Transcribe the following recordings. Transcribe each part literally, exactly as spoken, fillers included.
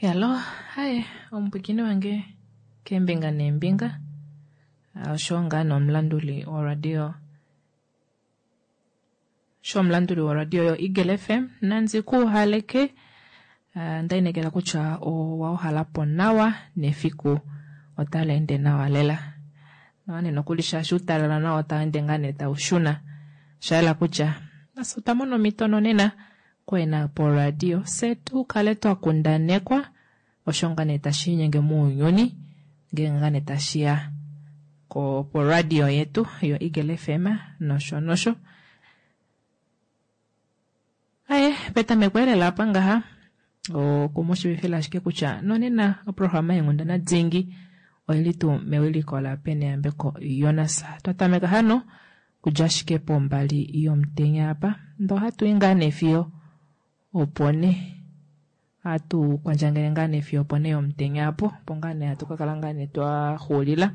Hello, haye omupwiikini wange keembinga neembinga osho ngaa nomulanduli woradio shomulanduli woradio yo Eagle F M Nanzi kuuhaleke ndainekela kutya owa uhalapo nawa nefiku otali ende nawa lela. Nawa nee nokuli shaashi uutalala nawo otau ende ngaa nee tau shuna. Osha kutya nafye otwa mona omhito nonena kwena poradio fye tu kale twa kundanekwa osho ngaa nee tashi inyenge mounyuni ngenge ngaa nee tashiya ko poradio yetu yo Eagle F M nosho nosho. Aye, petameko elela apa ngaha okumushivifila ashike kutya nonena oprograma yeenghundana dingi oili tuu mewiliko la Peneyambeko Jonas. Twatameka hano kudja ashike pombali yomutenya apa ndo ohatu i ngaa nee fiyo opo ne hatu kwandjangele ngaa nee fiyo opo ne yomutenya apo opo ngaa nee hatu kakala ngaa nee twaxuulila.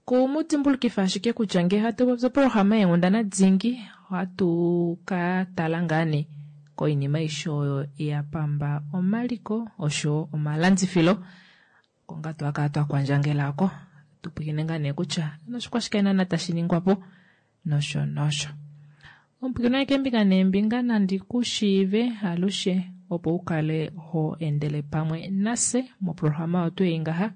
Kumudimbulukifa ashike kutya ngee hatu popi oprograma yeenghundana dingi ohatu ka tala ngaa nee koinima aishe oyo ya pamba omaliko osho omalandifilo konga twakala twakwandjangelako tupwikine ngaa nee kutya noshikwashike naana tashi ningwapo nosho nosho. Omupwikini keembinga neembinga nandi kushiive alushe opo ukale ho endele pamwe nase moprograma oyo ei ngaha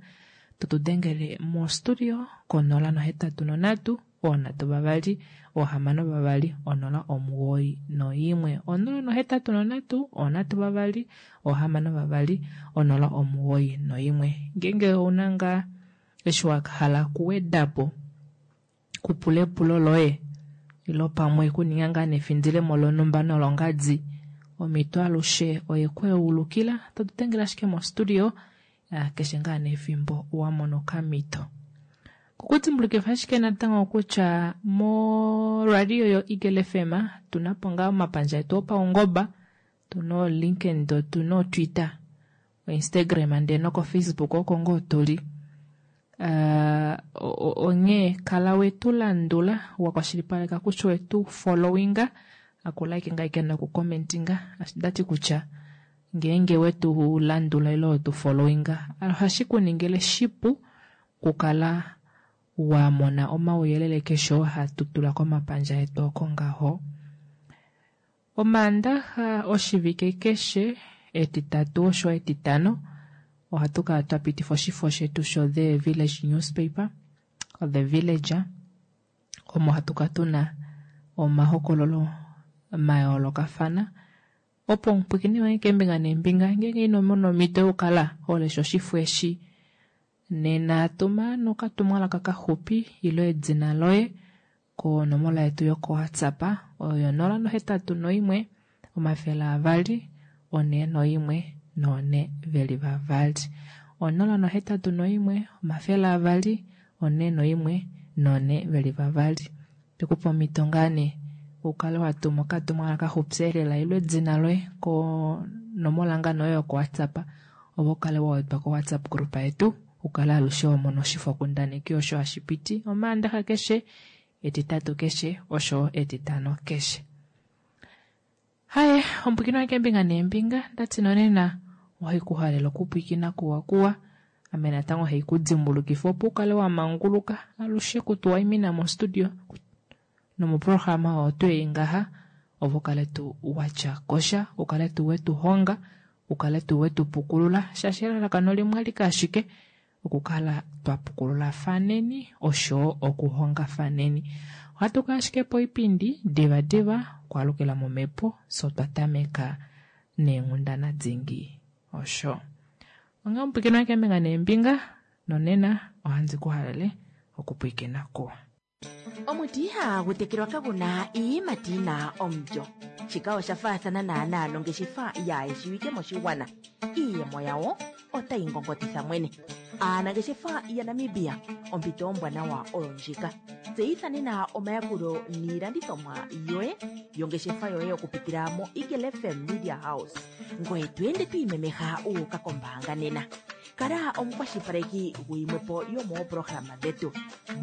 totudengele mostudio konola nohetatu nonhatu oonhatu vavali oohamano vavali onola omugoyi noimwe onola nohetatu nonhatu oonhatu vavali oohamano vavali onola omugoyi noimwe. Ngeenge ouna ngaa eshi wahala kuwedapo kupula epulo loye ilo pamwe kuninga ngaa nefindilemo lonhumba nolongadi omhito alushe oye kweulukila totudengele ashike mostudio keshe ngaa nefimbo wamona okamhito. Kukudimbulukifa ashike natango kutya moradio yo Eagle F M tunapo ngaa omapandja etu opaungoba tuna LinkedIn tuna Twitter Instagram ndee noko Facebook oko ngoo tuli. Uh, onghee kala wetu landula wakwashilipaleka kutya wetu followinga akulike ike nokucommentinga ndati kutya ngeenge wetu landula ilo wetu followinga ohashi kuningile shipu kukala wamona omauyelele keshe oo hatu tula komapandja etu oko ngaho. Omaandaxa oshivike keshe etitatu osho etitano ohatu kala twapitifa oshifo shetu sho The Village Newspaper The Villager omo hatu kala tuna omahokololo mayoolokafana opo omupwikini wange keembinga neembinga ngeenge ino mona omhito yokukala holesha oshifo eshi nena tuma nokatumwalaka kaxupi ilo edina loye konomola yetu yoko WhatsApp oyo nola nohetatu noimwe omafele avali one noimwe none veli vavali onola nohetatu noimwe omafele avali one noimwe none veli vavali. Tekupa omhito ngaa nee ukale watuma okatumwalaka kaxupi elela ilo edina loye konomola ngaa noyo yoko WhatsApp opo ukale wawedwa ko WhatsApp group yetu ukale alushe wamona oshifo kundaneki osho hashi piti omaandaxa keshe etitatu keshe osho etitano keshe. Haye omupwikini wange keembinga neembinga ndati nonena ohaikuhalela okupwikina kuwa kuwa ame natango haikudimbulukifa opo ukale wamanguluka alushe kutuwaimina mostudio nomoprograma oyo ei ngaha opo ukale tu watya kosha ukale tu wetuhonga ukale tu wetupukulula shaashi elalakano limwe alike ashike okukala twapukululathaneni osho okuhongafaneni. Ohatu kala ashike poipindi diva diva kwalukila momhepo so twatameka neenghundana dingi osho. Onghee omupwikini wange keembinga neembinga nonena ohandi kuhalele okupwikina kuwa. Omuti ihagu tekelwa kaguna iiyimati yina omulyo. Shika osha faathana naanaa nongeshefa yaayeshiwike moshigwana. Iiyemo yawo otayi ngongotitha mwene. Aanangeshefa yaNamibia ompito ombwanawa oyo ndjika. Tseyitha nena omayakulo niilandithomwa yoye yongeshefa yoye okupitila mo Eagle F M Media House. Ngoye to ende to imemeha uuka kombaanga nena. Kala omukwashilipaleki guyimwepo yomooprograma dhetu.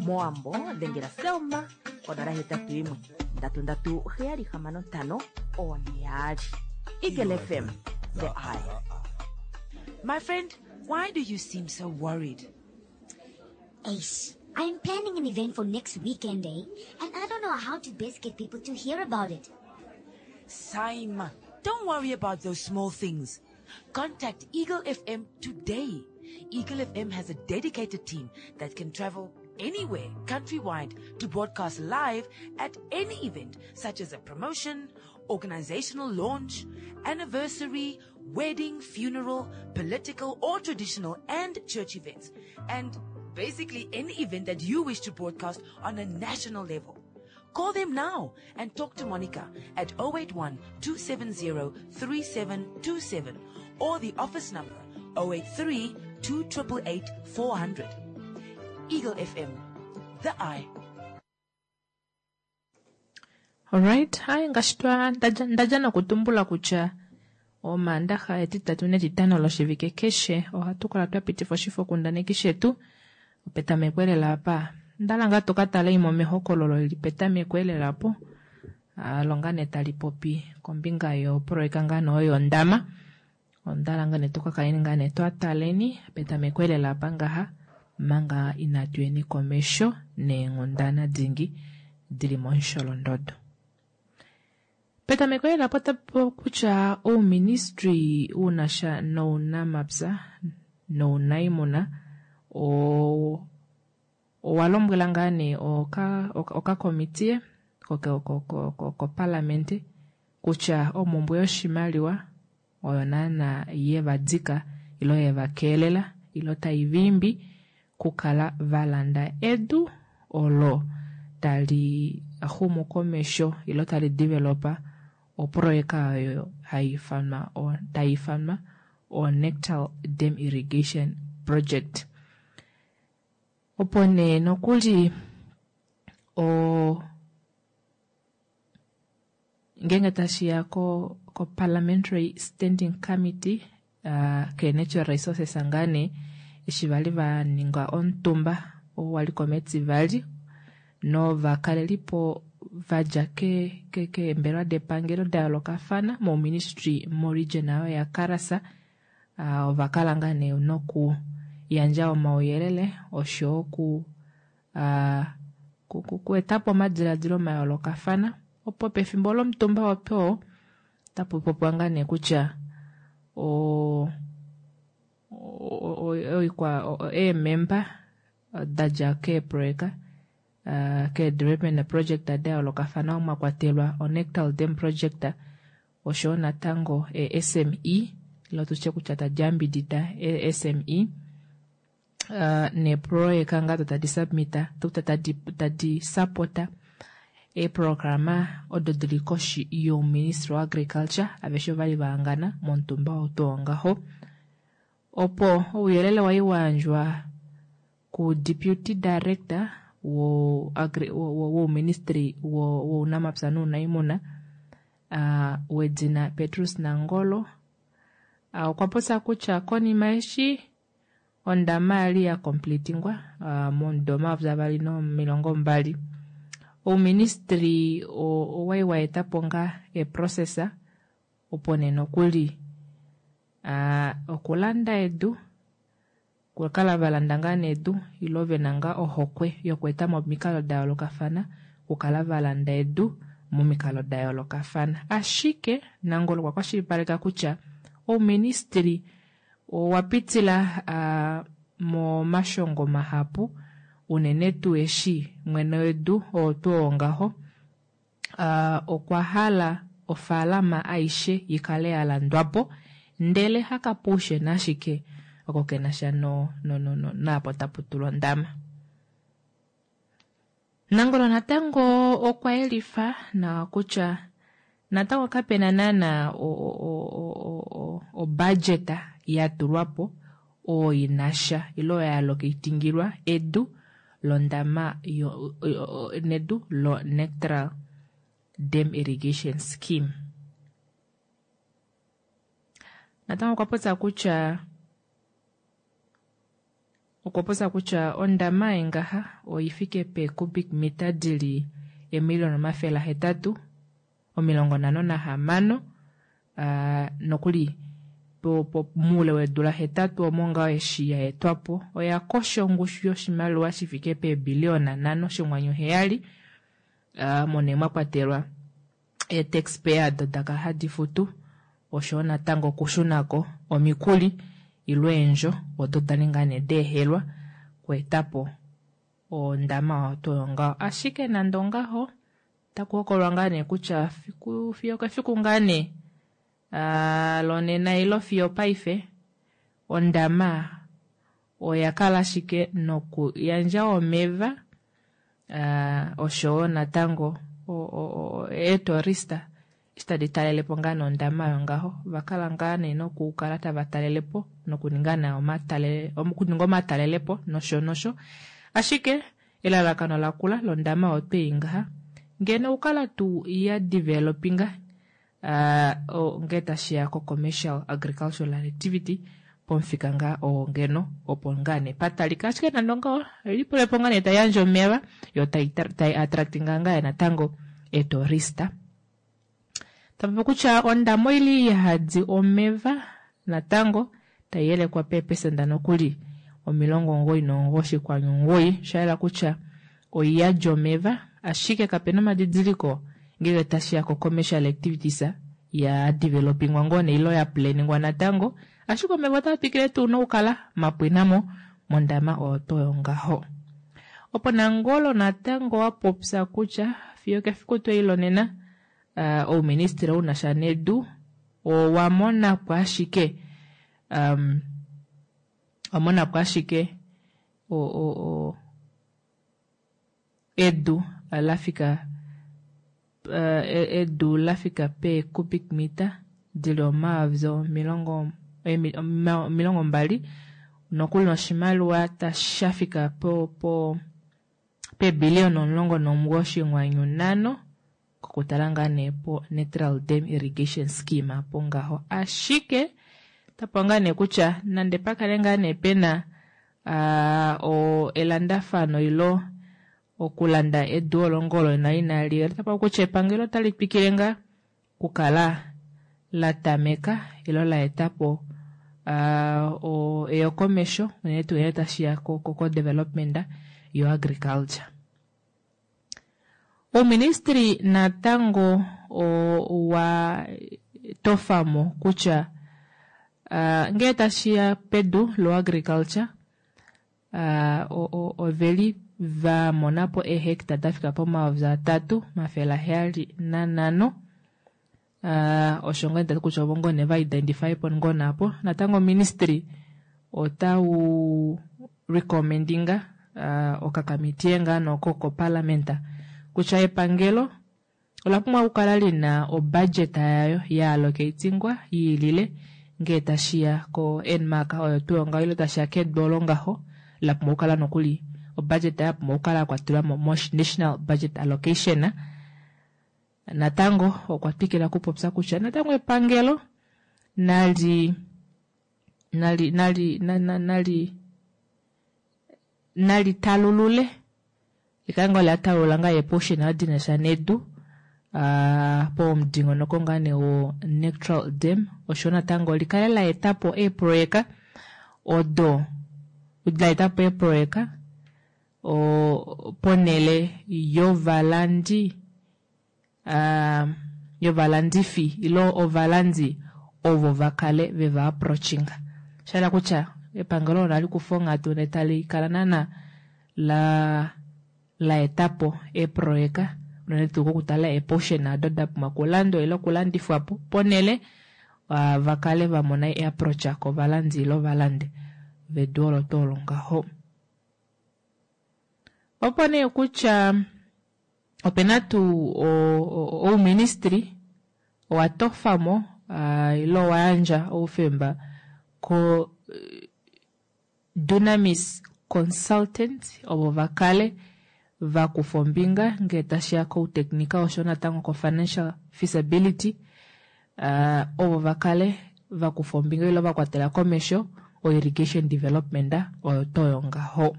Moambo dhengela Selma onola hetatu yimwe ndatu ndatu heyali hamano ntano one yaali. Eagle F M, the eye My friend, why do you seem so worried? Eish, I'm planning an event for next weekend, eh? And I don't know how to best get people to hear about it. Saima, don't worry about those small things. Contact Eagle F M today. Eagle F M has a dedicated team that can travel anywhere countrywide to broadcast live at any event, such as a promotion, organizational launch, anniversary, wedding, funeral, political or traditional and church events, and basically any event that you wish to broadcast on a national level. Call them now and talk to Monica at oh eight one two seven zero three seven two seven or the office number oh eight three two eight eight four hundred. Eagle F M, the eye. Alright, hai ngaashi twa ndaja ndaja nokutumbula kutya Omaandaxa, Etitatu nEtitano loshivike keshe ohatu kala twa pitifa oshifokundaneki shetu petameko elela apa. Ndala ngaa tu ka tale imwe mehokololo lili petameko elela po longa nee tali popi kombinga yoproyeka ngaa nee oyo yondama. Ondala ngaa nee tuka kaleni ngaa nee twa taleni petameko elela apa ngaha manga inatu yeni komesho neenghundana dingi dili momusholondodo. Petameko elela po kutya ouministry unasha nounamapya nounaimuna owa lombwela ngaa nee okakomitiye kopalamente kutya omumbwe yoshimaliwa oyo naana yevadika ilo yevakeelela ilo taivimbi kukala valanda edu olo tali xumu komesho ilo tali developa oproyeka oyo haifanwa taifanwa o Nectal Dam Irrigation Project. Opo nee nokuli o ngenge tashiya ko ko Parliamentary Standing Committee uh, ke Natural Resources ngane eshi vali va ninga omutumba oo wali komEtivali novakalelipo vadja ke ke keembelewa depangelo da yoolokafana mouministry moregion oyo yaKaras uh, ova kala ngaa nee noku yandja omauyelele oshowo ku uh, ku etapo omadiladilo mayoolokafana opo pefimbo lomutumba opo tapu popiwa ngaa nee kutya o oikwa eememba dadja keeproyeka uh, ke development project da yoolokafana mwa kwatelwa oNectal Dam Project oshowo natango e S M E ilo tutye kutya tadi yambidida e S M E uh, neeproyeka ngaa tadi submita tadi tadi sapota eeprograma odo dili koshi youministry wa agriculture. Aveshe ovali vahangana momutumba oo tuu ngaho opo ouyelele wai wayandjwa ku deputy director wo wouministry wounamapya nounaimuna uh, wedina Petrus Nangolo uh, okwa popya kutya konima eshi ondama yali ya completingwa uh, momudo omayovi avali nomilongo mbali ouministry owai wa etapo ngaa eprocess opo nee nokuli uh, okulanda edu kukala valanda ngaa nedu ilo vena ngaa ohokwe yoku etamo omikalo da yoolokafana okukala valanda edu momikalo da yoolokafana. Ashike Nangolo okwa kwashilipaleka kutya ouministry owa pitila uh, momashongo mahapu unene tuu eshi mwene wedu oo tuu oo ngaho uh, okwa hala ofaalama aishe ikale ya landwapo ndele hakapuushena ashike oko kenasha no, no, no, no, naapo tapu tulwa ondama. Nangolo natango okwa yelifa nawa kutya natango kapena naana obudget ya tulwapo oyo inasha ilo oyo ya allocatingilwa edu londama yo, nedu lo Nectral Dam Irrigation Scheme. Natango okwa popya kutya okwa popya kutya ondama yengaha oifike pe cubic meter dili emiliyona omafele ahetatu omilongo nhano nahamano uh, nokuli Muule weedula hetatu omo ngaho eshi ya etwapo oya kosha ongushu yoshimaliwa shifike peebiliyona nhano shinghwanyu heyali, omo nee mwakwatelwa eetaxpayer odo dakala hadi futu oshoyo natango okushunako omikuli ile eendjo odo dali ngaa nee daehelwa okweetapo ondama oyo tuu oyo ngaho. Ashike nande ongaho otaku hokololwa ngaa nee kutya fiyo okefiku ngaa nee lonena ilo fiyo opaife ondama oya kala ashike nokuyandja omeva oshoyo natango eetourista eshi tadi talelepo ngaa nee ondama oyo ngaho ovakala ngaa nee nokukala tava talelepo nokuninga okuninga omatalelepo nosho nosho. Ashike elalakano lakula londama oyo twei ngaha ngeno okukala tuu ya developinga ngee tashiya ko commercial agricultural activity pomufika ngaa oo ngeno opo ngaa nee patalika. Ashike nande ongaho oilipolepo ngaa nee taiyandje omeva yoo tai attractinga ngaa natango eetourista. Tapopi kutya ondama oili yahadi omeva natango taiyelekwa peepesenda nokuli omilongo omugoyi nomugoyi oshinghwanyu omugoyi, shayela kutya oiyadi omeva ashike kapena omadidiliko ngenge tashiya ko commercial activities ya developingwa ngoo nee ile ya planingwa natango, ashike omeva otaa twikile tuu nokukala mapwinamo mondama oyo tuu oyo ngaho. Opo Nangolo natango wapopya kutya fiyo kefiku twei lonena ouministry unasha nedu owamonapo ashike um, wamonapo ashike o, edu lafika edu lafika pe cubic meter dili omayovi omilongo omilongo mbali nokuli noshimaliwa tashafika po po peebiliyona omulongo nomugoyi oshinghwanyu nhano kokutala ngaa nee po Natural Dam Irrigation Scheme apo ngaho. Ashike tapo ngaa nee kutya nande pakale ngaa nee pena uh, elandafano ilo okulanda edu olo ngolo na inali tapo kutya epangelo otali twikile ngaa kukala la tameka ilo la etapo uh, eyokomesho unene tuu ngele tashiya ko, ko, ko development yo agriculture. Ouministry natango owa tofamo kutya uh, ngele tashiya pedu lo agriculture uh, oveli vamonapo eehecta dafika pomayovi atatu omafele aheyali nanhano uh, osho ngoo ndati kutya ovo ngoo nee va identify po ngoo naapo. Natango ministry otau recommendinga uh, okakamitiye ngaa noko koparliament kutya epangelo ola pumbwa okukala lina obudget yayo ya allocatingwa yiilile ngee tashiya ko N-Mark oyo tuu ngaho ile tashiya kedu olo ngaho la pumbwa okukala nokuli obudget ya pumbwa okukala yakwatelwa mo national budget allocation. Natango okwa twikila okupopya kutya natango epangelo nali nali nali nali nali talulule likale ngoo latalulula ngaa eeportion dinasha nedu uh, pomudingonoko ngaa nee wo Natural Dam osho natango likale la etapo eeproyeka odo la etapo eeproyeka ponele yovalandi uh, yovalandifi ilo ovalandi ovo vakale veva approachinga. Shahala kutya epangelo olo nali kufa onghatu netali kala naana la la etapo eeproyeka unene tuu kokutala eeportion ado da pumbwa okulandwa ile okulandifwapo ponele uh, vakale vamona eapproach kovalandi ile ovalandi vedu olo tuu olo ngaho. Opo nee kutya opena tuu ouministry owa tofamo uh, ile owa yandja oufemba ko Dunamis Consultant ovo vakale vakufa ombinga ngee tashiya kouteknika osho natango ko financial feasibility uh, ovo vakale vakufa ombinga ile vakwatela komesho o irrigation development oyo toyo ngaho.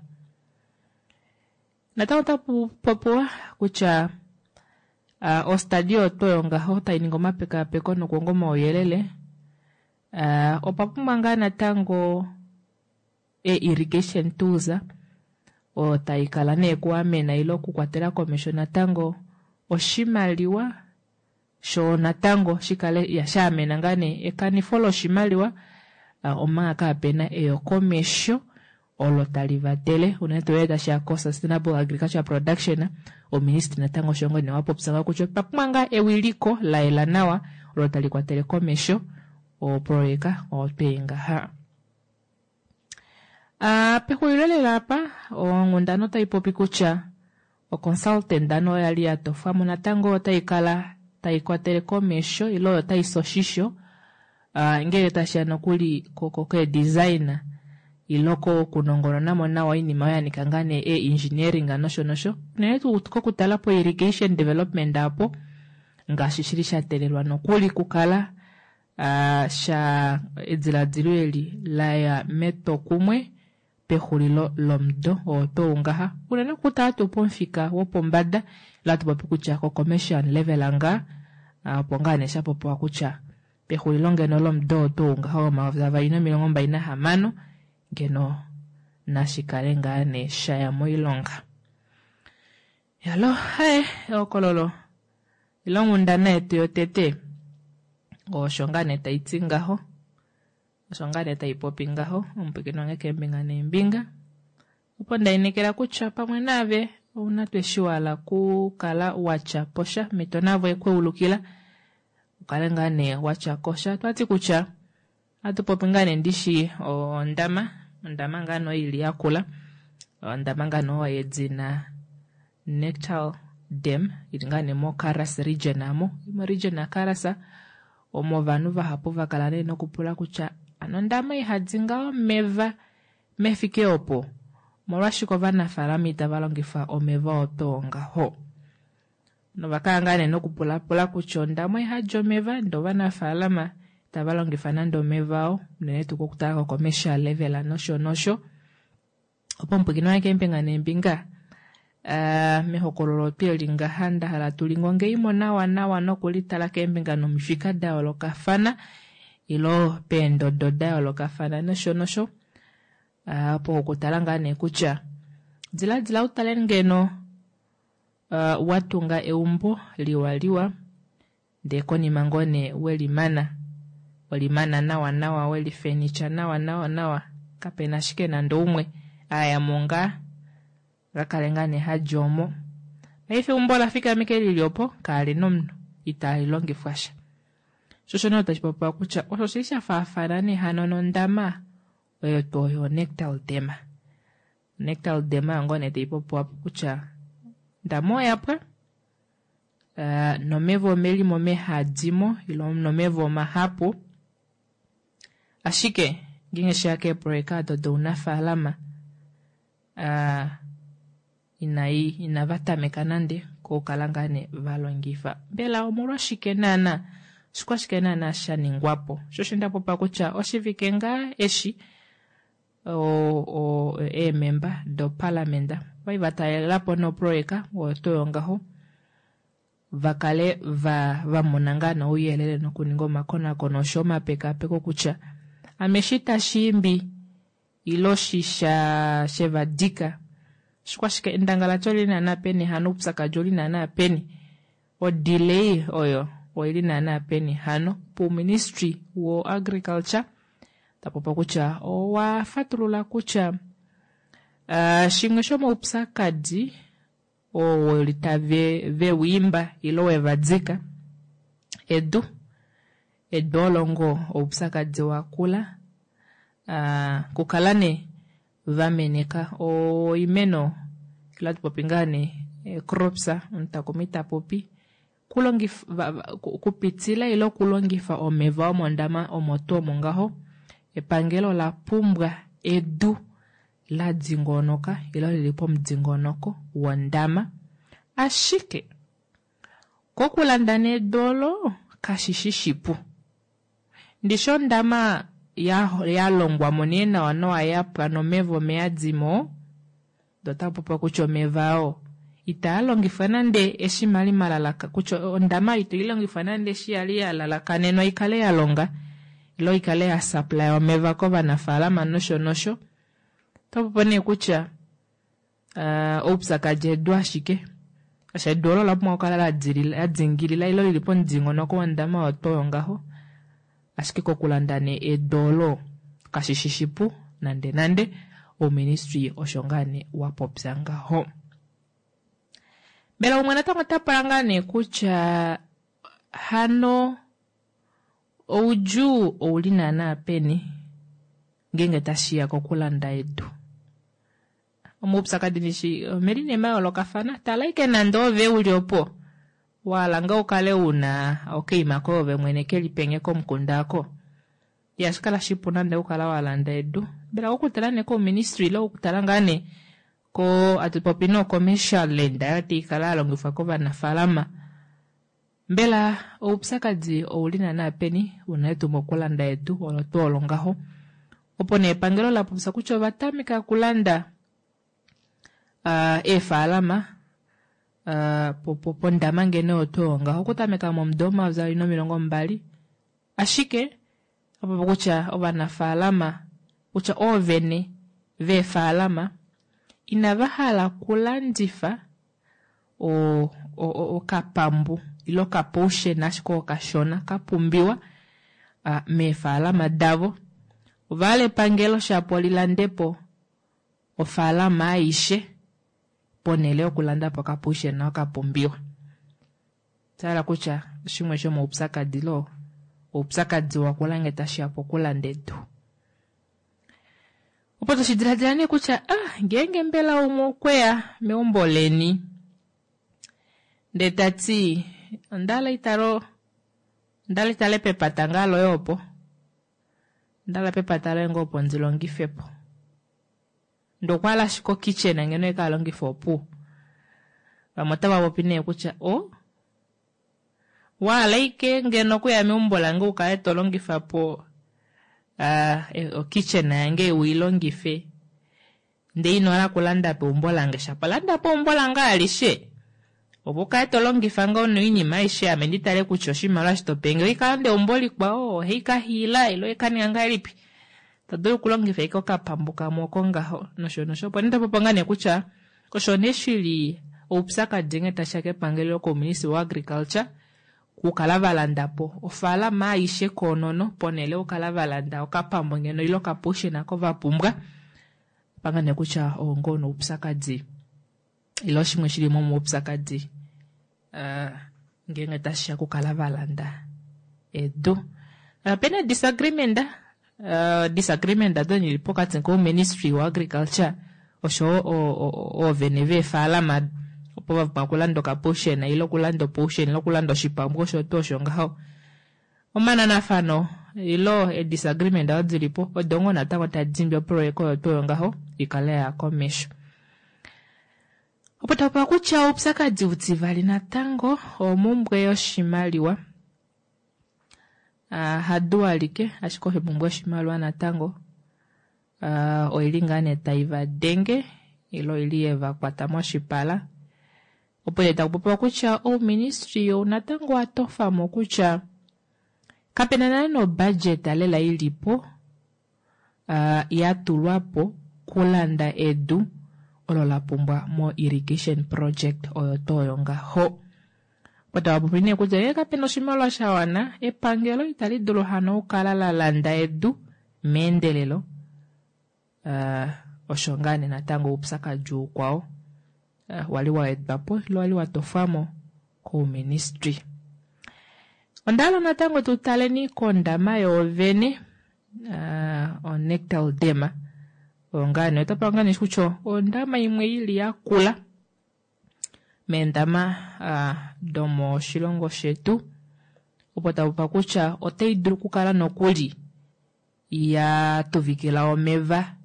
Natango otapu popiwa kutya uh, ostadio oyo ngaho tai ningi omapekapeko nokuonga omauyelele Uh, opa pumbwa ngaa natango e-irrigation tools oyo tai kala nee kuamena ile okukwatela komesho natango oshimaliwa shoo natango shikale ya shaamena ngaa nee ekanifo loshimaliwa uh, omanga kaapena eyokomesho olo tali vatele unene tuu tashiya ko-sustainable agriculture production oministry natango oshongo ne wapopya ngaho kutya otwa pumbwa ngaa ewiliko la yela nawa olo tali kwatele komesho oproyeka otwei ngaha. Uh, pexulilo lela apa onghundana otai popi kutya oconsultant ano oyo yali ya tofwamo natango otai kala tai kwatele komesho ile oyo tai si oshisho uh, ngele tashiya nokuli keedesign ile kokunongononamo nawa oinima oyo yanika ngaa nee e-engineering nosho nosho unene tuu kokutala po irrigation development apo ngaashi shili sha telelwa nokuli kukala uh, sha ediladilo eli laya metwokumwe pexulilo lomudo oo tuu ngaha unene okutala tuu pomufika wopombada ile hatu popi kutya ko-commercial level ngaa opo ngaa nee shapopiwa kutya pexulilo ngeno lomudo oo tuu ngaha womayovi avali nomilongo mbali nahamano ngeno nashikale ngaa nee shaya moilonga. Yalo haye ehokololo ile onghundana yetu yotete osho ngaa nee taiti ngaho osho ngaa nee taipopi ngaho omupwiikini wange keembinga neembinga opo ndainekela kutya pamwe naave ouna tweshiwala kukala watya posha mito navo ekweulukila ukale ngaa nee watya kosha twati kutya ohatu popi ngaa nee ndishi ondama ondama ngaa nee ili yakula ondama ngaa nee yedina Nectal Dam ili ngaa nee moKaras region amo mo region yaKaras omo ovanhu vahapu vakala nee nokupula kutya ano ondama ihadi ngaa omeva mefike opo omolwashike ovanafaalama itava longifa omeva otoo ngaho novakala ngaa nee nokupulapula kutya ondama ihadi omeva ndee ovanafaalama itava longifa nande omeva oo unene tuu kokutala ko-commercial level nosho nosho opo omupwiikini wange keembinga neembinga Uh, mehokololo tweli ngaha ndahala tulingongeimo nawa nawa nokulitala keembinga nomifika da yoolokafana ilo peendodo da yoolokafana nosho nosho uh, opo okutala ngaa nee kutya diladila utale ngeno uh, watunga eumbo liwaliwa ndee konima ngoo nee welimana welimana nawa nawa welifenicha nawa nawa nawa kapena ashike nande umwe ayamo ngaa kakale ngaa nee hadi omo paife eumbo ola fikameke lili opo kaalina omunhu itali longifwa sha sho osho nee tashi popiwa kutya osho shili sha faafana nee hano nondama oyo tuu oyo Nectal Dam. Nectal Dam oyo ngoo nee tai popiwa kutya ondama oyapwa uh, nomeva omelimo mehadimo ile nomeva omahapu ashike ngeenge sheya keeproyeka odo dounafaalama uh, inai inava tameka nande kokukala ngaa nee valongifa mbela omolwashike naana oshikwashike naana sha ningwapo sho osho ndapopa kutya oshivike ngaa eshi eememba doparliament ovali vatalelapo noproyeka oyo tuu ngaho vakale va vamona ngaa nouyelele nokuninga omakonakono osho omapekapeko kutya ame eshi tashiimbi ile oshisha shevadika oshikwashike endangalati oli naana peni hano oupyakadi oli naana peni odelay oyo oili naana peni hano pouministry wo agriculture tapopa kutya owa fatulula kutya uh, shimwe shomaupyakadi oo weli tave vewiimba ile wevadika edu edu olo ngoo oupyakadi wakula uh, kukala nee vameneka oimeno ile hatu popi ngaa nee crops omutakumi tapopi kulongifa kupitila ile okulongifa omeva omondama omo tuu omo ngaho epangelo ola pumbwa edu la dingonoka ile lili pomudingonoko wondama ashike kokulanda nedu olo kashishi shipu ndishi ondama ya longwamo nee nawa nawa yapwa nomeva omeyadimo ndee otakupopiwa kutya omeva oo itaa longifwa nande eshi mali malalaka kutya ondama ito ilongifwa nande eshi yali ya lalakanenwa ikale ya longa Ile ikale ya supply omeva kovanafaalama nosho nosho. Otapopi nee kutya oupyakadi edu ashike shaashi edu olo olapumbwa okukala ladingilila ile lili pomudingonoko wondama oyo tuu oyo ngaho, ashike kokulanda nee edu olo kashishi shipu nande nande. Ouministry osho ngaa nee wapopya ngaho. Mbela umwe natango ota pula ngaa nee kutya hano oudjuu ouli naana peni ngeenge tashiya kokulanda edu. Omaupyakadi nishi omeli nee mayoolokafana, tala ike nande ove uli opo wahala ngoo ukale una okaima koye ove mwene keli penge komukunda ako, ihashi kala shipu nande okukala walanda edu. Mbela okutala nee kouministry ile okutala ngaa nee ko atupopi no commercial land ayo taikala yalongifwa kovanafaalama, mbela oupyakadi ouli naana peni unene tuu mokulanda edu olo tuu olo ngaho. Opo nee epangelo lapopya kutya ova tameka okulanda eefalama pondama ngeno oyo tuu oyo ngaho okutameka momudo omayovi avali nomilongo mbali, ashike opo kutya ovanafaalama kutya oovene veefalama inava hala okulandifa okapambu ile okapotion ashike okashona kapumbiwa meefalama davo. Ovahala epangelo shapo lilandepo ofaalama aishe ponele yokulanda po okapotion okapumbiwa. Oshahala kutya oshimwe shomoupyakadi lo oupyakadi wakula ngee tashiya pokulanda edu. Opo toshidiladila nee kutya ah ngeenge mbela umwe okweya meumbo leni ndee tati ondahala italo ondahala itale pepata ngaa loye opo ondahala pepata loye ngoo opo ndilongifepo, ndee okwahala ashike okitchen ngeno ekalongife opuwo. Vamwe otava popi nee kutya o wahala ike ngeno okuya meumbo lange ukale tolongifapo okitchen yange uilongife ndee inohala okulanda peumbo lange, shapo landa po eumbo lange alishe opo ukale tolongifa ngoo noinima aishe ame nditale kutya oshimaliwa eshi topenge oikalanda eumbo likwao ohaikahiila ile oikaninga ngahelipi, todulu okulongifa ashike okapambu kamwe oko ngaho nosho nosho. Opo nee topopi ngaa nee kutya osho nee shili oupyakadi nghee tashiya kepangelo kouministry wa agriculture okukala valandapo ofaalama aishe koonono ponele okukala valanda okapambu ngeno ile okapotion oko vapumbwa. Panga nee kutya oo ngoo noupyakadi ile oshimwe shili momaupyakadi ngeenge tashiya okukala valanda edu. Opena disagreement, disagreement odo dili pokati kouministry wa agriculture oshowo oovene veefalama opo vapumbwa okulanda okapotion ile okulanda opotion ile okulanda oshipambu osho tuu osho ngaho. Omananafano ile edisagreement odo dilipo odo ngoo natango tadi imbi oprojeka oyo tuu oyo ngaho ikale yaya komesho. Opo tapopiwa kutya oupyakadi utivali natango omumbwe yoshimaliwa. Hadu alike ashike omhumbwe yoshimaliwa natango oili ngaa nee taivadenge ile oili yevakwata moshipala. Opo nee takupopiwa kutya ouministry ou natango watofamo kutya kapena nale nobudget lela ilipo yatulwapo kulanda edu olo lapumbwa mo irrigation project oyo tuu oyo ngaho. Opo tavapopi nee kutya ngee kapena oshimaliwa shawana epangelo itali dulu hano okukala lalanda edu meendelelo. Osho ngaa nee natango oupyakadi ukwao wali waetwapo ile wali watofwamo kouministry. Ondahala natango tutaleni kondama yoovene oNectal Dam. Oyo ngaa nee otapa ngaa nee kutya ondama imwe ili yakula meendama domoshilongo shetu, opo tapopiwa kutya otai dulu okukala nokuli yatuvikila omeva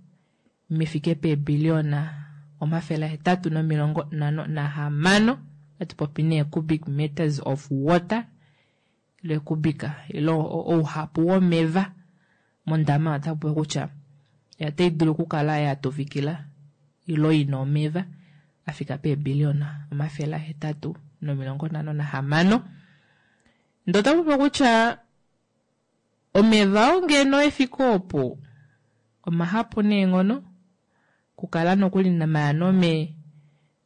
mefike peebiliona omafele ahetatu nomilongo nhano nahamano, atupopi nee cubic meters of water ile cubic ile ouhapu womeva mondama otapopiwa kutya otai dulu okukala yatuvikila ile ina omeva afika peebiliona omafele ahetatu nomilongo nhano nahamano. Ndee otapopiwa kutya Omeva oo ngeno efike opo omahapu neenghono okukala nokuli maano me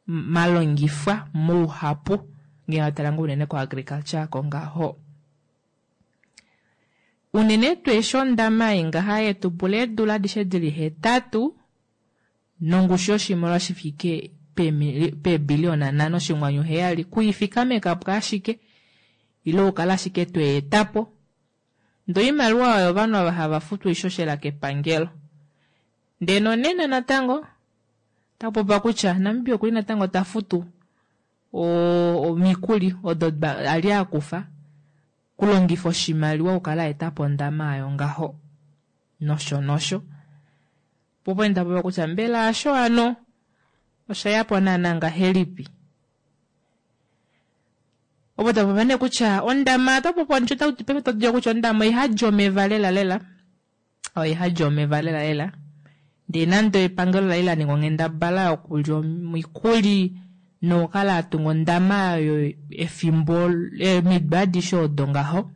malongifwa mouhapu ngee watala ngoo unene ko agriculture aako ngaho. Unene tuu eshi ondama ei ngaha yetupula eedula adishe dili hetatu nongushu yoshimaliwa shifike peebiliyona nhano oshinghwanyu heyali kuifikamekapo ashike ile ukale ashike tweetapo ndee oimaliwa oyo ovanhu ava hava futu oishoshela kepangelo. Ndee nonena natango otakupopiwa kutya Namibia okuli natango tafutu omikuli odo ali akufa kulongifa oshimaliwa okukala aetapo ondama ayo ngaho nosho nosho. Popo nda kutya mbela asho ano oshayapo naana ngahelipi. Opo tapopiwa nee kutya ondama otapopiwa kutya ondama oihadi omeva lela lela oihadi omeva lela lela ndee nande epangelo lali laninga onghendabala yokulya omikuli nokukala atunga ondama oyo efimbo emido adishe odo ngaho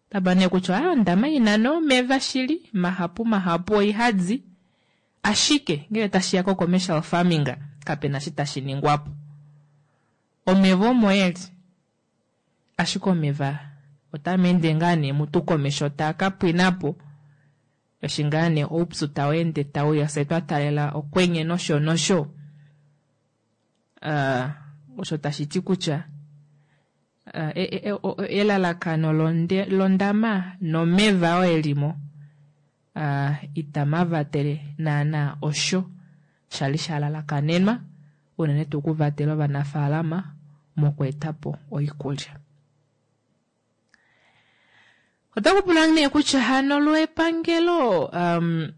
otapa nee kutya ondama ina nee omeva shili mahapu mahapu oihadi ashike ngele tashiya ko commercial farming kapena shi tashi ningwapo. Omeva omo eli ashike omeva otameende ngaa nee mutu komesho taa kapwinapo eshi ngaa nee oupyu tau ende tauya fye twatalela okwenye nosho nosho. Uh, osho tashi ti kutya uh, elalakano londama nomeva oo elimo uh, itamavatele naana osho shali shalalakanenwa unene tuu okuvatela ovanafaalama mokweetapo oikulya. Otakupula nee kutya hano lwepangelo um,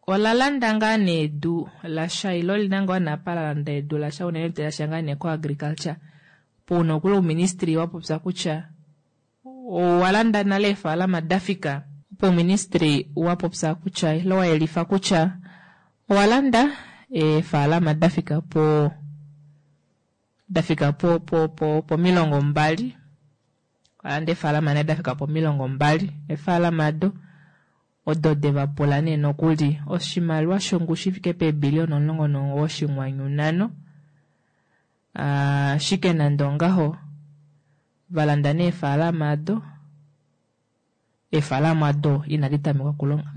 ola landa ngaa nee edu lasha ile olina ngoo napa la landa edu lasha unene tuu ngaa nee ko agriculture pouna okuli ouministry wapopya kutya owalanda nale eefalama dafika opo ouministry wapopya kutya ile wayelifa kutya owalanda eefalama dafika po dafika po po po pomilongo mbali walanda eefalama nee dafika pomilongo mbali eefalama ado odo devapula nee nokuli oshimaliwa shongushu ifike peebiliyona omulongo nomugoyi oshinghwanyu nhano. Ashike nande ongaho valanda nee eefalama ado eefalama ado inadi tameka okulonga.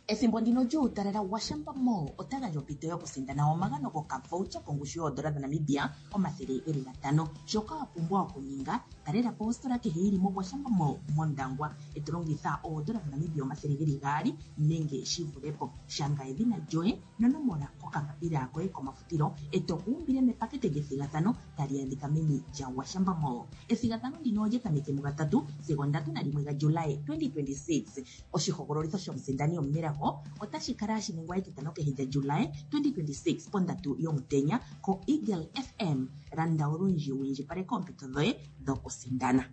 Ethimbo ndino lyuutalala Gwashamba Mall ota gandja ompito yokusindana omagano gokavoucher kongushu yoodola dhaNamibia omathele geli gatano. Shoka wa pumbwa okuninga, talela po ositola kehe yili moGwashamba Mall mOndangwa eto longitha oodola dhaNamibia omathele geli gaali nenge shi vule po. Shanga edhina lyoye nonomola kokambapila koye komafutilo eto kuumbile mepakete lyethigathano tali adhika meni lyaGwashamba Mall. Ethigathano ndino olya tameke mugatatu sigo ndatu nalimwe gaJulayi twenty twenty-six. Oshihogololitho shomusindani omunelago otashi kala hashi ningwa etitano kehe lyaJulayi twenty twenty-six pondatu yomutenya ko Eagle F M. Landa olundji wu indjipaleke oompito dhoye dhokusindana.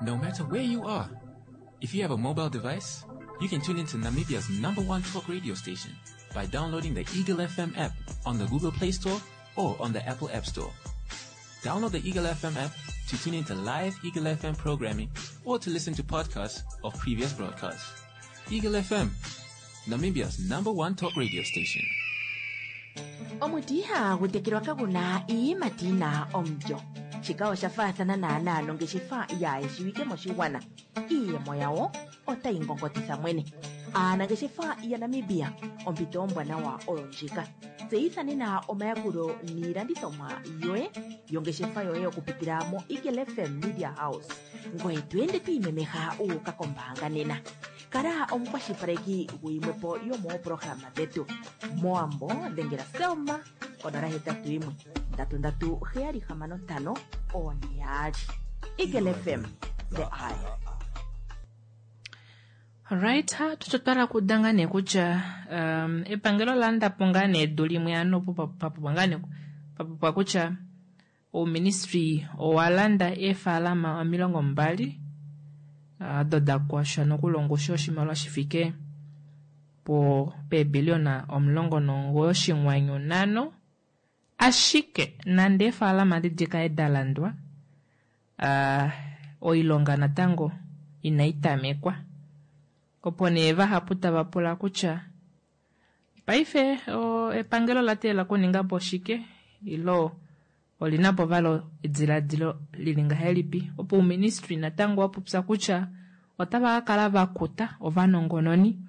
No matter where you are, if you have a mobile device, you can tune into Namibia's number one talk radio station by downloading the Eagle F M app on the Google Play Store or on the Apple App Store. Download the Eagle F M app to tune into live Eagle F M programming or to listen to podcasts of previous broadcasts. Eagle F M, Namibia's number one talk radio station. Omuti ihagu tekelwa kaguna iiyimati yina omulyo. Shika osha faathana naanaa nongeshefa yaayeshiwike moshigwana. Iiyemo yawo otayi ngongotitha mwene. Aanangeshefa yaNamibia, ompito ombwanawa oyo ndjika. Tseyitha nena omayakulo niilandithomwa yoye yongeshefa yoye okupitila mo Eagle F M Media House. Ngoye to ende to imemeha wu uka kombaanga nena. Kala omukwashilipaleki guyimwepo yomoopolohalama dhetu. Moambo dhengela Selma konola hetatu yimwe ndatu ndatu heyali hamano ntano one yaali. Eagle F M, the eye. Alright, tuchotwala kudanga nee kutya um, epangelo landa po ngaa nee edu limwe ano papopwa ngaa nee papopwa kutya ouministry owalanda eefalama omilongo mbali ado da kwasha nokulongusha oshimaliwa shifike po peebiliona omulongo nomugoyi oshinghwanyu nhano, ashike nande eefaalama edi dikale dalandwa, aa oilonga natango inaitamekwa. Opo nee vahapu tava pula kutya paife epangelo ola teelela okuningapo shike ilo olinapo vali edilaadilo lili ngahelipi opo ouministry natango wapopya kutya otava kakala vakuta ovanongononi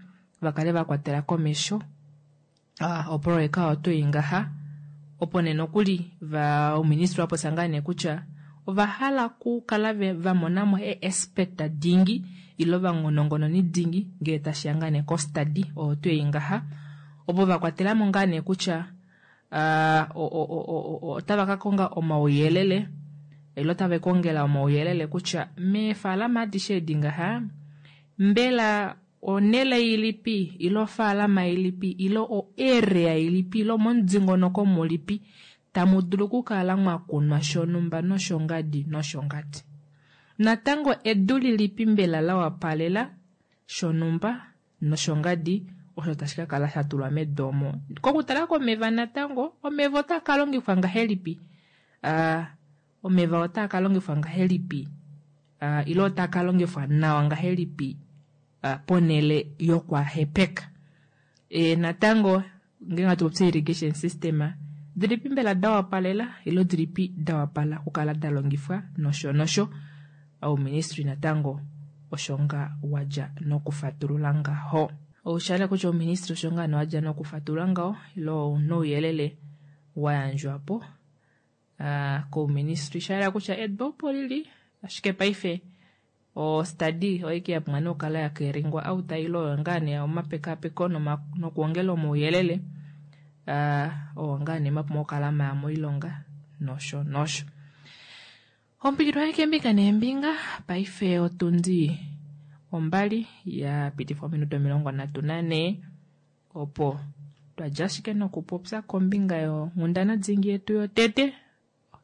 vakale vakwatela komesho oproyeka oyo tuu ngaha opo nee nokuli ouministry wapopya ngaa nee kutya ovahala okukala vamonamo ee-expert dingi ile ovanongononi dingi ngee tashiya ngaa nee ko-study oyo tuu ei ngaha ovo vakwatelamo ngaa nee kutya otava kakonga omauyelele ile otava kongela omauyelele kutya meefalama adishe edi ngaha mbela onele ilipi ile ofaalama ilipi ile o-area ilipi ile omomudingonoko mulipi tamu dulu okukala mwakunwa shonumba noshongadi noshongadi. Natango edu lilipi mbela la wapalela shonumba noshongadi osho tashi kakala shatulwa medu omo. Kokutala komeva natango, omeva otaa kalongifwa ngahelipi? Aa omeva otaa kalongifwa ngahelipi? Aa ile otaa kalongifwa nawa ngahelipi ponele yokwahepeka? E natango ngenge hatu popi irrigation system dilipi mbela dawapalela ile dilipi dawapala okukala dalongifwa nosho nosho. Ouministry natango osho nga wadja nokufatulula ngaho. Oushale kutya ouministry osho nga wadja nokufatulula ngaho ile onouyelele wayandjwapo kouministry shayela kutya edu opo lili ashike paife o-study oike yapumbwa nee okukala yakeringwa out ile oyo ngaa nee omapekapeko nokuongela omauyelele oo ngaa nee mapumbwa okukala maya moilonga nosho nosho. Ompikilo keembinga neembinga paife otundi ombali ya pitifwa ominute omilongo nhatu nanhee opo twadja ashike nokupopya kombinga yonghundana dingi yetu yotete.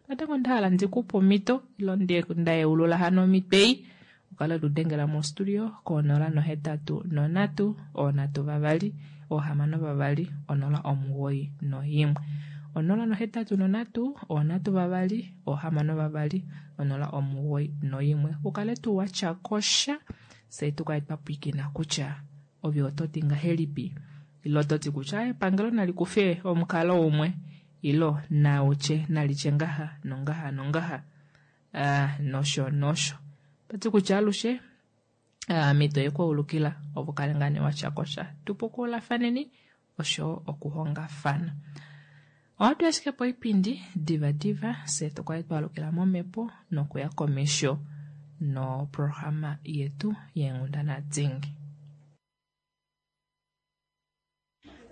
Natango ondahala ndikupe omhito ile ndayeulula hano omhito ei ukale tudengela mo-studio konola nohetatu nonhatu oonhatu vavali oohamano vavali onola omugoyi noimwe onola nohetatu nonhatu oonhatu vavali oohamano vavali onola omugoyi noimwe ukale tuu watya kosha fye tukale twapwiikina kutya ove ototi ngahelipi ile ototi kutya epangelo nali kufe omukalo umwe ile nautye nalitye ngaha nongaha nongaha nosho nosho. Toti kutya alushe omhito yekuulukila opo ukale ngaa nee watya kosha tupukulafaneni osho okuhongafana. Ohatu ashike poipindi diva diva fye tukale twalukila momhepo nokuya komesho noprograma yetu yeenghundana dingi.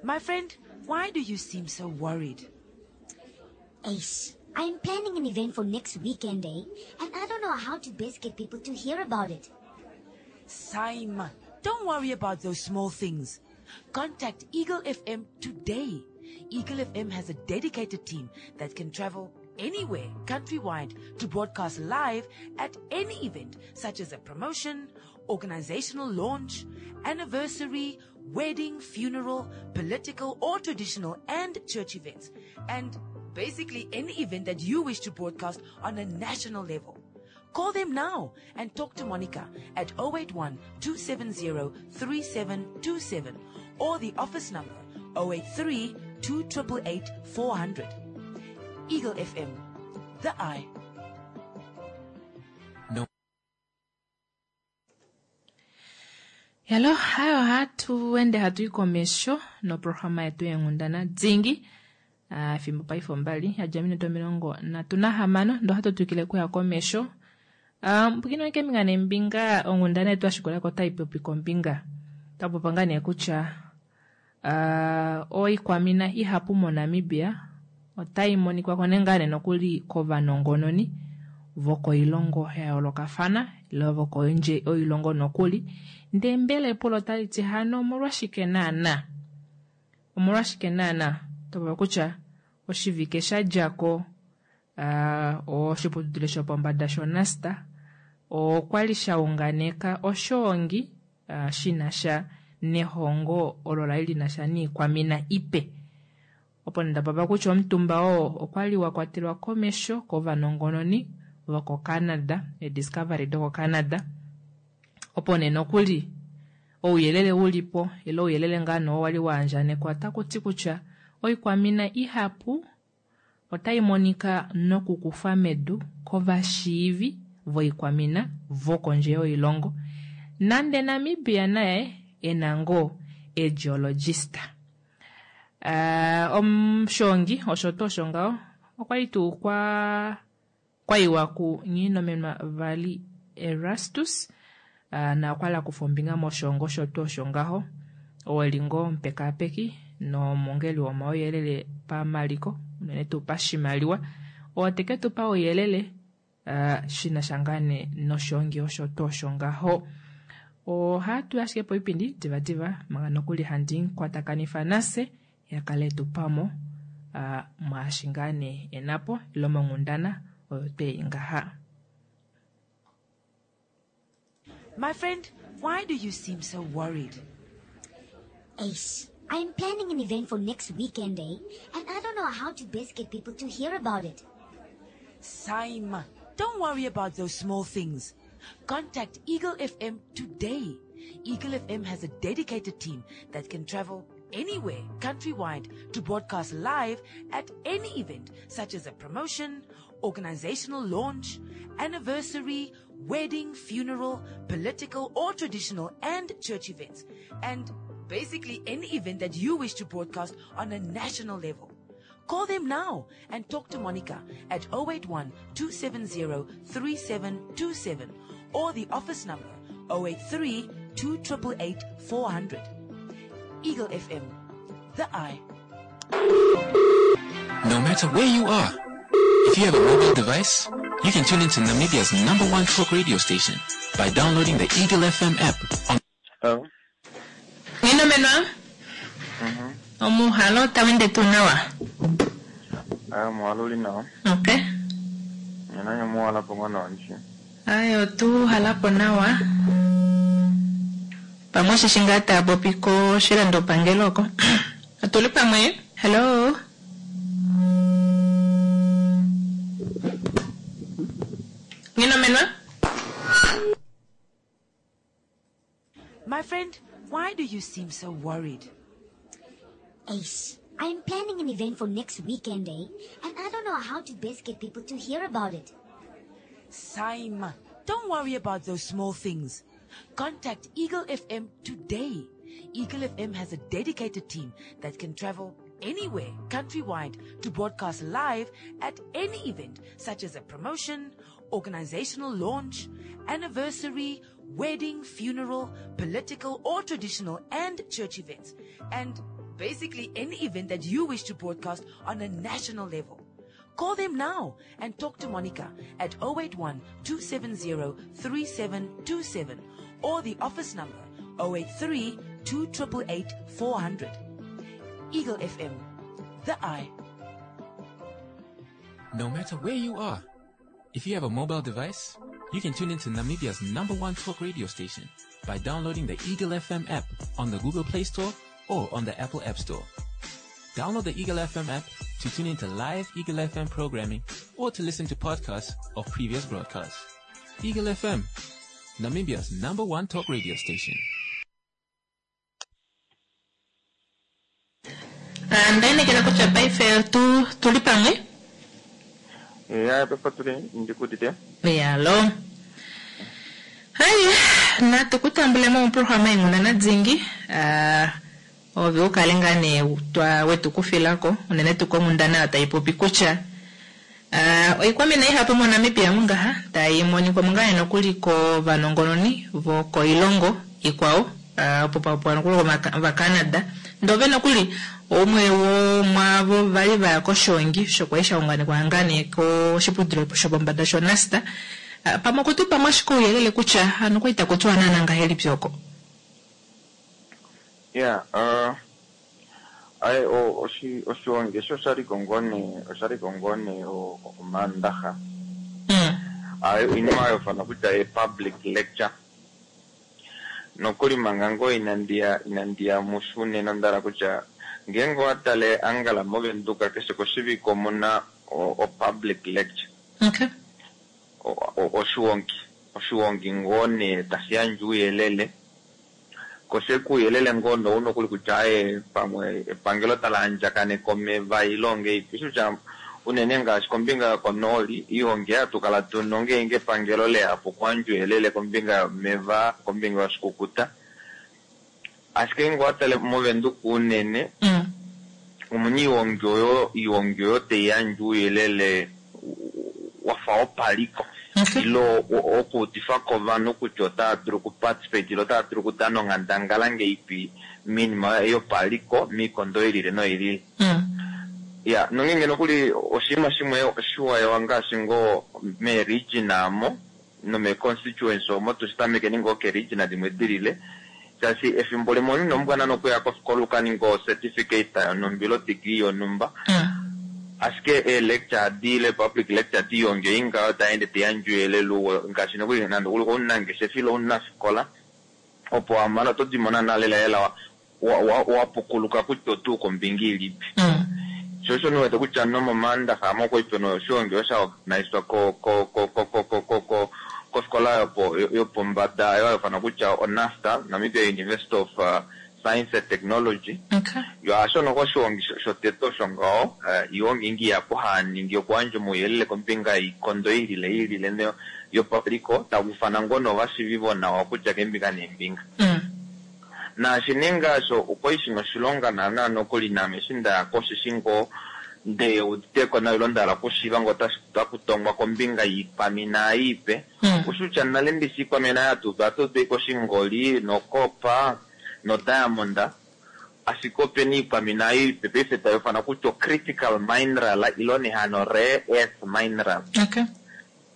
My friend, why do you seem so worried? Ace, I'm planning an event for next weekend, eh? And I don't know how to best get people to hear about it. Simon, don't worry about those small things. Contact Eagle F M today. Eagle F M has a dedicated team that can travel anywhere countrywide to broadcast live at any event, such as a promotion, organizational launch, anniversary, wedding, funeral, political or traditional and church events, and basically any event that you wish to broadcast on a national level. Call them now and talk to Monica at oh eight one two seven zero three seven two seven or the office number oh eight three two eight eight four hundred. Eagle F M, the eye. No. Yalo hayo hatuende hatui komesho noprograma yetu yenghundana dingi. Efimbo paife ombali yadja ominute omilongo nhatu nahamano ndo hatu twikile kuya komesho. Mpwikino keembinga neembinga onghundana yetu yashikulako otai popi kombinga tapopa ngaa nee kutya oikwamina ihapu moNamibia otai monikwa ko ngaa nee nokuli kovanongononi vokoilongo ya yoolokafana ile vokondje oilongo nokuli. Ndee mbela epulo otali ti hano omolwashike naana? Omolwashike naana? Topopa kutya oshivike shadjako oshiputudilo shopombada shoNUST okwali shaunganeka oshoongi shina sha nehongo olo lali linasha niikwamina ipe. Opo nee ndapapa kutya omutumba oo okwali wakwatelwa komesho kovanongononi voko Canada, eDiscovery doko Canada. Opo nee nokuli ouyelele ulipo ile ouyelele ngaa nee wali waandjanekwa otakuti kutya oikwamina ihapu otai monika nokukufwa medu kovashiivi voikwamina vokondje yoilongo nande Namibia naye ena ngoo egeologista. Uh, omushongi osho tuu osho ngaho okwali tuu kwa kwaiwa ku Nghinomenwa Vali Erastus uh, na okwali akufa ombinga moshongo osho tuu osho ngaho oo eli ngoo omupekaapeki nomongeli womauyelele pamaliko unene tuu pashimaliwa oo teke tupa ouyelele uh, shinasha ngaa nee noshongi osho tuu osho ngaho. Ohatu ashike poipindi divadiva manga nokuli handi kwatakanitha nase yakale tupamo uh, mwaashi ngaa nee enapo ile monghundana oyo twei ngaha. My friend, why do you seem so worried? Ace, I'm planning an event for next weekend, eh? And I don't know how to best get people to hear about it. Saima, don't worry about those small things. Contact Eagle F M today. Eagle F M has a dedicated team that can travel anywhere countrywide to broadcast live at any event such as a promotion, organizational launch, anniversary, wedding, funeral, political or traditional and church events, and basically any event that you wish to broadcast on a national level. Call them now and talk to Monica at oh eight one, two seven zero, three seven two seven or the office number oh eight three, two triple eight, four hundred. Eagle F M, the eye. No matter where you are, if you have a mobile device, you can tune into Namibia's number one talk radio station by downloading the Eagle F M app on... Hello? Nghinomenwa? Mm-hmm. Omuhalo tawende tu nawa? Ayo, muhalo uli nawa. Okay. Nina muhala po nawa nchi. Ayo, tu halapo nawa. Pamwe shishinga tabopi ko shilando pangelo ko. Atuli pamwe? Hello? Nghinomenwa? My friend, why do you seem so worried? Ace, I'm planning an event for next weekend, eh? And I don't know how to best get people to hear about it. Saima, don't worry about those small things. Contact Eagle F M today. Eagle F M has a dedicated team that can travel anywhere countrywide to broadcast live at any event such as a promotion, organizational launch, anniversary, wedding, funeral, political or traditional and church events, and basically any event that you wish to broadcast on a national level. Call them now and talk to Monica at oh eight one, two seven zero, three seven two seven or the office number oh eight three, two triple eight, four hundred. Eagle F M, the eye. No matter where you are, if you have a mobile device, you can tune into Namibia's number one talk radio station by downloading the Eagle F M app on the Google Play Store or on the Apple App Store. Download the Eagle F M app to tune into live Eagle F M programming or to listen to podcasts of previous broadcasts. Eagle F M, Namibia's number one talk radio station. Ndainekela kutya paife tu tuli pamwe? Ya, pepa tuli ndikutite. Yalo. Hai, natukutambule mo programa inguna dzingi. Ah, ove ukale ngane twa wetu kufilako unene tukongundana taipopi kutya. Ah, oikwamina ihapu mo Namibia mungaha taimonikwa mungane nokuli ko vanongononi voko ilongo ikwao. Ah, opo papo nokuli va Canada. Ndove nokuli omwe wo mwavo vali vaya koshongi shokwaisha unganekwa ngane ko shiputudhilo shopombada shonasta. Uh, pamwe kutupa mwashiko uyelele kutya hano kwaita kutwa nana ngahelipi oko. Yeah, uh ai o oshi oshongi sho shali kongone oshali kongone o omandaha. Mm. Ai inima yofana kutya e public lecture. Nokuli manga ngoo inandi ya inandi ya mushu unene onda hala kutya ngeenge owa tale angala movenduka keshe koshivike omuna o, o public lecture. Okay. O- o- oshiwongi oshiwongi ngoo nee tashi yandje ouyelele koshe kuuyelele ngoo nee ouna okuli kutya aye pamwe epangelo tala andjakaneka omeva ile ongeipi kutya unene ngaashi kombinga yokonooli iihongi hatu kala tuna ngeenge epangelo leyapo okuyandja ouyelele kombinga yomeva kombinga yoshikukuta ashike ngee owatale movenduka unene Mm. omuna iihongi oyo iihongi oyo taiyandje ouyelele wafa wopaliko Okay. ile o- okuudifa kovanhu kutya otava dulu okuparticipate ile otava dulu okudana onghandangala ngeipi miinima yopaliko miikondo ilile noilile Mm. ya nongenge nokuli oshinima shimwe oshiwayewa ngaashi ngoo meeregion amo nomeeconstituency omo tushitamekeni ngoo keeregion dimwe dilile shaashi efimbo limwe omunhu inombwana nokuya kofikola ukaninga ocertificate yonhumba ile odegree yonhumba Mm. ashike eelecture adi ile public lecture diionge ingaho taende tayandje ouyelele uwo ngaashi nokuli nande uli omunangeshefa ile omunafikola opo wamana oto dimona nale lela wa- wa- wa- wapukuluka kutya otuu kombinga ilipi Mm. sho osho niwete kutya nomomaandaxa amo kwai pena oshiwongi osha organizwa ko ko ko ko ko ko ko ko kofikola yopo yopombada yo haifana kutya oNASTA Namibia University of uh, Science and Technology Okay. yo ashono koshiwongi sho- shotete osho ngaho eh, iwongi ingi yapo haningi okuyandja omauyelele kombinga yiikondo ilile ilile ne- yopaliko takufana ngoo novashivi vonawa kutya keembinga neembinga Mm. naashi ninga osho okwali shina oshilonga naana nokuli naame eshi ndaya koshishi ngoo nde uditeko nayo ilo ndahala okushiiva ngoo otaku tongwa kombinga yiikwamina iipe Mm. ushutya nale ndishi iikwamina yatupa atupe koshingoli nokopa nodiamond ashike opena iikwamina iipe paife tayifana kutya ocritical mineral ilo nehano rare earth mineral Okay.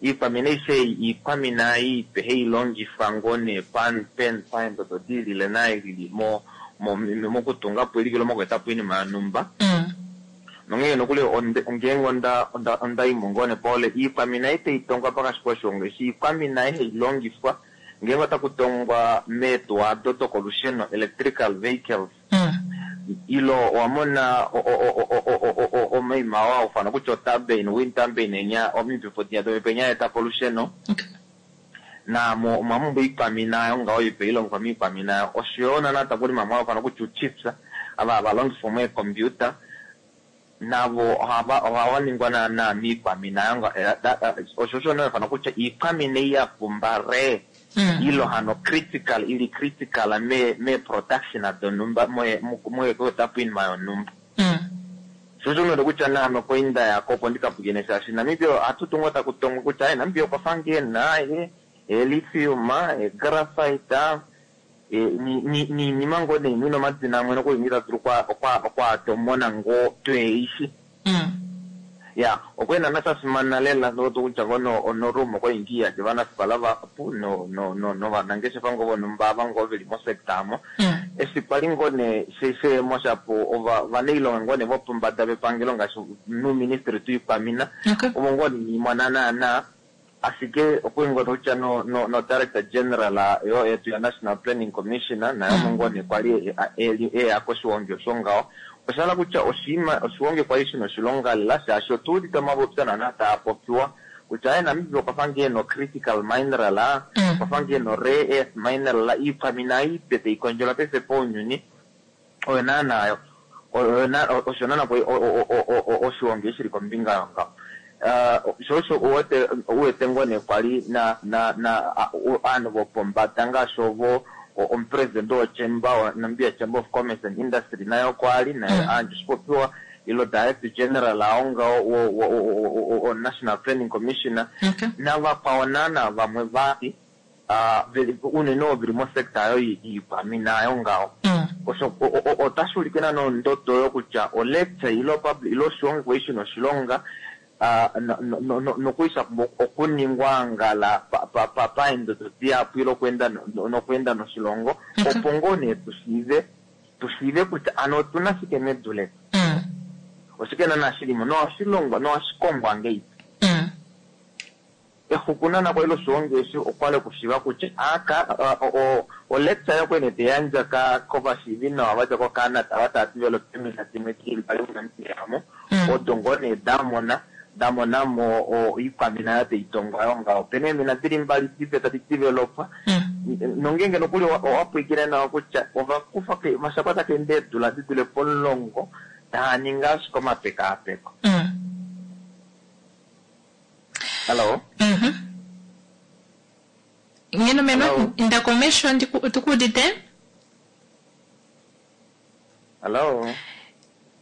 iikwamina aishe iikwamina iipe hailongifwa ngoo nee pan pen paendodo dilile nailili mo mo- mokutungapo ilikilo mokuetapo iinima yonhumba Mm. nongeenge nokuli onde- ngeenge onda onda ondaimo ngoo nepaole iikwamina ei taitongwa pakati koshilongo eshi iikwamina ei hailongifwa ngeenge otakutongwa meetuwa ado dokolusheno electrical vehicles Mm. ilo owamona o- o- o- o- o- o- o- omaima oo haufana kutya oturbine wind turbine enya omipepo dinya domipepo enya etapo olusheno Okay. namo omwamumbwa iikwamina yo ngaho ipe ilongifwa miikwamina oshoyo nana takuli mamwe haufana kutya uchips ava havalongifwa meecomputer navo ohava ohava ningwa naana miikwamina yo nga- eh, da- eh, osho osho nee fana kutya iikwamina ei ya pumba rare Mm. ilo hano critical ili critical me me production donumba moye moye kuetapo iinima yonhumba Mm. sho osho node kutya naame koinda yako opo ndikapukine shaashi Namibia ohatu tungwa taku tongwa kutya aye Namibia okwa fa ngeena e elithium e graphite e, ni- ni- niinima ngoo nee imwe nomadina amwe nokuli ngita dulu okwa- okwa- okwaatomona ngoo tweeishi Mm. ya okwena nashafimana lela noto kutya ngono onorumo kwaingi yake vanafikola vahapu no no no novanangeshefa ngoo vonhumba ava ngoo veli mosector amo Mm. eshi kwali ngoo nee sheemo shapo ova vanailonga ngoo nee vopombada vepangelo ngaashi nuuministry tuikwamina Okay. omo ngoo niimona naana ashike okwali ngoo kutya no no no director general yo yetu ya national planning commissioner nayo omo ngoo nee kwali eya koshiwongi osho ngaho oshala kutya oshiima oshiwongi kwali shina oshilonga lela shaashi otuudite omapopyo naana taa popiwa kutya aye Namibia okwa fa ngee no critical mineral Mm. okwa fa ngee no rare earth mineral iikwamina iipe taikondjelwa paife pounyuni oyo naana oyo na- osho naana kwali oshiwongi shili kombinga yongaho Uh, sho osho uwete uwete ngoo nee kwali na na na a- u- aanhu vopombada ngaashi ovo o- omupresident wochamber wa Namibia Chamber of Commerce and Industry naye okwali naye Mm. aandja oshipopiwa ilo director general aongaho wo- wo- wo- wo- wo- National Planning Commissioner Okay. navakwao naana vamwe vali ah, veli- unene ovo veli mosector ayo yiikwamina ayo ngaho Mm. osho o- o- otashi ulike naana ondodo oyo kutya olecture ile public ile oshiwongi kwali shina oshilonga ah, no- no- no- nokwali sha pumbwa okuningwa ngala pa- pa- pa- paendodo dihapu ile okuenda no- nokuenda noshilongo Okay. opo ngoo nee tushiive tushiive kutya ano otuna shike medu letu Mm. oshike naana shilimo nohashi longwa nohashi kongwa ngeipi Mm. exumo Exuku nana kwali loshiwongi eshi okwali okushiva kutya aka olecture yokwene teyandja kovashiivi nawa vadja koCanada vataativelo emina dimwe dili mbali muNamibia mo odo ngoo nee damona damonamo oikwamina yateitongo ayo ngaho opena eemina dili mbali dipe tadi developwa nongenge nokuli owapwiikile nawa kutya ovakufa mashakwata kende eedula di dule pomulongo taa ningi ashike omapekaapeko. Hello. Mhm. Ngeno meno inda komesho otukuudite? Hello.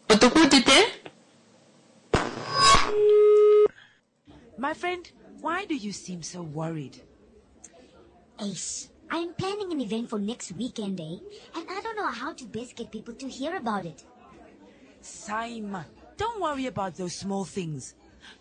Otukuudite? My friend, why do you seem so worried? Ace, I'm planning an event for next weekend, eh? And I don't know how to best get people to hear about it. Simon, don't worry about those small things.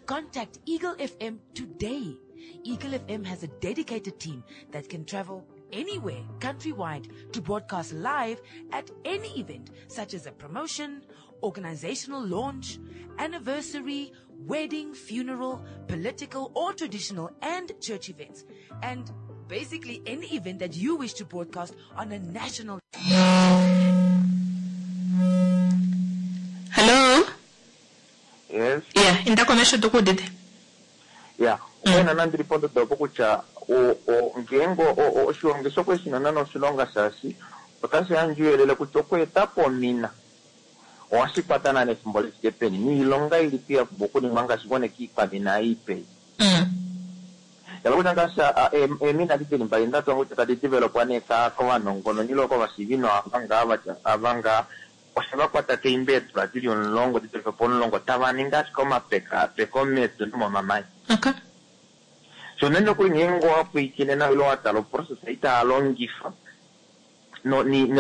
Contact Eagle F M today. Eagle F M has a dedicated team that can travel anywhere countrywide to broadcast live at any event, such as a promotion, organizational launch, anniversary, wedding, funeral, political or traditional and church events, and basically any event that you wish to broadcast on a national. Hello? Yes. Yeah, inda komesho tukudite. Yeah, wena nandiri pondodo opo kutya ngeenge oshiwongi shokweshina nana oshilonga shaashi otashi yandje uuyelele kutya okweeta po omina ohashi kwata nana efimbo li fike peni niilonga ilipi ya pumbwa okuningwa ngaashi ngone kiikwamina iipe. Yala kutya ngaashi eemina adi dili mbali ndatu kutya tadi developwa nee kovanongononi ile kovashiivi nawa ava ngaa oshevakwata keimba eedula dili omulongo di dulife pomulongo tava ningi ashike omapekaapeko medu nomomamanya. Okay. So nene nokuli ngeenge owapwiikine nawa ile watala oprocess itaa longifa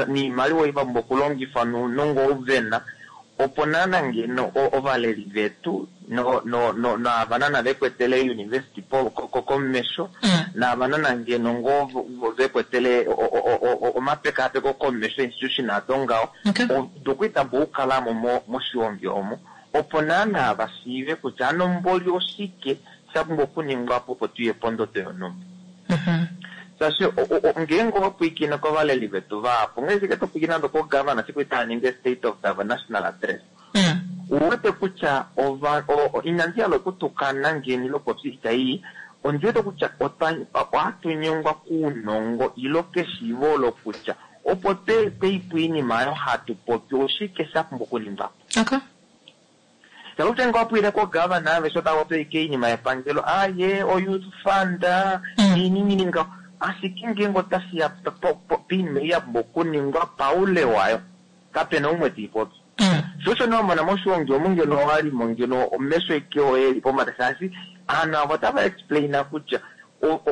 niimaliwa iva pumbwa okulongifwa nounongo ouvena opo naana ngeno ovaleli vetu naava nana vekwetele university komesho naava nana ngeno ngoo vekwetele omapekaapeko komesho institution ado ngaho dokuitamba okukalamo moshiwongi omo opo naana vashiive kutya ano mboli oshike sha pumbwa okuningwa po opo tuye pondodo yonhumba. Shaashi ngeenge owapwiikine kovaleli vetu vahapu ngaashi topwiikine nande kogavana siku itaa ningi state of the national address uwete kutya inandi hala okutukana ngeni lokopya itai ondiwete kutya ohatu nyengwa kuunongo ilo keshiivo olo kutya opo tweipo iinima oyo hatu popi oshike sha pumbwa okuningwa po. Okay. Kutya ngee wapwiile kogavana aveshe otava popi iinima yepangelo aye oyouth fund iinima ngaho ashike ngeenge otashi ya piinima ei ya pumbwa okuningwa paule wayo kapena umwe teipopi. Sho osho nee wamona moshiwongi omu ngeno owalimo ngeno omesho eke oye eli pombada shaashi aanhu avo otava explaina kutya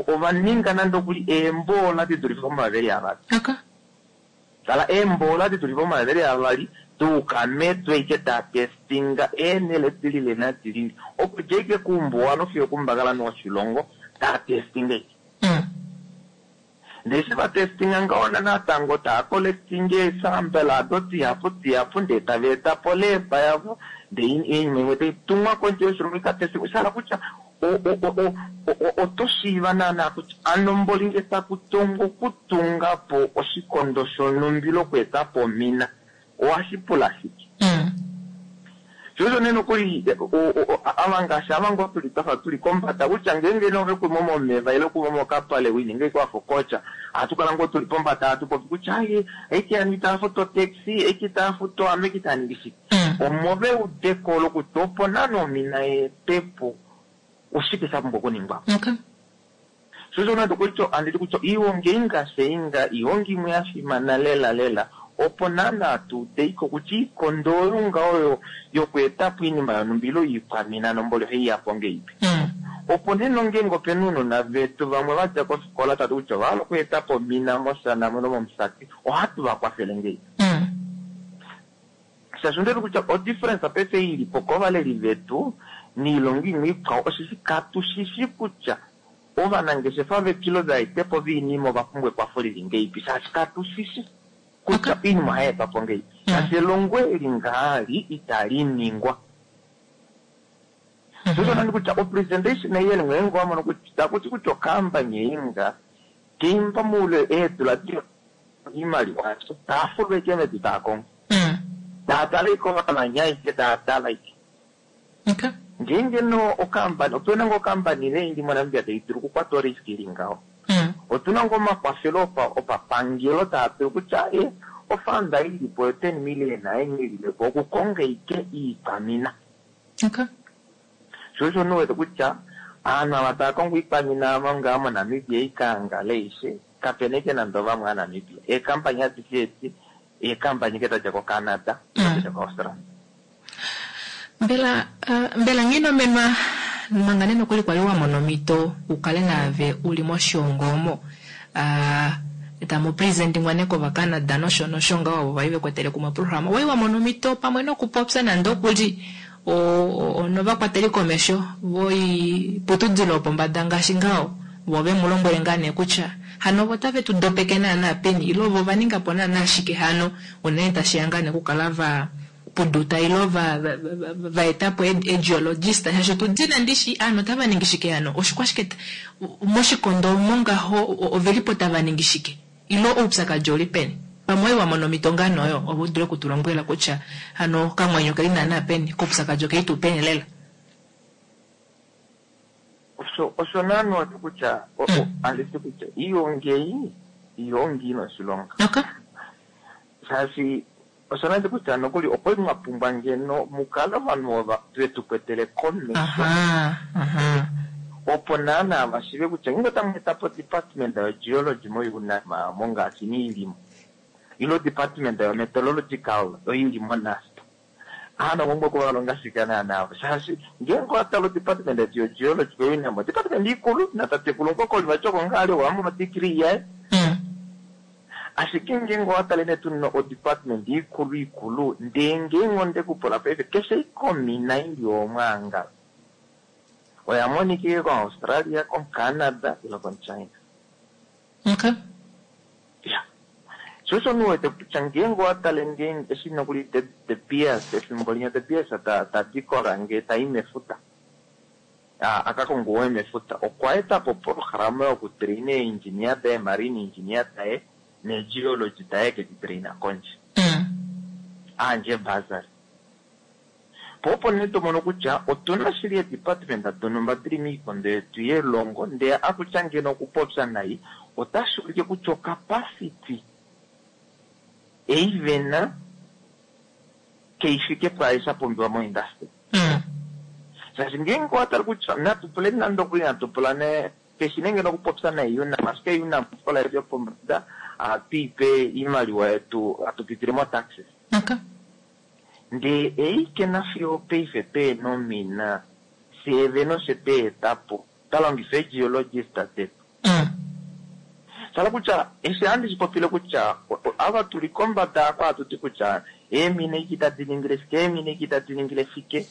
ova ninga nande okuli eemboola di dulife pomaluveli avali. Tala eemboola di dulife pomaluveli avali tuuka medu eke taa testinga eenhele dilile nadilile okudja ike kuumbuwa fiyo okumbakala noshilongo taa testinga ike. Ndee eshi vatestinga ngaho natango taa collectinga eesample ado dihapu dihapu ndee tava eta po leba yavo ndee iinima imwe taitumwa kondje yoshilongo ikatestingwe shahala kutya oto shiiva naana kutya ano mboli nge taku tongo okutunga po oshikondo shonhumbi lokweeta po omina ohashi pula shike. Sho osho nee nokuli ava ngaashi ava ngoo tuli twafa tuli kombada kutya ngeenge nove kuimo momeva ile kuimo mokapale wininge ike wafa okocha ohatu kala ngoo tuli pombada hatu popi kutya aye aike yani itaa futu otaxi aike itaa futu ame ike itaa ningi shike. Omove eudeko olo kutya opo nana omina yeetepo oshike sha pumbwa okuningwa. Sho osho nande kutya anditi kutya iihongi ei ngaashi einga iihongi imwe ya fimana lela lela opo naana tuudeiko kutya iikondo oyo nga oyo yokweeta po iinima yonhumba ile iikwamina nomboli ohaiya po ngeipi. Opo nee nongeenge opena ounona vetu vamwe vadja kofikola tati kutya ovahala okweeta po omina mOshana nomoMusati ohatu vakwafele ngeipi. Shaashi ondiwete kutya odifference paife ilipo kovaleli vetu niilongo imwe ikwao osheshi katushishi kutya ovanangeshefa vetu ile ovaetepo voinima ova pumbwa ekwafo lili ngeipi shaashi katushishi kutya iinima ohayi etwa po ngeipi. Shaashi elongo eli ngaali itali ningwa. Sosho kutya opresentation yeni ngeenge wamono kutya takuti kutya okambani einga keimba muule eedula iimaliwa taafulwa ike medu taakongo taatala ike omamanya ike taatala ike. Ngeenge no okambani otuna ngoo okambani neindi moNamibia tai dulu okukwata orisk ili ngaho. Otuna ngoo omakwafelo opapangelo taa dulu kutya e ofanda ilipo yo ten million aenye ililepo okukonga ike iikwamina. Sho osho nuwete kutya aanhu ava tava kongo iikwamina ngaa moNamibia ikangale ishe kapena ike nande ovamwe aaNamibia. Eekampani adishe edi eekampani ike dadja koCanada dadja koAustralia. Mbela mbela nghinomenwa manga nee nokuli kwali wa mona omhito ukale naave uli moshiongo omo tamu presentingwa nee kovaCanada nosho nosho ngaho ovo vali vekwetele kumwe programa wai wa mona omhito pamwe nokupopya nande okuli novakwateli komesho voiputudilo yopombada ngaashi ngaho vo ve mu lombwele ngaa nee kutya hano ovo tave tu dopeke naana peni ilo vo va ninga po naana shike hano unene tashiya ngaa nee okukala va puduta ilo va va etapo egeologist shaashi tudina ndishi aanhu otava ningi shike hano oshikwashike moshikondo omo ngaho ovelipo tava ningi shike ilo oupyakadi oli peni pamwe wa mona omhito ngaa noyo opo u dule okutulombwela kutya hano okamwenyo keli naana peni koupyakadi okeli tuu peni lela. Osho osho naana kutya anditi kutya iiongeyi iongi ina oshilonga. Shaashi osho nandi kutya nokuli okwali mwa pumbwa ngeno mukale ovanhu vetu kwetele komesho opo naana vashive kutya ngeenge otamu etapo department yogeology moUNAM mongaashi niilimo ilo department yometallurgical oili moNUST aanhu omwe okuvalonga shike naana shaashi ngeenge owatala odepartment yetu yogeology koUNAM department ikulu natatekulu Nkokoli vati oko ngaa ali wamona odegree yaye. Ashike ngeenge owatale nee tuna odepartment ikulu ikulu ndee ngeenge ondekupula paife keshe ikomina ili omwaangala oya monikike koAustralia, koCanada ilo koChina. Okay. Ya. Sho osho nuwete kutya ngeenge owatale ngeenge eshi nokuli De Beers efimbo linya De Beers tadikola ngee tai mefuta akakonga owe mefuta okwa etapo programa yokutraina eengineer daye marine engineer daye negeology daye keditraina kondje. Aandje bursary. Po opo nee tomono kutya otuna shili edepartment donumba dili miikondo yetu yelongo ndee akutya ngeno okupopya nai otashi ulike kutya ocapacity ei vena keifike pwaashi sha pumbiwa moindustry. Shaashi ngeenge owatale kutya natu pule nande okuli natu pula ne keshi nenge nokupopya nai UNAM ashike UNAM ofikola yetu yopombada ohatu ipe iimaliwa yetu hatu pitile mo taxes. Ndee eike nafiyo paife peena omina fyee vene oshe tweetapo twalongifa egeologist detu. Shala kutya eshi handi shipopile kutya ava tuli kombada ako hatuti kutya eemina iki tadi ningile shike eemina iki tadi ningile shike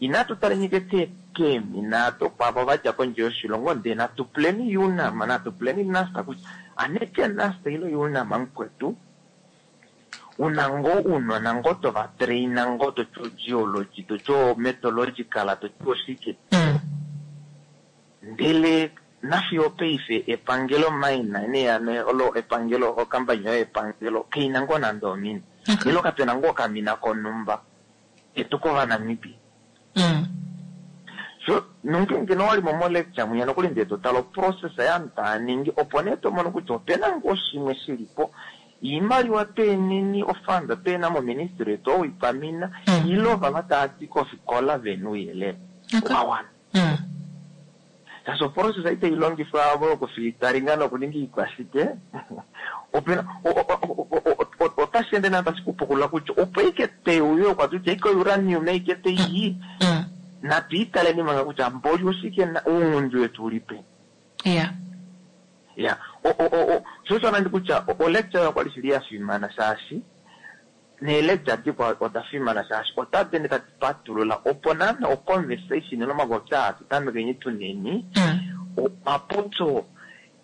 inatu taleni ke keemina dokwavo vadja kondje yoshilongo ndee natu puleni UNAM natu puleni NUST kutya aneke NUST ilo UNAM mukwetu una ngoo uunona ngoo tovatraina ngoo toti ogeology toti ometallurgical toti oshike ndele nafiyo paife epangelo mine nee olo epangelo okampani yoye epangelo keina ngoo nande omina ilo kapena ngoo okamina konumba etu kovanamibia. So nongeenge nowalimo molecture mwinya nokuli ndee totala oprocess yaanhu taaningi opo nee tomono kutya opena ngoo shimwe shilipo iimaliwa tweeneni ofanda tweena moministry yetu owikwamina ilo vava taati kofikola vena ouyelele wawana. Shaashi oprocess itayi longifwa avo yokufilitaringa nokuninga iikwashike opena otashi ende naa tashi kupukulula kutya opo ike teuyo kwatutya ike uranium ike teiyi natu italeni manga kutya mboli oshike uungundi wetu uli peni. Ya. Ya. Sho osho nandi kutya olecture okwali shili ya fimana shaashi neelecture dikwa oda fimana shaashi otadi ende tadi patulula opo naana oconversation nomapopyo aa tutamekeni tuneni omapopyo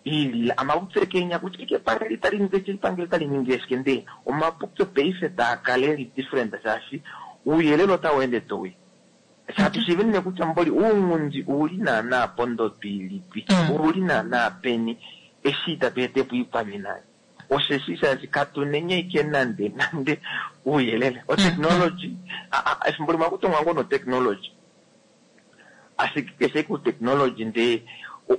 ilila amapopyo ekenya kutya ike epangelo itali ningi shike epangelo itali ningi shike ndee omapopyo paife taa kala eli different shaashi ouyelele otau ende towi. Shatushiive nee kutya mboli ounghundi ouli naana pondodo ilipi, Mm. ouli naana peni eshi itatu etepo iikwamina. Osheshi shaashi katunenye ike nande nande ouyelele. Otechnology, efimbo limwe akutongwa ngoo notechnology. Ashike keshe ku technology ndee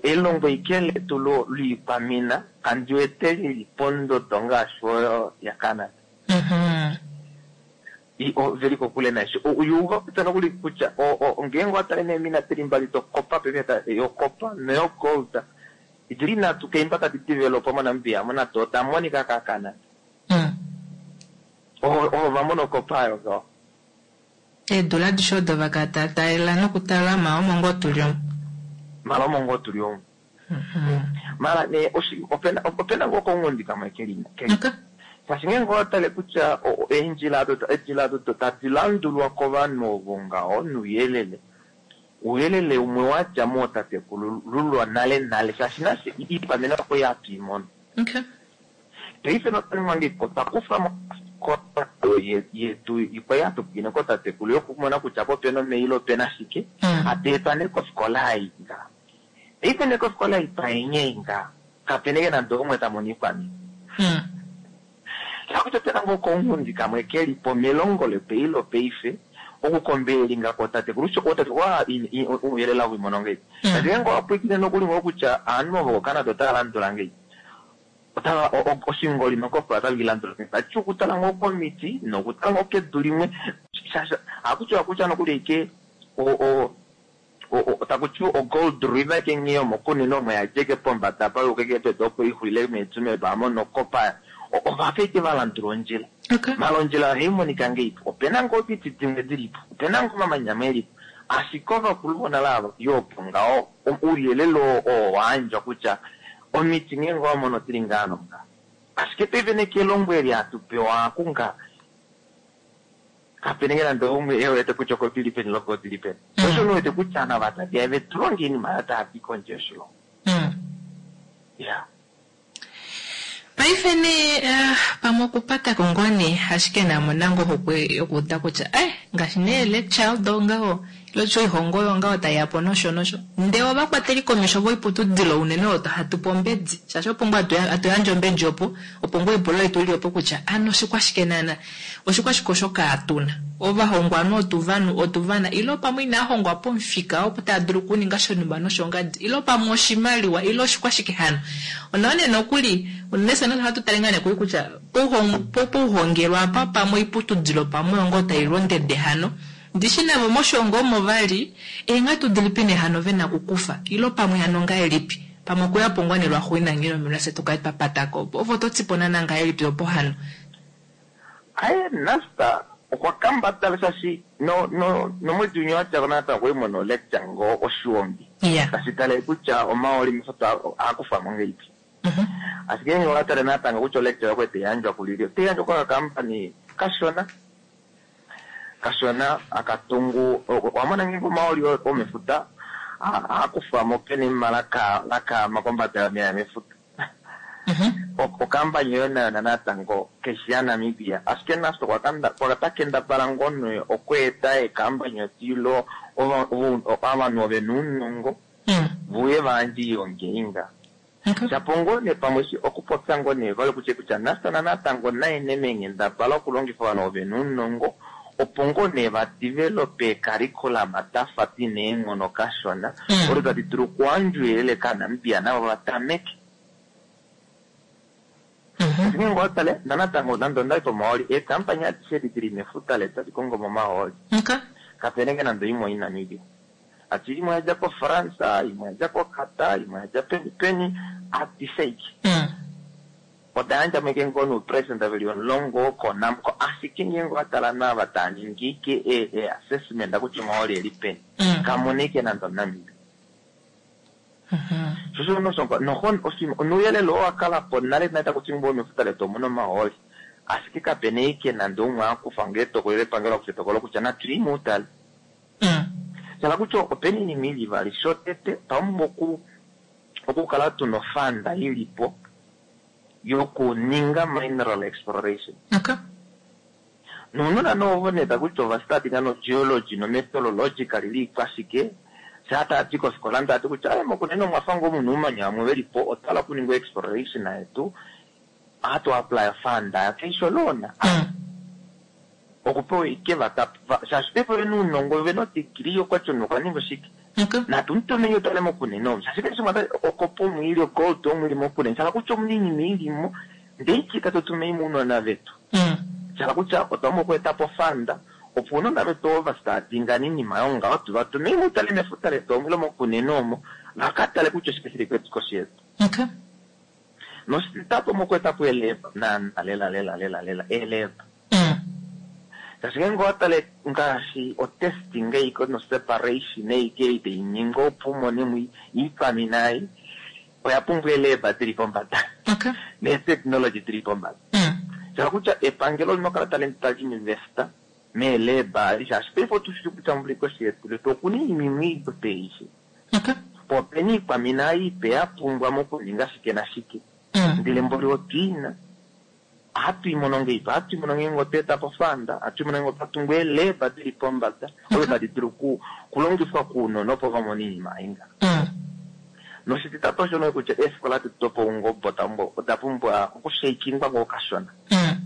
elongo ike letu loikwamina kandi wete lili pondodo ngaashi oyo yaCanada. Mhm. Veli kokule naisho. Uyuuva kutya nokuli kutya ngeenge owatale neemina dili mbali dokopa paife yokopa noyogold dili nhatu keimba tadi developwa moNamibia nado oda monika kaCanada. Mm. Ovo vamona okopa oyo ngaho. Eedula adishe odo vakatataela nokutalama omo ngoo tuli omu. Mala omo ngoo tuli omu. Mhm. Mala nee opena opena ngoo kounghundi kamwe keli keli. Okay. Shaashi ngeenge owatale kutya eendjila odo eendjila odo tadi landulwa kovanhu ovo ngaho nouyelele. Ouyelele umwe wadja mootatekulululwa nale nale shaashi nafye iikwamina oko hatu i mono. Okay. Paife notanimwange otwa kufa mo yetu ikwai hatu pwiine kootatekulu yokumona kutya po opena omeya ile opena shike Mm. hatu etwa nee kofikola ei nga. Paife nee kofikola ei twaenye nga kapena ike nande oumwe ta mono iikwamina. Mm. Shakutya opena ngoo kounghundi kamwe kelipo melongo lepeilo paife okukombeelinga kootatekulu ootatekulu ouyelele owimono ngei. Mm. Shaashi ngeenge owapwiikine nokuli ngoo kutya ovanhu ovo koCanada otava landula ngei. Otava oshingoli nokopa otava landula ngei. Tati okutala ngoo komiti nokutala ngoo kedu limwe shaashi ohakutiwa kutya nokuli ike takutiwa ogold river ke nghee yomokunene omo yadjeke pombada payuke kepedu opo ixulile meetsumeb amo nokopa ovafa ike valandula ondjila. Okay. Mala ondjila ohaimonika ngeipo opena ngoo omiti dimwe dilipo opena ngoo omamanya amwe elipo ashike ovakulu vonale ava yopo ngaho ouyelele oo wayandjwa kutya omiti ngeenge owamono odili ngaa nonga. Ashike paife nee kelongo eli hatu pewa kunga kapena nge nande oumwe ewete kutya oko dili peni loko dili peni. Mm. Osho niwete kutya ovanhu ava taveya vetu longe oinima oyo tava kondje yoshilongo. Mm. Ya. Paife nee uh, pamwe okupatako ngoo nee ashike namona ngoo ohokwe yokuuda kutya eh ngaashi nee lecture odo ngaho ile oihongo oyo ngaho taiyapo nosho nosho ndee ovakwateli komesho voiputudilo unene oyo hatu pe ombedi shaashi opo ngoo hatu yandje ombedi opo opo ngoo epulo letu lili opo kutya ano oshikwashike naana oshikwashike osho kaatuna ovahongwanhu otuvanhu otuvana ile pamwe inahongwa pomufika opo tava dulu okuninga shonhumba noshongadi ile pamwe oshimaliwa ile oshikwashike hano onawa nee nokuli unene fye ohatu tale ngaa nee kutya pouhongelwa apa pamwe oiputudilo pamwe oyo ngoo tailondede hano ndishi navo moshongo omo vali eenghatu dilipi nee hano vena okukufa ile pamwe hano ngahelipi pamwe okuyapo ngoo nee lwaxuuninwa ngeno fye tukale twapatako opo ovo totipo naana ngahelipi opo hano Aye Nasta okwa kambadala shaashi no no nomwedi winya wadjako natango okwali muna olecture ngoo oshiwongi iya tashi tale kutya omaoli mefuta ohaakufwamo ngahelipi. Mhm. Ashike ngeenge owatale natango kutya olecture okwali taiyandjwa kulili otaiyandjwa kokakampani kashona kashona akatungu owamona ngeenge omaoli omefuta ohaakufwamo kenima lakaama kombada yomeya mefuta. Mhm. Okampani oyo nayo natango keshi yaNamibia ashike Nasta okwa kendabala ngoo nee okweeta eekampani odi ilo ovanhu vena ounongo Mm. vuye vayandje oilonga ei nga. Okay. Shapo ngoo nee pamwe okupopya ngoo nee vali kutya kutya Nasta natango naye nee meenghendabala okulongifa ovanhu vena ounongo opo ngoo nee vadevelope eecurriculum dafa dina eenghono kashona Mm. odo tadi dulu okuyandja ouyelele kaaNamibia navo vatameke. Mhm. Ngeenge owatale natango nande ondali pomahooli eekampani adishe edi dili mefuta letu tadi kongo mo omahooli Okay. kapena ike nande oimwe oiNamibia. Ati imwe oyadja koFrance, imwe oyadja koQatar, imwe oyadja peni peni adishe ike. Mm. Oda yandja ike ngoo noupresent veli omulongo koNamcor ashike ngeenge owatala nawa taaningi ike e-assessment kutya omahooli eli peni Mm. kamuna ike nande omuNamibia. Mhm. Shosho nosho nouyelele oo wakalapo nale nale takuti ngoo mefuta letu omuna omahooli ashike kapena ike nande umwe akufa ngoo etokolo lepangelo akufa etokolo kutya natu yi muutale. Mm. Shala kutya opena oinima ili ivali shotete otwapumbwa oku okukala tuna ofanda ilipo yokuninga mineral exploration. Okay. Nounona noovo nee takuti ovastadinga nogeology nometallurgical liikwashike shaa taadi kofikola ndaati kutya aye mokunene omwa fa ngoo muna oumanya vamwe velipo otwa hala okuninga exploration yetu ohatu apply fund keisho loan Mm. okupewa ike vaka shaashi paife ovena ounongo ovena odegree okwati omunhu okwa ninga oshike Okay. natu mutume utale mokunene omu shaashi keshe shimwe okopa omu ili ogold omu ili mokunene shala kutya omuna iinima ilimo ndee iki tatu mounona vetu Mm. shala kutya otwa pumbwa okweeta po fund opo ounona vetu ovo vastadinga ninima yongaho tu vatume mutale mefuta letu omwilo mokunene omo vakatale kutya oshike shili kwetu koshi yetu Okay. nositatu omokweeta po eelab naana lela lela lela lela eelab Mm. shaashi ngenge owatale ngaashi otesting eiko noseparation eike ei tainingi opo umone iikwamina ei oya pumbwa eelab dili pombada Okay. neetechnology dili pombada Mm. shala kutya epangelo olina okukala tali tali investa meelab adi shaashi paife otushili kutya mvula koshi yetu letu okuna iinima iipe ishi Okay. po opena iikwamina iipe ya pumbwa mokuninga shike nashike Mm. ndele mboli otwiina ohatu imono ngeipa ohatu imono ngenge otweeta po fund ohatu imono ngenge otwa tungu eelab dili pombada oyo tadi dulu ku- kulongifwa kuunona opo vamone iinima ainga Mm. noshititatu oshono kutya eefikola detu dopaungoba oda pumbwa okushaikingwa ngoo kashona Mm.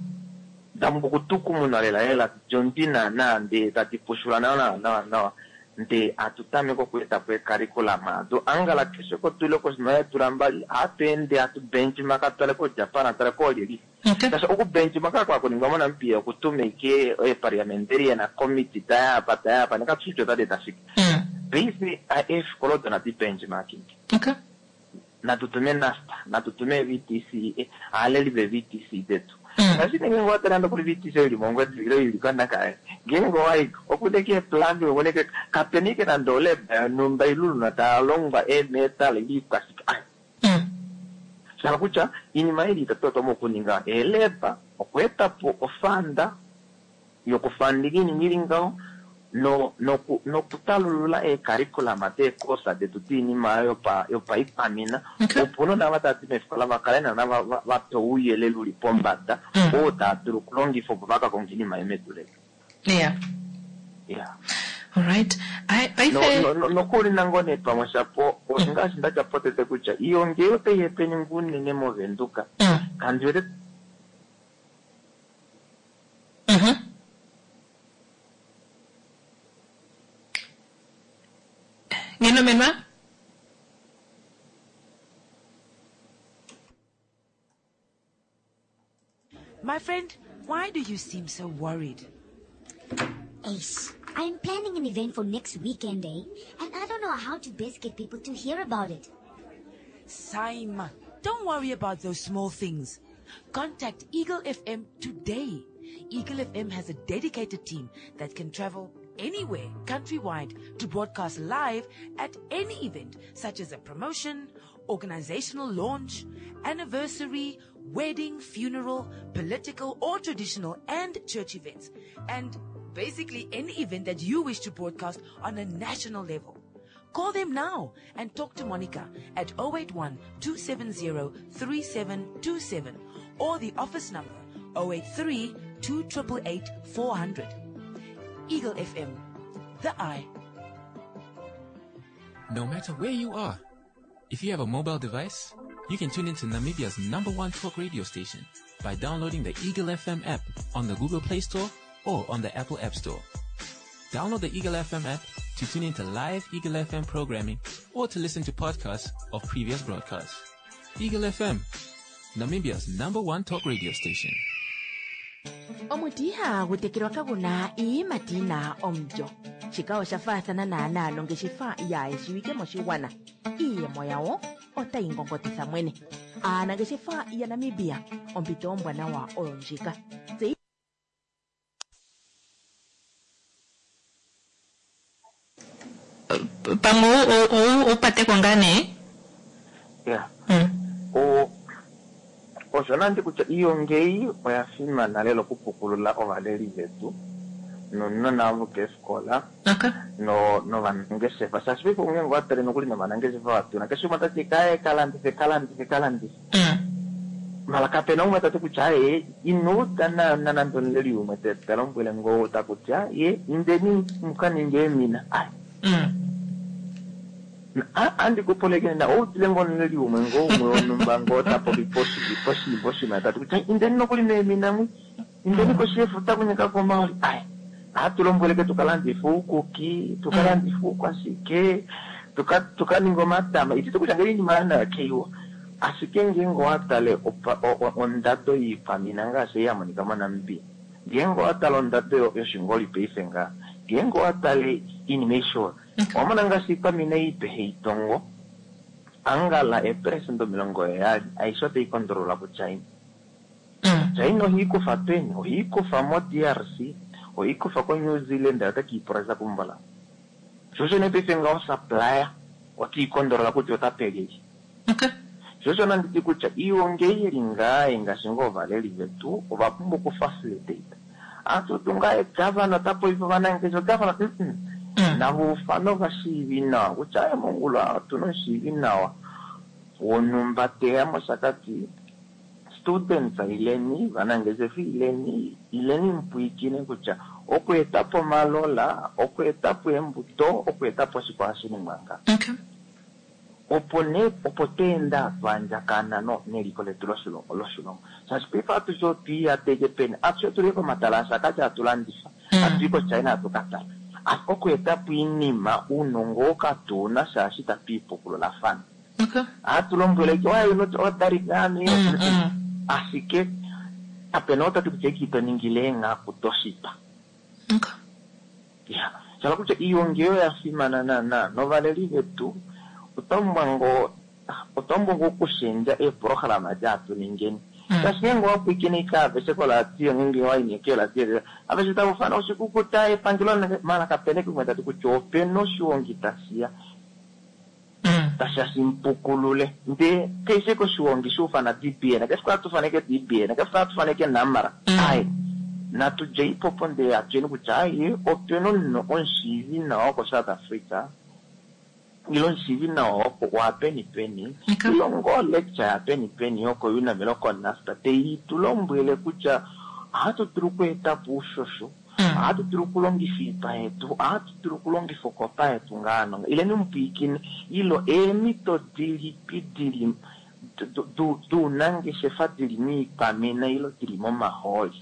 da pumbwa okutukumuna lela lela djondi naana ndee tadi pushula nawa nawa nawa nawa ndee hatu tameke okweeta po ecurriculum ado angala keshe kotule kosima yeedula mbali ohatu ende hatu benchmark atale koJapan atale koolyeli Okay. shaashi okubenchmark kwakuningwa moNamibia okutuma ike eeparliamentarian committee tayapa tayapa nekatushitya otadi eta shike Mm. paife eefikola odo nadi benchmarking Okay. natu tume NUST natu tume V T C aaleli ve V T C detu Mm. ngaashi nenge watala nokuli V T C ili mongwedi ile ili kondaka ngenge waiko okuneke eplan okuneke kapena ike nande olab yonhumba iluluna taya longwa eemetal iliikwashike ai Mm. shala kutya iinima ili itatu otwa okuninga eelab okweeta po ofund yokufandinga iinima ili ngaho no noku nokutalulula eecurriculum deekosa detu diinima yopa yopaikwamina Okay. opo unona ava tava di meefikola vakale nana va- va- vapewa ouyelele uli pombada Mm. oo taa dulu okulongifa opo vakakonga iinima yemedu letu Yeah. yeah All right. I no paife no- no- nokuli nango nee pamwe shapo ngaashi ndatya potete kutya iyo ngee otai hepeni unene movenduka Mm. kandi wete Mhm. Nginomenwa? My friend, why do you seem so worried? Ace, I'm planning an event for next weekend, eh? And I don't know how to best get people to hear about it. Saima, don't worry about those small things. Contact Eagle F M today. Eagle F M has a dedicated team that can travel anywhere countrywide to broadcast live at any event, such as a promotion, organizational launch, anniversary, wedding, funeral, political or traditional and church events, and basically any event that you wish to broadcast on a national level. Call them now and talk to Monica at oh eight one two seven zero three seven two seven or the office number oh eight three two eight eight four hundred. Eagle F M, the eye. No matter where you are, if you have a mobile device, you can tune into Namibia's number one talk radio station by downloading the Eagle F M app on the Google Play Store or on the Apple App Store. Download the Eagle F M app to tune into live Eagle F M programming or to listen to podcasts of previous broadcasts. Eagle F M, Namibia's number one talk radio station. Omuti ihagu tekelwa kaguna iiyimati yina omulyo. Shika osha faathana naana nongeshefa yaayeshiwike moshigwana. Iiyemo yawo otayi ngongotitha mwene. Aanangeshefa yaNamibia, ompito ombwanawa oyo ndjika. Tseyi Pamwe upateko ngaa nee. Yeah. Mm. O osho nandi kutya iyo ngeyi oya fimana lela okupukulula ovaleli vetu nounona avo keefikola Okay. no novanangeshefa shaashi paife ongenge watale nokuli novanangeshefa vatuna keshe umwe tati kaye kalandife kalandife kalandife. Mm. Mala kapena umwe tati kutya ye inuuda na nande omuleli umwe ta lombwele ngoo ta kutya ye indeni mukaninge eemina. Ai. Mm. Andi kupolekene na oudile ngoo omuleli umwe ngoo umwe wonhumba ngoo ta popi poshiimbo shimwe tati kutya indeni nokuli meemina mwi indeni koshi yefuta kunyeka komaoli. Ai. Ohatu lombweleke tukalandife uukuki, tukalandife uukwashike, tukaninge omatama. Ititi kutya ngele iinima nayo keiwa. Ashike ngeenge owa tale ondado yiikwamina ngaashi ya monika moNamibia, ngeenge owa tale ondado yoshingoli paife ngaa, ngeenge owa tale iinima aishe oyo, owa mona ngaashi iikwamina iipe heitongo angala eepelesenda omilongo heyali aishe otayi kondololwa kuChina. China ohiikufa peni? Ohiikufa mo-D R C, ohiikufa ko-New Zealand, otakiipresa kumbola. Sho osho nee paife ngaho supplier otiikondolola kutya ota pelyelye. Okay. Sho osho nanditi kutya iiwonge ili ngaa ngaashi ngoo ovaleli vetu ova pumbwa okufacilitate. Atutu ngaa gavana ota popifa ovanangeshefa gavana mm navo ufano vashiivi nawa kutya aye mongula otuna omushiivi nawa wonhumba teya mOshakati, students ileni, vanangeshefa ileni, ileni mupwiikine kutya okweetapo omalola, okweetapo eembuto, okweetapo oshike ohashi ningwa nga. Okay. Opo nee opo tweenda twandjakana no neliko letu loshilongo loshilongo shaashi paife atushe otwiiyateke peni, atushe otuli komatala aShakati hatu landifa, hatu i koChina hatu ka tala okweetapo iinima uunongo oo katuuna shaashi tatu ipukululafana. Okay. Ohatu lombwele ke why you not ordering ngani, ashike kapena otati kutya eki to ningile eenghaku doshipa. Okay. Ya shala kutya iiongi oyo ya fimana naana novaleli vetu otwa ngoo otwa pumbwa ngoo okushendja eeprograma daatu ningeni shaashi ngeenge wapwiikine ike aveshe koladio ngeenge waine keeradio aveshe tava ufana oshikukuta epangelo mala kapena kumwe tati kutya opena oshiwongi tashiya tashiya shimpukulule ndee keshe koshiwongi shuufana D B N keshe hatu faneke D B N keshe hatu faneke Namara ai natu djeipo po ndee atuyeni kutya ai opena omunhu omushiivi nawa woko South Africa ile omushiivi nawa wa peni peni ile ngoo lecture ya peni peni yoko UNAM ile koNUST tei tu lombwele kutya ohatu dulu okweetapo uushosho, ohatu dulu okulongifa iipa yetu, ohatu dulu okulongifa okopa yetu ngaano ileni mupwiikine ilo eemhito dilipi dili duunangeshefa dili miikwamina ilo dili momahooli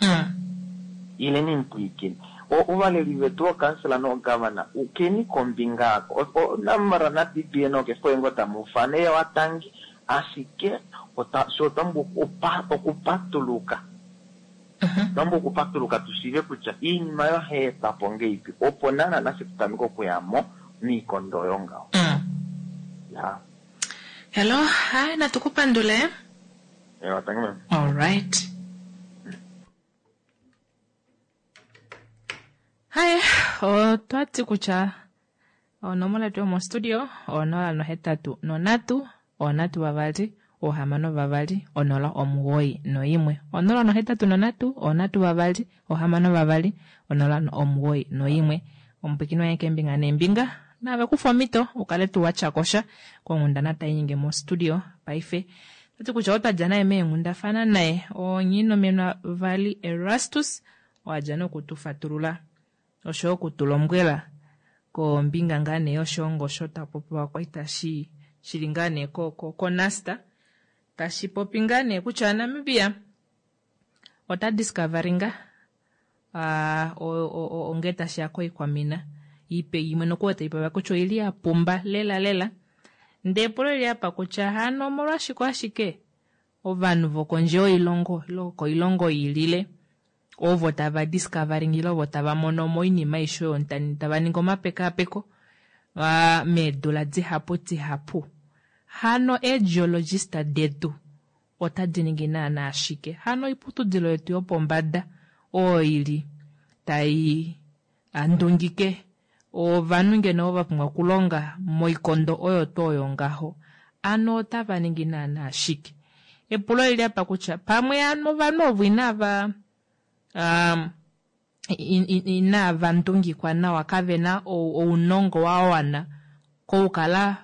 ileni mupwiikine. Ovaleli vetu ookansela noogavana ukeni kombinga ako Namra na D B N okefo ngo tamu ufana eya watangi ashike sho otwa pumbwa okupatuluka, otwa pumbwa okupatuluka tushiive kutya iinima yo hayi etwapo ngeipi opo naana nafye tutameke okuyamo miikondo oyo ngaho. Ya. Hello, hi, natu kupandule. Ewa, tangi ma'am. All right. Hi, otwati kutya onomola yetu yomostudio onola nohetatu nonhatu onhatu vavali ohamano vavali onola omugoyi noimwe, onola nohetatu nonhatu onhatu vavali ohamano vavali onola omugoyi noimwe. Omupwikini waye keembinga neembinga nave kufa omhito ukale tuu watyakosha konghundana tainyenge mostudio paife. Tati kutya otwadja naye meenghundafana naye onyiinomenwa vali Erastus owadja nokutufatulula oshoyo okutulombwela kombinga ngaa nee yoshilongo sho tapopiwa kwali tashi shili ngaa nee koNUST tashi popi ngaa nee kutya Namibia ota discoveringa uh, onge tashiya koikwamina ipe imwe nokuwa taipopiwa kutya oili ya pumba lela lela ndee epulo lili apa kutya hano omolwashike ashike ovanhu vokondje yoilongo ile koilongo yiilile ovo tava discovering ile ovo tava mono moinima aishe oyo tava ningi omapekapeko uh, meedula dihapu dihapu hano eegeologist detu otadi ningi naana ashike hano oiputudilo yetu yopombada oyo ili tai ndungike ovanhu ngeno va pumbwa okulonga moikondo oyo tuu oyo ngaho ano otava ningi naana ashike epulo lili apa kutya pamwe ano ovanhu ovo inava um, inava ndungikwa nawa kavena ounongo wa wana kokukala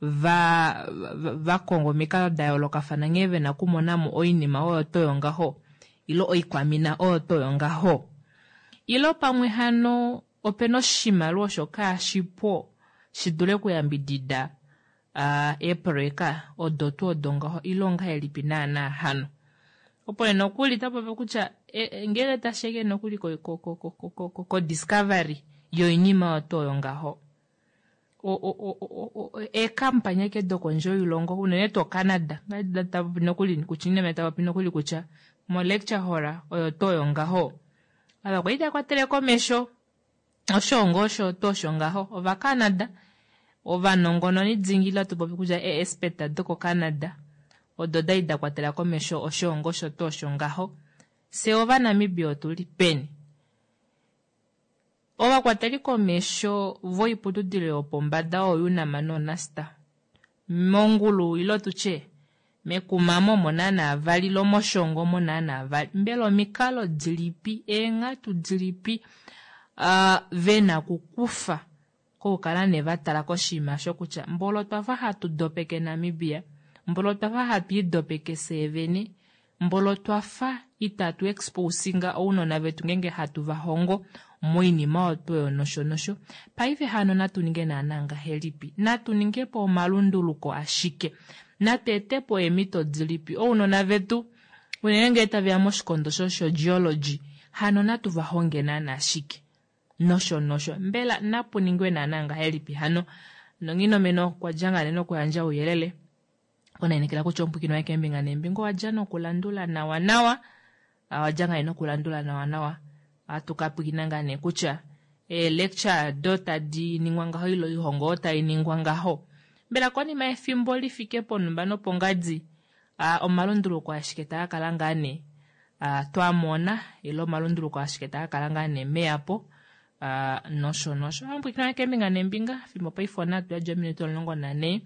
Va, va, va konga omikalo da yoolokafana nghee vena okumonamo oinima oyo to yongaho ilo oikwamina oyo to yongaho? Ilo pamwe hano opena oshimaliwa osho kaashipo shidule okuyambidida eeproyeka odo tuu odo ngaho ile ongahelipi naana hano? Opo nee nokuli tapopi kutya ngenge tashiya nokuli ko discovery yoinima oyo tuu oyo ngaho, eekampani ashike dokondje yoilongo unene tuu Canada tapopi nokuli tapopi nokuli kutya mo lecture hall oyo tuu oyo ngaho ava kwali takwatele komesho oshoongo osho tuu osho ngaho ova Canada ovanongononi dingila tupopi kutya ee-expert doko Canada odo dali dakwatela komesho oshoongo osho tuu osho ngaho. Fye ovanamibia otuli peni? Ovakwateli komesho voiputudilo yopombada oyo UNAM noNUST mongulu ilo tutye mekumamo omo naana vali ilo moshongo omo naana vali, mbela omikalo dilipi eenghatu dilipi uh, vena okukufa kokukala nee vatala koshinima osho kutya mbolo otwafa hatu dopeke Namibia, mbolo otwafa hatu idopeke fyee vene, mbolo twafa itatu exposinga ounona vetu ngenge hatu vahongo moinima oyo tuu oyo nosho nosho. Paife hano natu ninge naana ngahelipi? Natu ningepo omalunduluko ashike? Natu etepo eemhito dilipi? Ounona vetu unene ngee taveya moshikondo sho geology hano natu vahonge naana ashike? Nosho nosho. Mbela napu ningwe naana ngahelipi hano? Nonghinomeno okwa dja ngaa nee nokuyandja ouyelele onainekela kutya omupwiikini waye keembinga neembinga owa dja nokulandula nawa nawa, owa dja ngaa nee nokulandula nawa nawa. Ohatu ka pwiikina ngaa nee kutya ee-lecture do tadi ningwa ngaho ile oihongo oyo tai ningwa ngaho, mbela konima yefimbo lifike ponumba nopongadi omalunduluko ashike taa kala ngaa nee twamona ile omalunduluko ashike taa kala ngaa nee meyapo nosho nosho. Omupwiikini waye keembinga neembinga fimbo paife onhatu yadja ominute omulongo nanhee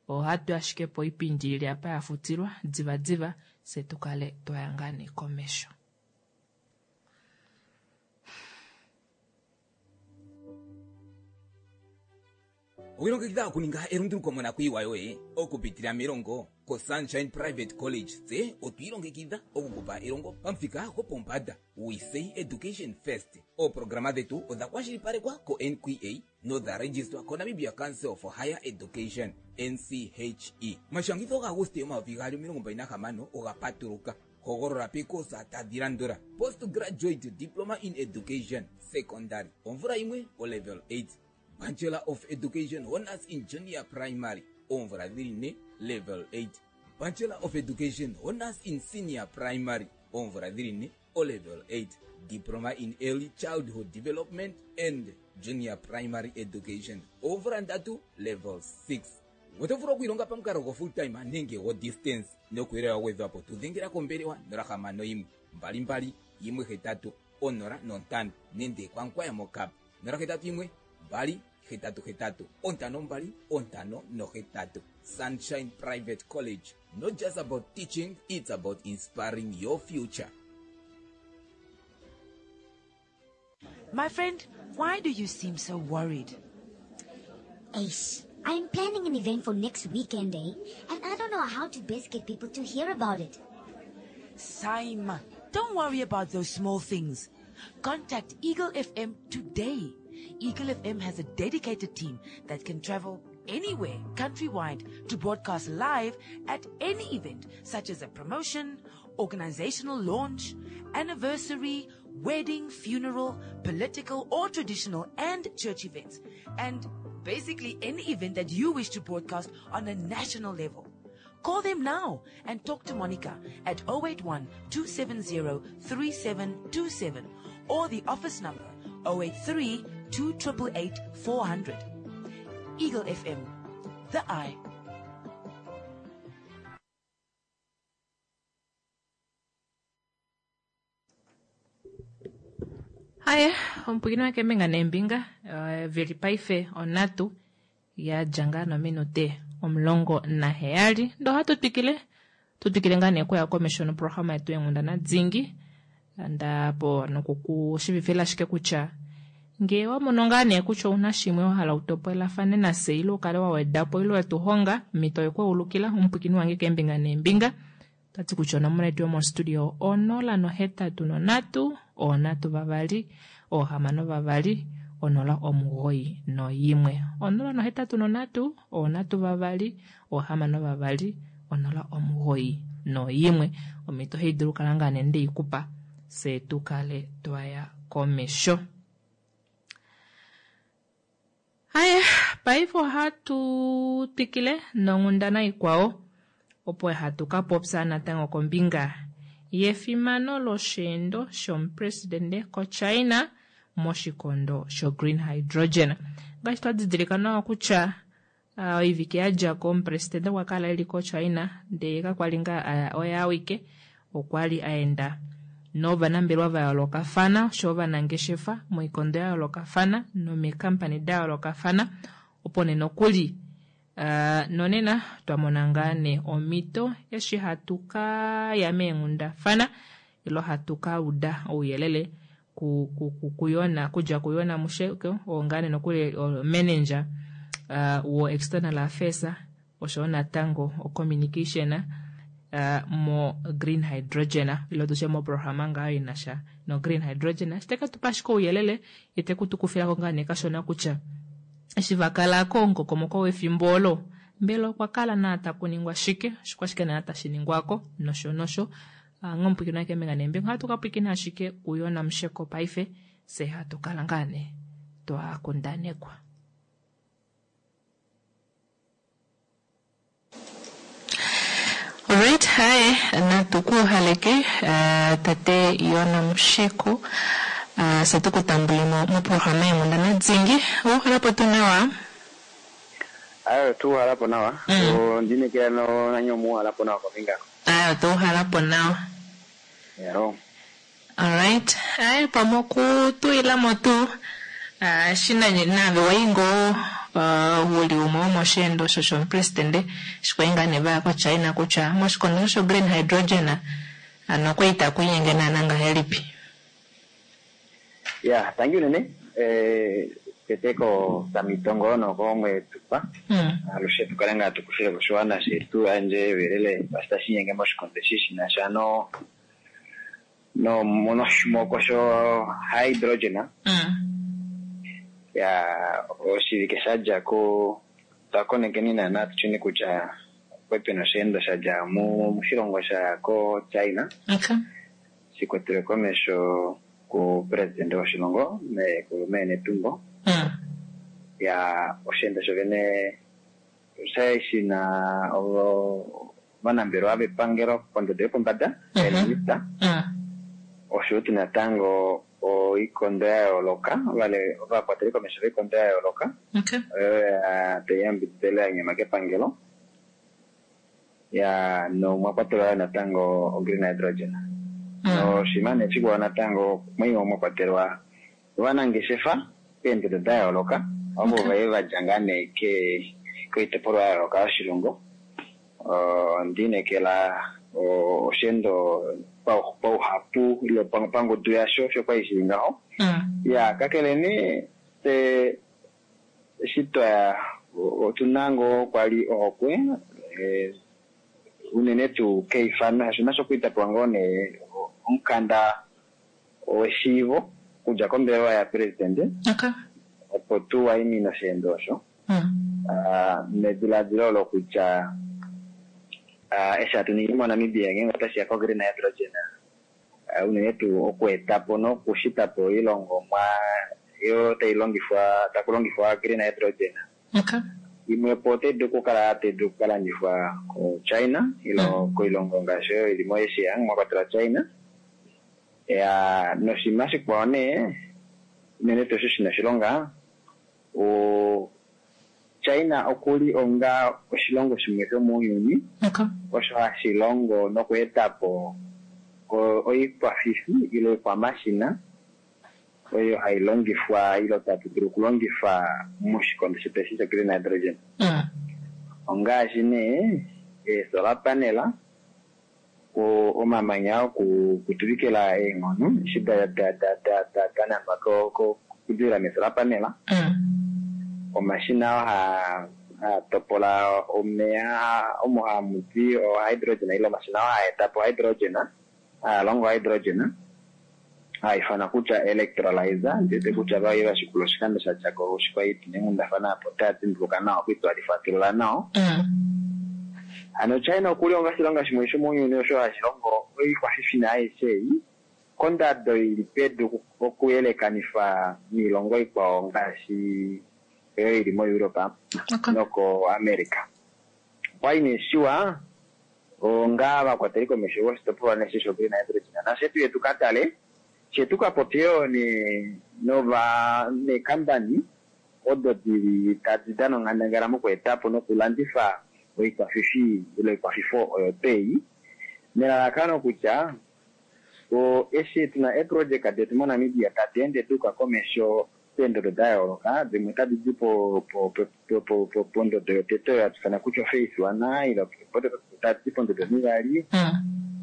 ohatu ashike po oipindi ili apa yafutilwa diva diva fye tukale twaya ngaa nee komesho. Owilongekidha okuninga elunduluko monakuyiwa yoye okupitila melongo koSunshine Private College. Tse otwiilongekidha okukupa elongo pamuthika gopombanda. We say education first. Ooprograma dhetu odha kwashilipalekwa ko-N Q A nodha registrwa koNamibia Council for Higher Education N C H E. Omashangitho gaAguste omayovi gaali omilongo mbali nahamano oga patuluka. Hogolola pekosa tadhi landula: Postgraduate Diploma in Education Secondary omvula yimwe o level eight, Bachelor of Education Honors in Junior Primary oomvula dhili ne level eight, Bachelor of Education Honors in Senior Primary oomvula dhili ne o level eight, Diploma in Early Childhood Development and Junior Primary Education oomvula ndatu level six. Oto vulu okwiilonga pamukalo go full time nenge go distance. Nokuyelela wa gwedhwapo tudhengela kombelewa nola hamano yimwe mbali mbali yimwe hetatu onola nontano nenge kwankwaya mokap nola hetatu yimwe mbali hetatu hetatu ontano mbali ontano nohetatu. Sunshine Private College, not just about teaching, it's about inspiring your future. My friend, why do you seem so worried? Ace, I'm planning an event for next weekend, eh? And I don't know how to best get people to hear about it. Saima, don't worry about those small things. Contact Eagle F M today. Eagle F M has a dedicated team that can travel anywhere countrywide to broadcast live at any event, such as a promotion, organizational launch, anniversary, wedding, funeral, political or traditional and church events, and basically any event that you wish to broadcast on a national level. Call them now and talk to Monica at oh eight one two seven zero three seven two seven or the office number oh eight three two eight eight four hundred. Eagle F M, the eye. Haya, omupwiikini wakeembinga neembinga uh, veli paife onhatu yadja ngaa nominute omulongo naheyali ndo ohatu twikile tu twikile ngaa nee okuya komesho noprograma yetu yenghundana dingi ndapo nokukushivifila ashike kutya Ngee wa mono ngaa nee kutya ouna shimwe wa hala utopolelafane nafye ile ukale wa wedapo ile wetu honga, omhito oyekweulukila omupwiikini wange keembinga neembinga. Otati kutya onomola yetu yomostudio onola nohetatu nonhatu, onhatu vavali, oohamano vavali, onola omugoyi noyimwe. Onola nohetatu nonhatu, onhatu vavali, oohamano vavali, onola omugoyi noyimwe. Omhito ohaidulu okukala ngaa nee ndeikupa fyee tukale twaya komesho. Haye, paife ohatu twikile nonghundana ikwao opo hatu ka popya natango kombinga yefimano losheendo shomupresidente koChina moshikondo sho-green hydrogen. Ngaashi twa didilika nawa kutya uh, oivike yadjako omupresidente okwa kala eli koChina ndee kakwali ngaa aya oye awike, okwali aenda novanambelewa va yoolokafana osho ovanangeshefa moikondo ya yoolokafana nomikampani da yoolokafana opo nee nokuli uh, nonena twamona ngaa nee omhito eshi hatu ka ya meenghundafana ilo hatu ka uda ouyelele ku, ku, ku, kuyona kudja kuyona Musheko oo ngaa nee nokuli manager uh, wo external affairs osho natango o communication uh, mo green hydrogen ilo tushe mo programa ngaa inasha no green hydrogen shiteka tupa ashike ouyelele ite kutukufilako ngaa nee kashona kutya eshi vakala komukokomoko wefimbo olo mbela okwa kala naa takuningwa shike shikwashike naa tashi ningwako nosho nosho. Ngomupwikina wake keembinga neembinga ohatu ka pwikina ashike kuyona Musheko paife fye hatu kala ngaa nee twakundanekwa. Alright, haye natukuhaleke uh, tate Yona Musheko uh, se tukutambulemo moprograma yenghundana dzingi. Ouhalapo tuu nawa? Ayo tuuhalapo nawa. Mm. Ondinekela no nanyo muuhalapo nawa kombinga. Ayo tuuhalapo nawa. Yaro. Alright, aye pamwe okutuilamo tuu uh, shina nave waingo uh, wuli umwe womosheendo osho shomupresidente shikwai ngaa nee vaya koChina kutya moshikondo sho green hydrogen ano okwa ita kuinyenge naana ngahelipi. Ya, thank you nene. Eh, tete ko samitongo noko mwetupa. Mm. Alushe tukale ngaa tukushile koshiwana shetu anje welele basta shinyenge moshikondo eshi shinasha no no monoshimoko sho hydrogen. Mm. Ya oshivike shadjako twakonekeni naana tushini kutya okwepi nosheendo shadja moshilongo sha ko China. Okay. Shikwatelwe komesho ku president woshilongo me ku mee Netumbo. Mm. Ya osheendo shovene oshali shina ovanambelewa vepangelo pondodo yopombada, eeminista. Mm. Osho tuu natango oikondo ya yooloka, vale ovakwateli komesho voikondo ya yooloka. Okay. Oyo tai yambididele ya nyama kepangelo. Ya nomwa kwatelwa natango o green hydrogen. Mm. Noshima nee shikwao natango mwimwe mwa kwatelwa ovanangeshefa peendodo da yooloka ovo vaye vadja ngaa nee koitopolwa ya yooloka yoshilongo. Ondinekela osheendo pauhapu ile pangudu yasho osho kwali shili ngaho. Mm. Ya kakele nee te eshi twaya otuna ngoo kwali ohokwe unene tuu keifano shaashi nasho okwa tapewa ngoo nee omukanda weshiivo kudja kombelewa ya presidente. Okay. Opo tu waimine osheendo osho. Mm. Uh, nediladilo olo kutya uh, eshi hatu ningi moNamibia ngeenge otashi ya ko-green hydrogen uh, unene tuu okuetapo nokushitapo oilongomwa yo tai longifwa taku longifwa green hydrogen. Okay. Imwe po otai dulu okukala tai dulu okukalandifwa koChina ilo Mm. koilongo ngaashi oyo ili moAsia mwa kwatelwa China. Ya noshinima shikwao nee unene tuu osho shina oshilonga o China okuli onga oshilongo shimwe shomounyuni Okay. osho hashi longo nokuetapo oikwafifi ile oikwamashina oyo hai longifwa ilo tatu dulu okulongifa moshikondo shetu eshi sho green hydrogen. Mm. Ongaashi nee eesolar panel, omamanya okutuvikila eenghono eshi da da da da da dananwa ko ko okudilila mesolar panel, omashina oo haa haa topola omeya omo hamu di o hydrogen ile omashina oo haa eta po hydrogen, haa longo hydrogen, haa ifanwa kutya electrolyzer. Ndiwete kutya vaye vashikula oshikando sha dja ko oshikwai tunenghundafana apo otaya dimbuluka nawa okwiitwalifatulula nawa. Hano China okuli onga oshilongo shimwe shomounyuni osho hashi longo oikwafifina aishe ei kondado ili pedu okuyelekanifa niilongo ikwao ngaashi oyo ili moEurope noko America. Okwali nee shiwa onga ovakwateli komesho voshitopolwa neshe shogreen hydrogen nafye tuye tukatale fye tukapopye yoo nova neekambani odo dili tadi dana onghandangala mokuetapo nokulandifa oikwafifi ile oikwafifo oyo twei nelalakano kutya eshi tuna eeprojeka detu moNamibia tadi ende duuka komesho peendodo da yooloka, dimwe otadi di pondodo yotete oyo hatu ifana kutya ophase one ile tadi di pondodo onivali,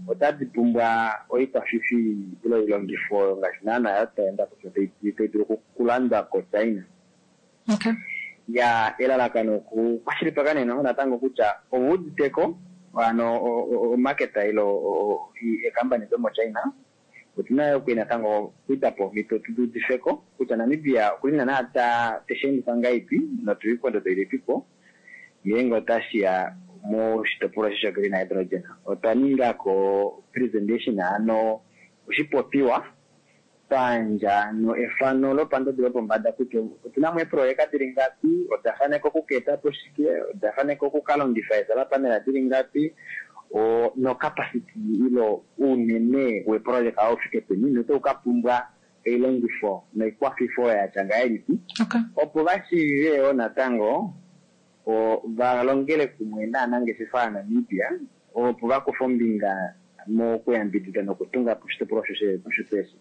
otadi pumbwa oikwafifi ile oilongifo oyo ngaashi naana ya twaenda kutya tai dulu okulandwa koChina. Ya elalakano okukwashilipaleka nee natango kutya ovauditeko hano omaketa ile eekambani domoChina otuna yo natango okwiita po omhito tuudifeko kutya Namibia okuli naana tesheendifwa ngahelipi notuli pondodo ilipipo ngeenge otashiya moshitopolwa sho green hydrogen. Otwa ningako presentation hano oshipopiwa twayandja efano lopandodo yopombada kutya otuna mo eeprojeka dili ngapi, oda faneka okukeetapo shike, oda faneka okukalongifa eesolar panel dili ngapi, nocapacity ile ounene weeprojeka oufike peni notau kapumbwa oilongifo noikwafifo yatya ngahelipi opo vashiive yoo natango valongele kumwe naanangeshefa yaNamibia opo vakufe ombinga mokuyambidida nokutunga po oshitopolwa osho eshi.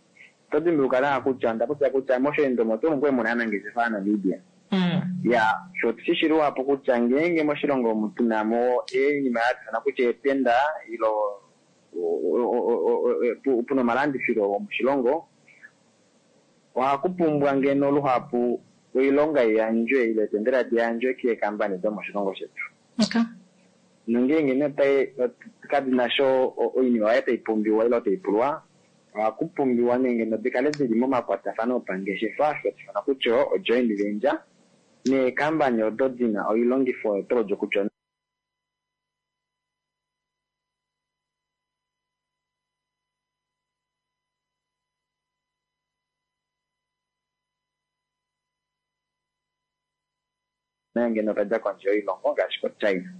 Oto dimbuluka nawa kutya onda popya kutya mosheendo omo tuu omu muna aanangeshefa yaNamibia. Ya sho otushi luhapu kutya ngeenge moshilongo omu tuna mo oinima hatu ifana kutya eetenda ile puna omalandifilo omoshilongo ohaku pumbwa ngeno luhapu oilonga iyandjwe ile eetendela diyandjwe keekambani domoshilongo shetu. Nongeenge nee kadina sho oinima oyo tai pumbiwa ile tai pulwa, ohaku pumbiwa nee ngeno dikale dili momakwatafano opangeshefa osho hatu ifana kutya o joint venture neekambani odo dina oilongifo oyo tolodja kutya ngeno tadja kondje yoilongo ngaashi koChina.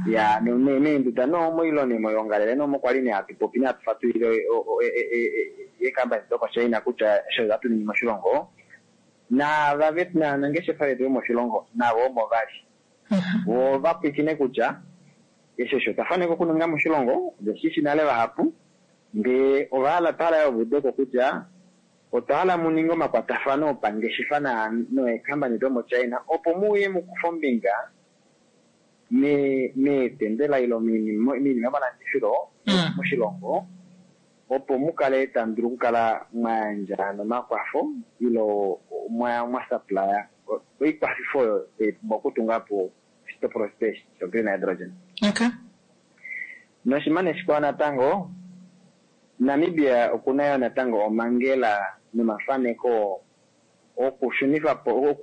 Ya meenduda nomoilongo moyoongalele nomo kwali nee hatu popi nee hatu fatulile eekambani dokoChina kutya osho hatu ningi moshilongo naava naanangeshefa vetu vomoshilongo navo omo vali vo vapwiikine kutya eshi osho twafaneka okuninga moshilongo oveshishi nale vahapu ndee ovahala twahala yoo vaudeko kutya otwa hala muninge omakwatafano opangeshefa neekambani domoChina opo muuye mukufe ombinga meetendela ile moinima yomalandifilo moshilongo opo mukale tamu dulu okukala mwayandja nomakwafo ile mwasupplya oikwafifo oyo tai pumbwa okutunga po oshitopolwa sho green hydrogen. Noshimane shikwao natango Namibia okuna yo natango omangela nomafaneko okushunifa po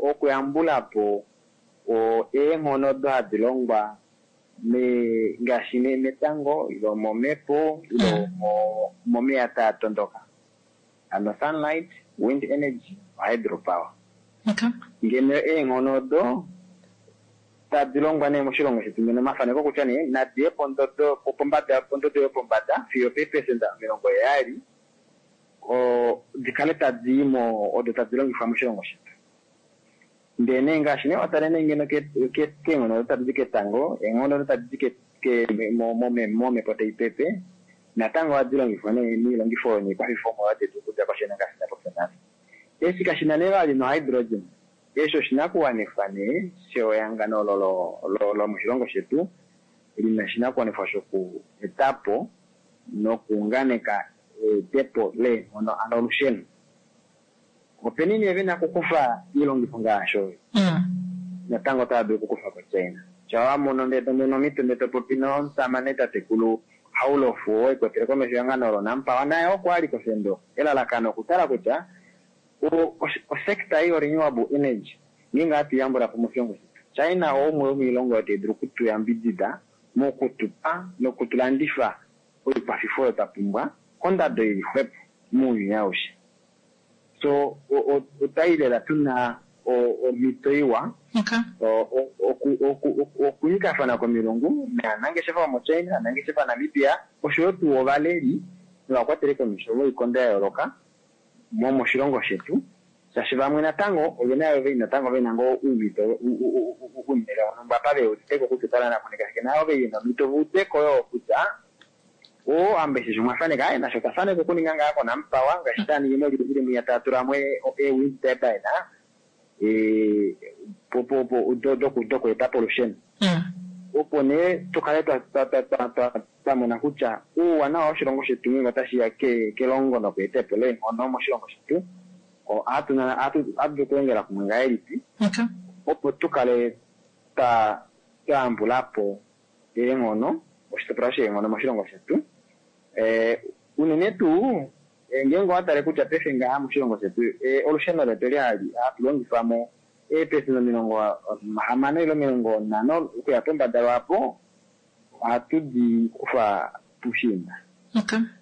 okuyambula po eenghono odo hadi longwa ngaashi metango ile momhepo ile momeya taa tondoka, hano sunlight, wind energy, hydropower. Ngeno eenghono odo tadi longwa nee moshilongo shetu ngeno omafaneko kutya nee nadiye pondodo pombada pondodo yopombada fiyo peepesenda omilongo heyali dikale tadi mo odo tadi longifwa moshilongo shetu. Ndee nee ngaashi nee watale nee ngeno keenghono odo tadi di ketango, eenghono odo tadi di momhepo tai pepe natango ohadi longifwa nee moilongifo noikwafifo detu okudja koChina ngaashi ndapopya nale. Eshi kashina nee vali nohydrogen, eshi oshinakuwanifwa nee shehangano lomoshilongo shetu lina oshinakuwanifwa shoku etapo nokuunganeka eetepo leenghono hano olusheno. Openi nee vena okukufa oilongifo ngaashi oyo? Natango otava dulu okukufa koChina. Sha wa mono ndee tomono omhito ndee topopi nomusamane tatekulu Haulofu oo ekwetele komesho ehangano loNamPower, naye oko ali koshendo. Elalakano okutala kutya osekta ei yo-renewable energy ngeenge ohatu yambula po moshilongo shetu, China oumwe womoilongo oyo tai dulu okutuyambidida mokutupa nokutulandifa oikwafifo oyo twa pumbwa kondado ili xwepo mounyuni aushe. So otwai lela tuna omhito iwa okunyikafana komilungu naanangeshefa vomoChina, naanangeshefa Namibia, oshoyo tuu ovaleli novakwateli komesho voikondo ya yooloka moshilongo shetu, shaashi vamwe natango ovena yo natango vena ngoo uumhito unene wonhumba apa veuditeko kutya otava kuninga shike, navo vena omhito vaudeko yoo kutya oo ambeshe omwafaneka aye nasho tafaneka okuninga ngaa koNamPower ngaashi taningi moliindili mwiya taa tulamo ee-wind turbine dokweetapo olusheno, opo nee tukale twamona kutya uuwanawa woshilongo shetu ngeenge otashiya kelongo nokweetepo leenghono moshilongo shetu, ohatu dulu okulongela kumwe ngahelipi opo tukale twayambulapo eenghono, oshitopolwa sheenghono moshilongo shetu. Unene tuu ngeenge owatale kutya paife ngaha moshilongo shetu olusheno letu eli hatu longifamo eepesenda omilongo hamano ile omilongo nhano okuya pombada lwaapo ohatu di kufa puushiinda,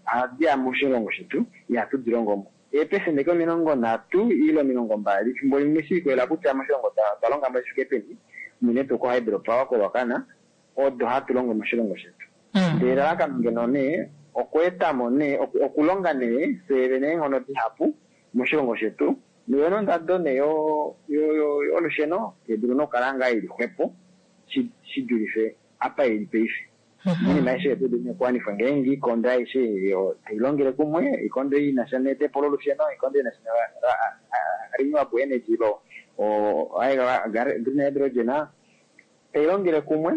ohadi ya moshilongo shetu, ihatu di longo mo. Eepesenda eke omilongo nhatu ile omilongo mbali efimbo limwe shiikolela kutya moshilongo otwa longa mo shifike peni, unene tuu ko-hydropower koRuacana odo hatu longo moshilongo shetu. Ndele elalakano ngeno nee okweetamo nee okulonga nee fyee vene eenghono dihapu moshilongo shetu, noyo nondado nee yolusheno taidulu nokukala ngaa ili xwepo shidulife apa ili paife. Oinima aishe otai dulu okuwanifwa ngeenge oikondo aishe tai longele kumwe, oikondo ei inasha neetepo lolusheno, oikondo inasha renewable energy lo green hydrogen tai longele kumwe,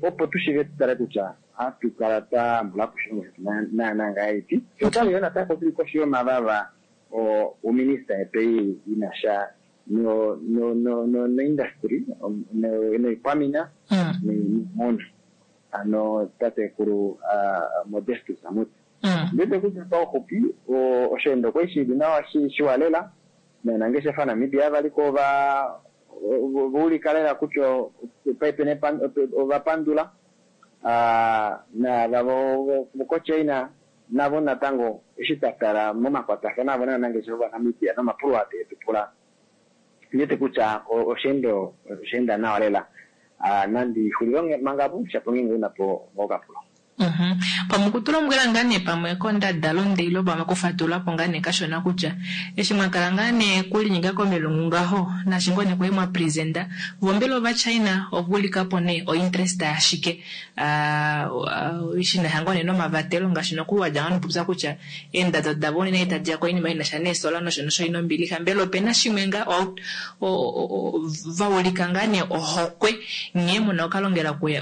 opo tushive tutale kutya ohatu kala twayambulapo oshilongo shetu naana ngahelipi. Otwali yoo natango tuli koshi yomavava ominista yetu ei inasha noindustry noikwamina noimuna, ano tatekulu Modestus Amuti. Ndiwete kutya pauxupi osheendo okwali shili nawa shiwa lela, novanangeshefa Namibia valiko vaulika lela kutya paife ovapandula, naava vokoChina navo natango eshi twatala momakwatafano avo novanangeshefa vaNamibia nomapulo aa teetupula, ndiwete kutya osheendo oshaenda nawa lela. Nandi xulile manga apo, shapo ngeenge unapo okapulo. Pamwe okutulombwela ngaa nee pamwe kondadalunde ile pamwe okufatululapo ngaa nee kashona kutya eshi mwakala ngaa nee kulinyika komilungu ngaho naashi ngoo nee kwali mwa presenta vo mbela ovaChina ovaulikapo nee ointerest yashike shinasha ngoo nee nomavatelo ngaashi nokuli wadja ngoo nokupopya kutya eendado davo unene tadiya koinima inasha neesola nosho nosho ina ombilixa, mbela opena shimwe ngaa vaulika ngaa nee ohokwe nghee muna okalongela kumwe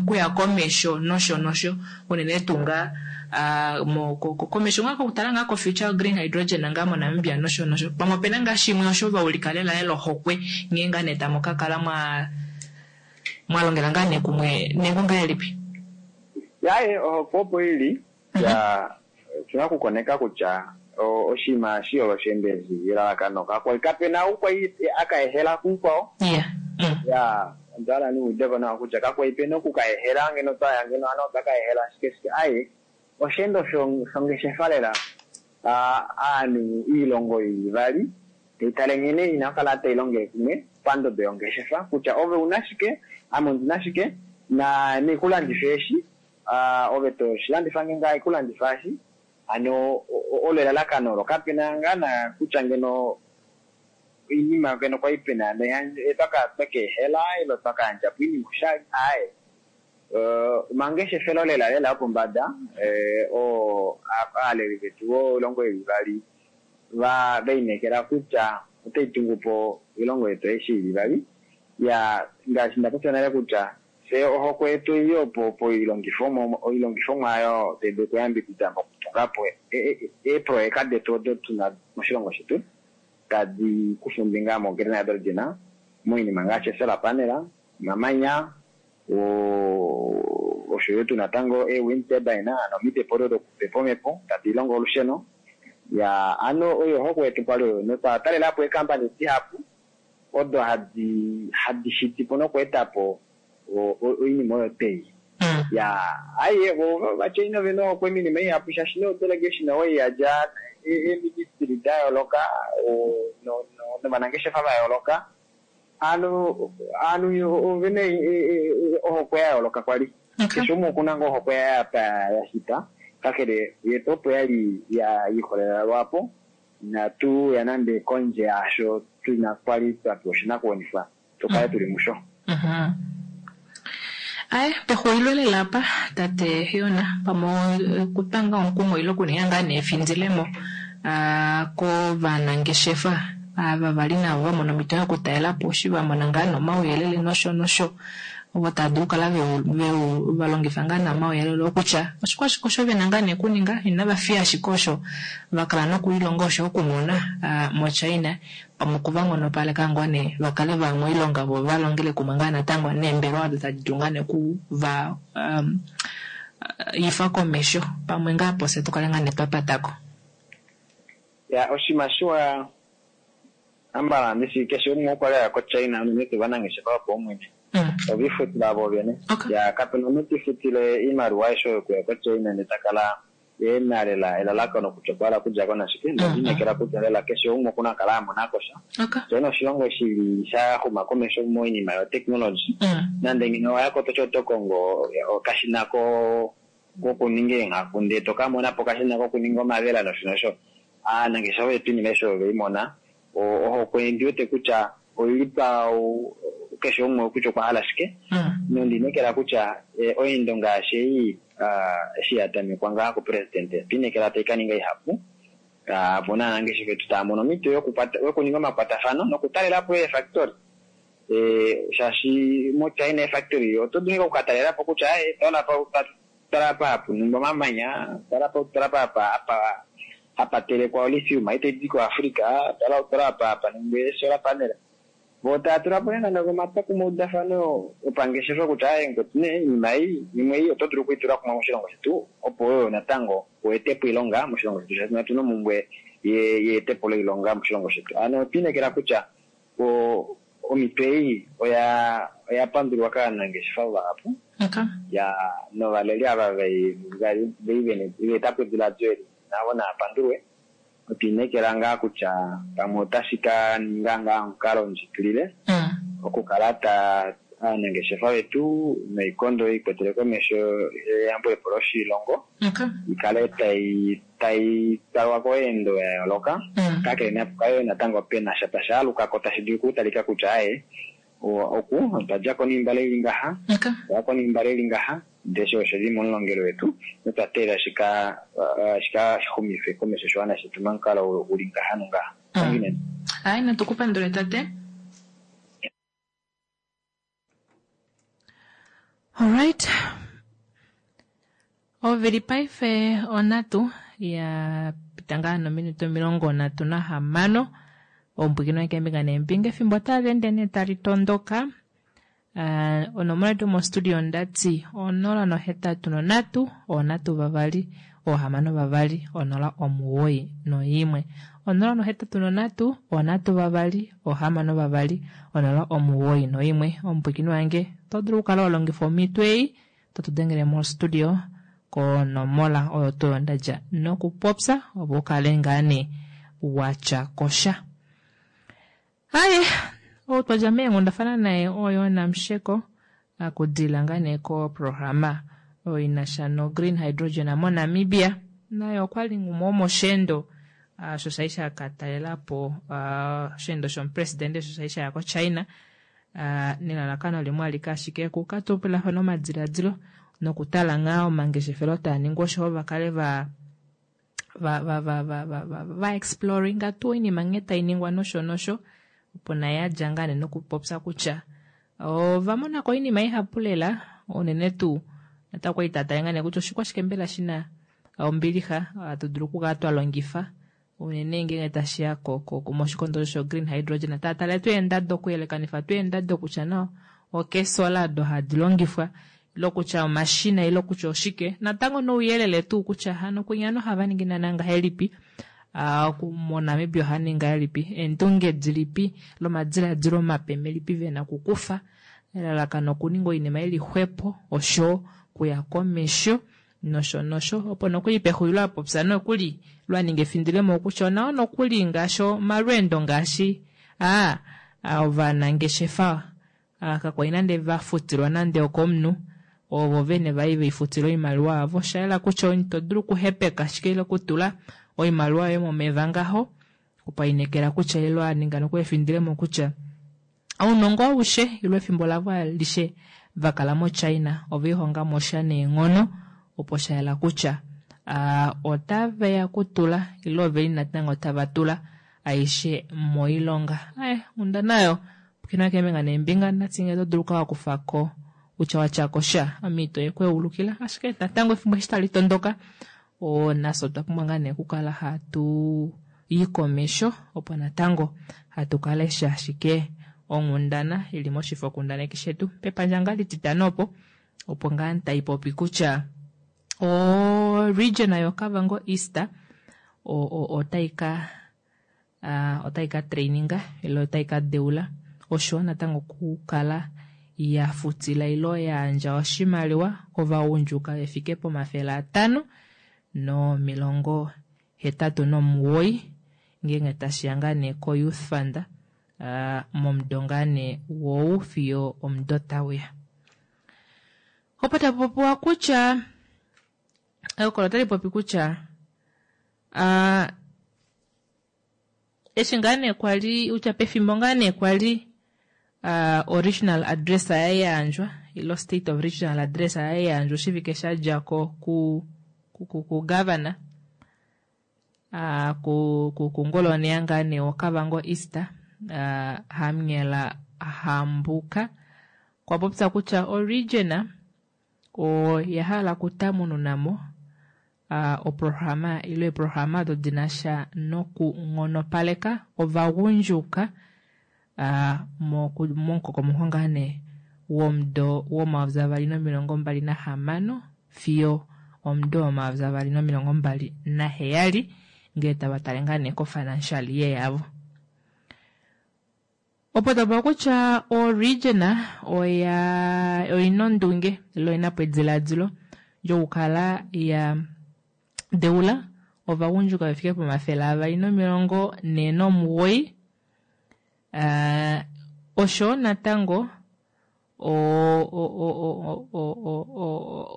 kuya komesho nosho nosho unene tuu ngaa komesho ngaa kokutala ngaa ko future green hydrogen ngaa moNamibia nosho nosho, pamwe opena ngaa shimwe osho vaulika lela lela ohokwe nghee ngaa nee tamu kakala mwa mwalongela ngaa nee kumwe nengo ngahelipi? Yaye ohokwe opo ili ya tuna okukoneka kutya oshinima eshi osheenda eshi elalakano kakwali kapena ou kwali akaehela kumukwao. Ya onda hala niudeko nawa kutya kakwali pena okukaehela ngeno twaya ngeno ano otwakaehela ashike shike aye osheendo shongeshefa lela aanhu iilongo ili ivali tai tale nghene ina okukala tai longele kumwe pandodo yongeshefa kutya ove una shike ame ondina shike na nikulandifa eshi ove toshilandifa nge ngaa ikulandifa eshi, ano olo elalakano olo kapena ngaa na kutya ngeno oinima ngeno kwali pena twakaehela ile twakayandjapo oinima oshali aaye omangeshefelo lela lela opombada oo aaleli vetu voilongo ili ivali vainekela kutya otai tungupo oilongo yetu aishe ili ivali. Ya ngaashi ndapopya nale kutya fye ohokwe yetu oili opo oilongifomwa oyo tai dulu okuyambidida mokutunga okuyambulapo eeproyeka detu odo tuna moshilongo shetu tadi kufa ombinga mo-green hydrogen moinima ngaashi solar panel, omamanya, oshoyo tu natango e-wind turbine, ano omipepo odo dokupepa omhepo tadi longo olusheno. Ya ano oyo ohokwe yetu kwali oyo, notwa talelapo eekampani dihapu odo hadi hadi shitipo nokweetapo oinima oyo twei. Ya aye ovaChina ovena ohokwe minima ihapu shaashi nodelegation oyo yadja eeministry da yooloka novanangeshefa va yooloka, ano ovanhu ovena ohokwe ya yooloka kwali. Keshe umwe okuna ngoo ohokwe yaye apa ya shita, kakele yetu opo yali ya ikolelela lwapo, inatu ya nande kondje yaasho tuna kwali twa pewa oshinakuwanifwa tukale tuli musho. Aye, pexulilo lela apa tate Yona, pamwe okutanga omukumo ile okuninga ngaa neefindilemo kovanangeshefa ava vali navo va mona omhito yokutalela po eshi va mona ngaa nomauyelele nosho nosho, ovo tava dulu okukala va longifa ngaa nomauyelele okutya oshikwashike osho vena ngaa nee okuninga, inava fiya ashike osho va kala nokulilonga osho okumona moChina, pamwe okuva nghonopaleka ngoo nee va kale va moilonga vo va longele kumwe ngaa natango neembelewa odo tadi dulu ngaa nee okuva ifa komesho, pamwe ngaa pofye tukale ngaa nee twapatako. Ya oshinima shiwa ambala ndishi keshe umwe okwa li aya koChina, unene tuu ovanangeshefa vopaumwene ovifutila vo vene. Ya kapena omunhu tifutile oimaliwa aishe oyo okuya koChina ndele ta kala ena lela elalakano kutya okwa hala okudja ko nashike, nondinekela kutya lela keshe umwe okuna okukala a mona ko sha. China oshilongo shili sha xuma komesho moinima yotechnology, nande ngeno owaya ko toti oto kongo okashina kokuninga eenghaku ndele toka mona po okashina kokuninga omavela nosho nosho. Aanangeshefa vetu iinima aishe oyo vei mona, ohokwe ndiwete kutya oili pa keshe umwe kutya okwa hala shike, nondinekela kutya oendo ngaashi ei eshi ya tamekwa ngaa kupresidente, otwinekela tai ka ninga ihapu, opo naanangeshefa vetu tava mono omhito yokuninga omakwatafano nokutalelapo eefactory. Shaashi moChina eefactory oto dulu okukatalelapo kutya tala apa hapu ningwa omamanya, tala apa hapa telekwa olithium itaidi koAfrica, tala apa hapa ningwa solar panel. Vo tava tula po nande omatwokumweudafano opangeshefa kutya aye ngoti nee iinima ei imwe ei oto dulu okuitula kumwe moshilongo shetu, opo oyo natango uetepo oilonga moshilongo shetu, shaashi otuna omhumbwe yeetepo loilonga moshilongo shetu. Ano otwinekela kutya omhito ei oya oya pandulwa kaanangeshefa vahapu ya novaleli ava vei veetapo ediladilo eli navo naapandulwe. Otwinekela ngaa kutya pamwe otashi ka ninga ngaa omukalo ndjikilile okukala ta aanangeshefa vetu noikondo ikwetele komesho eyambulepo loshilongo ikale tai tai talwa koendo ya yooloka, kakele napukale natango pena sha tashi alukako tashi dulu okutalika kutya aye oku otwa djako niimbale ili ngaha, otwa niimbale ili ngaha, ndele osho oshili momulongelo wetu notwa teelela shika shika xumife komesho oshiwana shetu momukalo uli ngaha nongaha. Aye, natukupandule tate. Alright. Ovili paife onatu ya pita ngaa nominute omilongo nhatu nahamano, ombwikino yekeembinga neembinga efimbo otali ende nee tali tondoka. Onomola yetu mostudio ndati onola nohetatu nonhatu onhatu vavali ohamano vavali onola omuwoi noimwe, onola nohetatu nonhatu onhatu vavali ohamano vavali onola omuwoi noimwe. Omupwikini wange oto dulu okukala wa longifa omhito ei to dengele mostudio konomola oyo tuu ndadja nokupopya opo ukale ngaa nee watya kosha. Aye, ou twadja meenghundafana naye oyo Namsheko akudila ngaa nee koprograma oyo inasha no green hydrogen moNamibia, naye okwali umwe womosheendo sho shali sha katalelapo osheendo shomupresidente sho shali shaya koChina nelalakano limwe alike ashike okukatopolafana omadiladilo nokutala ngaa omangeshefelo taa ningwa osho va kale va va va va va va va exploringa tuu oinima nghee tai ningwa nosho nosho, opo naye adja ngaa nee nokupopya kutya ova monako oinima ihapu lela, unene tuu natango kwali tatale ngaa nee kutya oshikwashike mbela shina Ombilixa hatu dulu okukala twa longifa unene ngeenge tashiya moshikondo sho green hydrogen taatale tuu eendado okuyelekanifa tuu eendado kutya no okeesolar odo hadi longifwa ile kutya omashina ile kutya oshike natango nouyelele tuu kutya hano kwinya ohava ningi naana ngahelipi moNamibia ohava ningi ngahelipi eendunge dilipi lomadilaadilo mape melipi vena okukufa elalakano okuninga oinima ili xwepo osho kuya komesho nosho nosho opo nokuli pexulilo apopya nokuli lwaninga efindilemo kutya onawa nokuli ngaashi omalweendo ngaashi aa ovanangeshefa kakwali nande vafutilwa nande okomunhu ovo vene vai veifutila oimaliwa yavo oshayela kutya ito dulu okuhepeka ashike ile okutula oimaliwa yoye momeva ngaho opainekela kutya ilo aninga noku efindilemo kutya ounongo aushe ilo efimbo lavo alishe vakala moChina oveihongamo sha neenghono opo shayela kutya otaveya kutula ile oveli natango tava tula aishe moilonga ae onda nayo pukina keembinga neembinga natsinge to dulu okukala kutya watyako sha omhito yekweulukila ashike natango efimbo eshi tali tondoka nafye otwa pumbwa ngaa nee okukala hatu yi komesho opo natango hatu kalesha ashike onghundana ili moshifokundaneki shetu pepandja ngaa lititano opo opo ngaa taipopi kutya o region yoKavango East otai ka otai ka traininga ile otai ka deula osho natango okukala ya futila ilo yandja oshimaliwa kovagundjuka vefike pomafele atano nomilongo hetatu nomugoyi ngeenge tashiya ngaa nee ko youth fund momudo ngaa nee wou fiyo omudo tauya. Opo tapopiwa kutya ehokololo otali popi kutya eshi ngaa nee kwali kutya pefimbo ngaa nee kwali original address ya yandjwa ilo state of regional address ya yandjwa oshivike shadjako ku ku governor kungoloneya ngaa nee woKavango East Hamunyela Hambuka okwa popya kutya o region oya hala okutamununamo oprograma ile eeprograma odo dinasha nokunghonopaleka ovagundjuka momukokomoko ngaa nee womudo womayovi avali nomilongo mbali nahamano fiyo omudo womayovi avali nomilongo mbali naheyali ngee tava tale ngaa nee ko-financial year yavo. Opo tapopiwa kutya o region oya oyina ondunge ile oyina po ediladilo lyokukala ya deula ovagundjuka vefike pomafele avali nomilongo nhee nomugoyi osho natango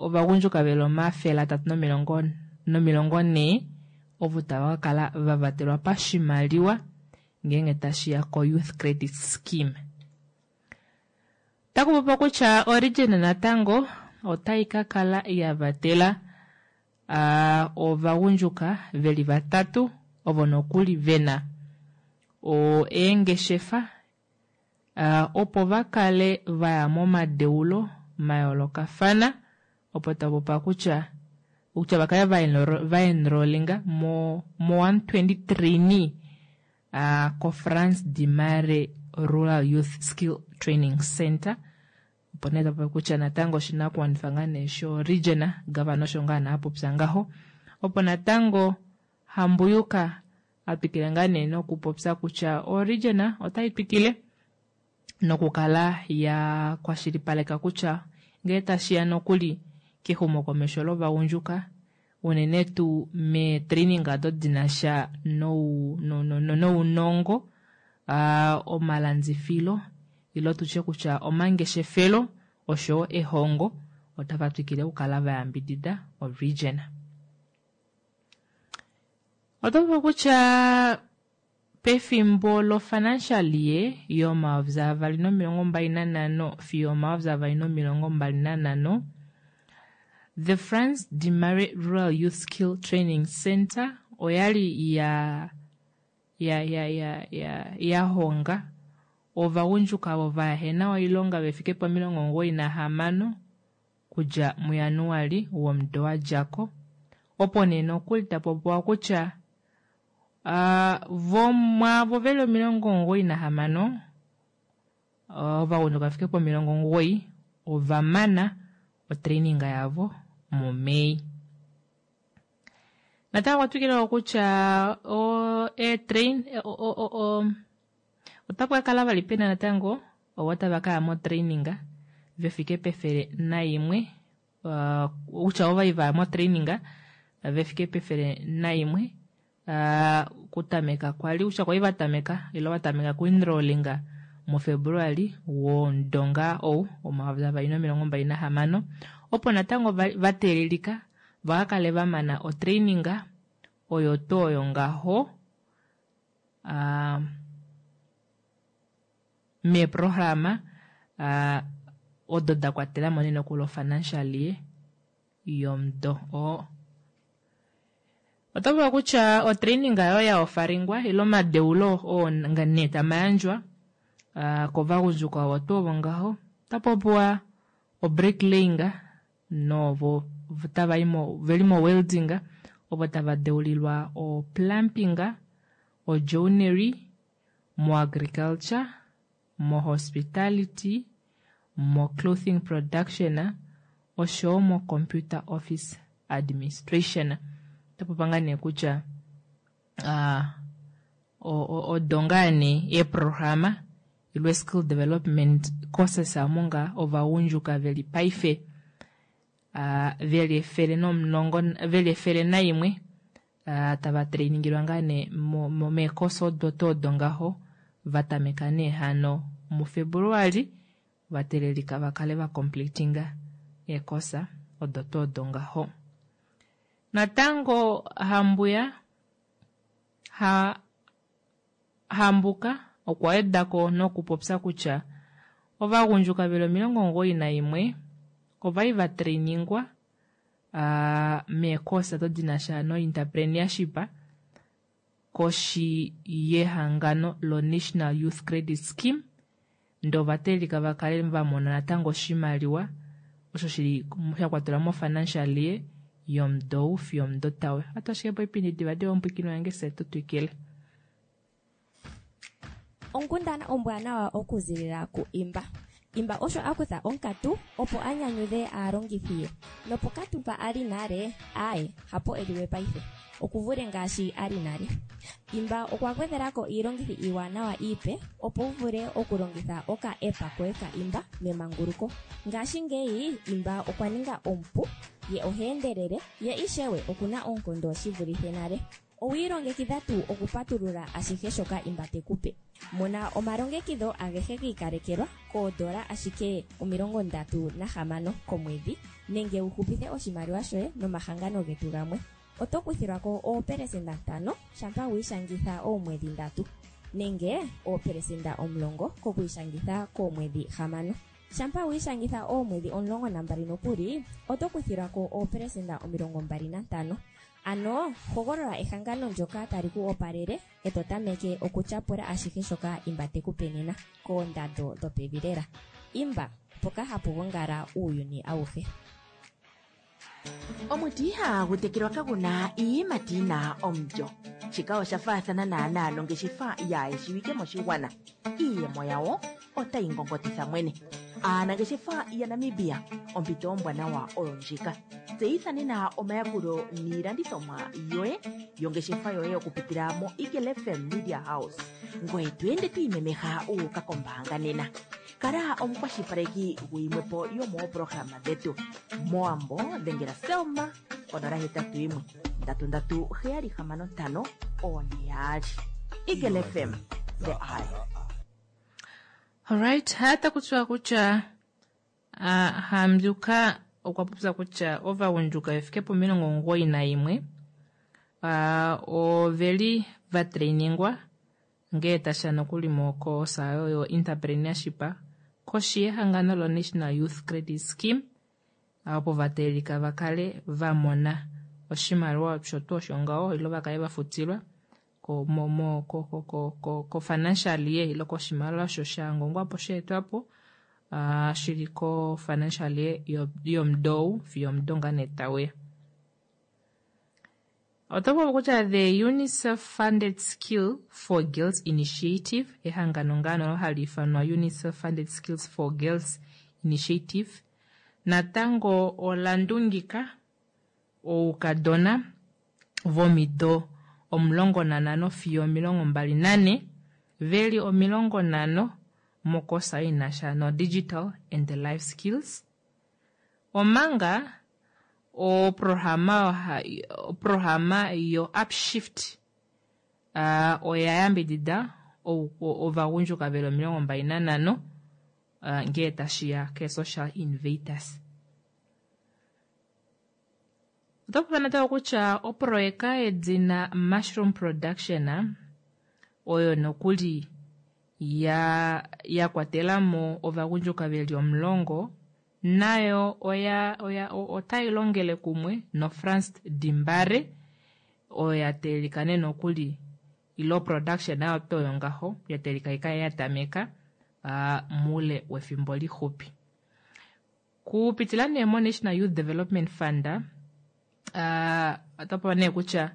ovagundjuka veli omafele atatu nomilongo nomilongo nhee ovo tava kakala vavatelwa pashimaliwa ngeenge tashiya ko-youth credit scheme. Otaku kutya o region natango otai kakala yavatela ovagundjuka veli vatatu ovo nokuli vena eengeshefa opo vakale vaya momadeulo mayoolokafana opo tapopiwa kutya kutya vakale vaenrollinga mo mo one twenty trainee ko-Frans Dimare Rural Youth Skill Training Center opo nee tapopi kutya natango oshinakuwanifwa ngaa nee sho region governor osho ngaa nee apopya ngaho opo natango Hambuyuka atwikile ngaa nee nokupopya kutya o region otai twikile nokukala ya kwashilipaleka kutya ngee tashiya nokuli kexumokomesho lovagundjuka unene tuu meetraining odo dinasha nounongo omalandifilo ile tutye kutya omangeshefelo oshowo ehongo otava twikile okukala vayambidida o region. Oto kutya pefimbo lo-financial year yomayovi avali nomilongo mbali nanhano fiyo omayovi avali nomilongo mbali nanhano the Frans Dimare Rural Youth Skill Training Center oyali ya ya ya ya ya yahonga ovagundjuka ovo vahena oilonga vefike pomilongo omugoyi nahamano okudja muJanuali womudo wadjako Opo nee nokuli tapopiwa kutya uh, vomwaavo veli omilongo omugoyi nahamano ovagundjuka vefike pomilongo omugoyi ovamana otraining yavo muMei. Natango okwa twikila kutya eetrain otapu ka kala vali pena natango ovo tava kaya motraining vefike pefele naimwe uh, kutya ovai vaya motraining vefike pefele naimwe uh, kutameka kwali kutya kwali vatameka ile vatameka kuenrollinga muFebruali womudonga ou omayovi avali nomilongo mbali nahamano opo natango vateelelika vakakale vamana otraining oyo tuu oyo ngaho uh, meeprograma uh, odo da kwatelamo nee nokuli ofinancial year yomudo oo. Oto vulu kutya otraining oyo ya ofaringwa ile omadeulo oo nee tamayandjwa uh, kovagundjuka ovo tuu ovo ngaho otapopiwa obricklaying novo tava veli mo welding ovo tava deulilwa o plumbing, o joinery, mo agriculture, mo hospitality, mo clothing production oshowo mo computer office administration. Otapopiwa ngaa nee kutya uh, odo ngaa nee eeprograma ile skill development courses omo ngaa ovagundjuka veli paife uh, veli efele nomulongo veli efele naimwe uh, tava trainingilwa ngaa nee meekosa odo tuu odo ngaho vatameka nee hano muFebruali vatelelika vakale vacompletinga eekosa odo tuu odo ngaho. Natango Hambuya ha Hambuka okwa wedako nokupopya kutya ovagundjuka veli omilongo omugoyi naimwe ovali vatrainingwa uh, meekosa odo dinasha no entrepreneurship koshi yehangano lo National Youth Credit Scheme ndee ovatelelika vakale vamona natango oshimaliwa osho shili shakwatelwa mo financial year yomudo ou fiyo omudo tauya. Ohatu ashike po oipindi divadiva omupwiikini wange fye tutwikile. Onkundana ombwanawa okuzilila ku Imba. Imba osho a kutha onkatu opo a nyanyudhe aalongithi ye. Nopokatu mpa a li nale, aaye, hapo e liwe paife. Okuvule ngaashi a li nale. Imba okwa gwedhelako iilongithi iiwanawa iipe opo wu vule okulongitha oka app koye ka Imba memanguluko. Ngashingeyi Imba okwa ninga omupu, ye oha endelele, ye ishewe okuna oonkondo shi vulithe nale. Owi ilongekidha tuu okupatulula ashihe shoka Imba te ku pe? Mona omalongekidho agehe gi ikalekelwa koodola ashike omilongo ndatu nahamano komwedhi nenge wu hupithe oshimaliwa shoye nomahangano getu gamwe. Oto kuthilwa ko oopelesenda ntano shampa wi ishangitha oomwedhi ndatu nenge oopelesenda omulongo kokwiishangitha koomwedhi hamano. Shampa wi ishangitha oomwedhi omulongo nambali nokuli oto kuthilwa ko oopelesenda omilongo mbali nantano. Ano hogolola ehangano ndyoka tali ku opalele e to tameke okutyapula ashihe shoka Imba te ku pe nena koondando dhopevi lela. Imba, mpoka hapu gongala uuyuni awuhe. Omuti ihagu tekelwa kaguna iiyimati yina omulyo. Shika osha faathana naanaa nongeshefa yaayeshiwike moshigwana. Iiyemo yawo otayi ngongotitha mwene. Aanangeshefa yaNamibia, ompito ombwanawa oyo ndjika. Tseyitha nena omayakulo niilandithomwa yoye yongeshefa yoye okupitila mo Eagle F M Media House. Ngoye to ende to imemeha wu uka kombaanga nena. Kala omukwashilipaleki guyimwepo yomooprograma dhetu. Mowambo dhengela Selma konola hetatu yimwe ndatu ndatu heyali hamano ntano one yaali. Eagle F M, the eye. Alright, hata kutya kutya uh, Hambyuka okwa popya kutya ovagundjuka vefike pomilongo omugoyi naimwe uh, oveli vatrainingwa ngee tasha nokuli mokoosa oyo entrepreneurship koshi yehangano lo National Youth Credit Scheme opo vateelika vakale vamona oshimaliwa osho tuu osho ngaho ilo vakale vafutilwa ko, mo, mo, ko, ko, ko, ko, ko financial year ilo koshimaliwa osho shangongwapo sheetwapo uh, shili ko financial year yomudou fiyo omudo ngaa nee tauya. Oto popi kutya the UNICEF funded Skill for Girls Initiative, ehangano ngaa nolo hali ifanwa UNICEF funded Skills for Girls Initiative, natango ola ndungika oukadona vomido omulongo nanhano fiyo omilongo mbali nanhe veli omilongo nhano mokosa inasha no digital and life skills, omanga oprograma oprograma yo upshift uh, oya yambidida ovagundjuka veli omilongo mbali nanhano uh, ngee tashiya ke social innovators. Oto popi natango kutya oproyeka yedina mushroom production oyo nokuli ya ya kwatelamo ovagundjuka veli omulongo nayo oya oya otai longele kumwe noFrans Dimbare oyo ya teelika nee nokuli ilo production nayo to oyo ngaho ya teelika ikale ya tameka uh, muule wefimbo lixupi. Kupitila nee mo National Youth Development Fund uh, oto pewa nee kutya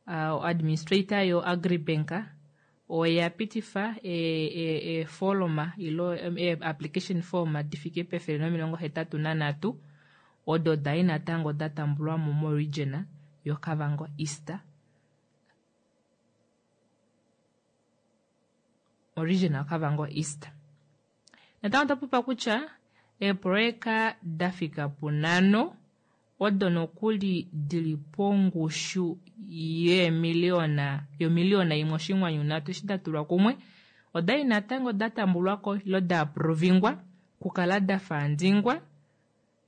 uh, administrator yo Agribank oya pitifa eefoloma e, e ilo e, application form difike pefele nomilongo hetatu nanhatu odo dai natango da tambulwa mo moregion yoKavango East. Moregion yoKavango East. Natango oto popa kutya eeproyeka da fika punhano odo nokuli dili pongushu yeemiliona yomiliona imwe oshinghwanyu nhatu eshi da tulwa kumwe odali natango da tambulwako ilo da aprovingwa kukala da faandingwa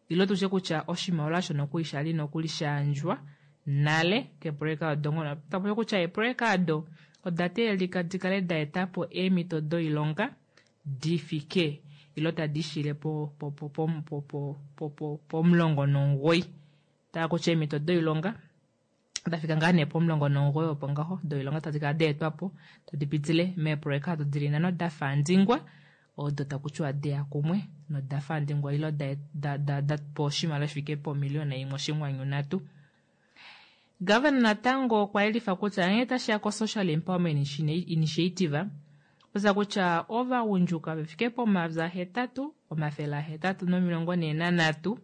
ilo tushe kutya oshimaliwa osho nokuli shali nokuli shayandjwa nale keeproyeka odo ngono tapopi kutya eeproyeka odo oda teelelika dikale da etapo eemhito doilonga difike ilo tadi shile po po po po po po po po pomulongo nomugoyi taa kutya eemhito doilonga dafika ngaa nee pomulongo nomugoyi opo ngaho doilonga tadi kala daetwapo tadi pitile meeproyeka odo dili nhano da faandingwa odo takutiwa deya kumwe noda faandingwa ilo da, da, da, da pewa oshimaliwa shifike pomiliona imwe oshinghwanyu nhatu. Governor natango okwa yelifa kutya nghee tashiya ko-social empowerment initiative oza kutya ovagundjuka vefike pomayovi ahetatu omafele ahetatu nomilongo nhee nanhatu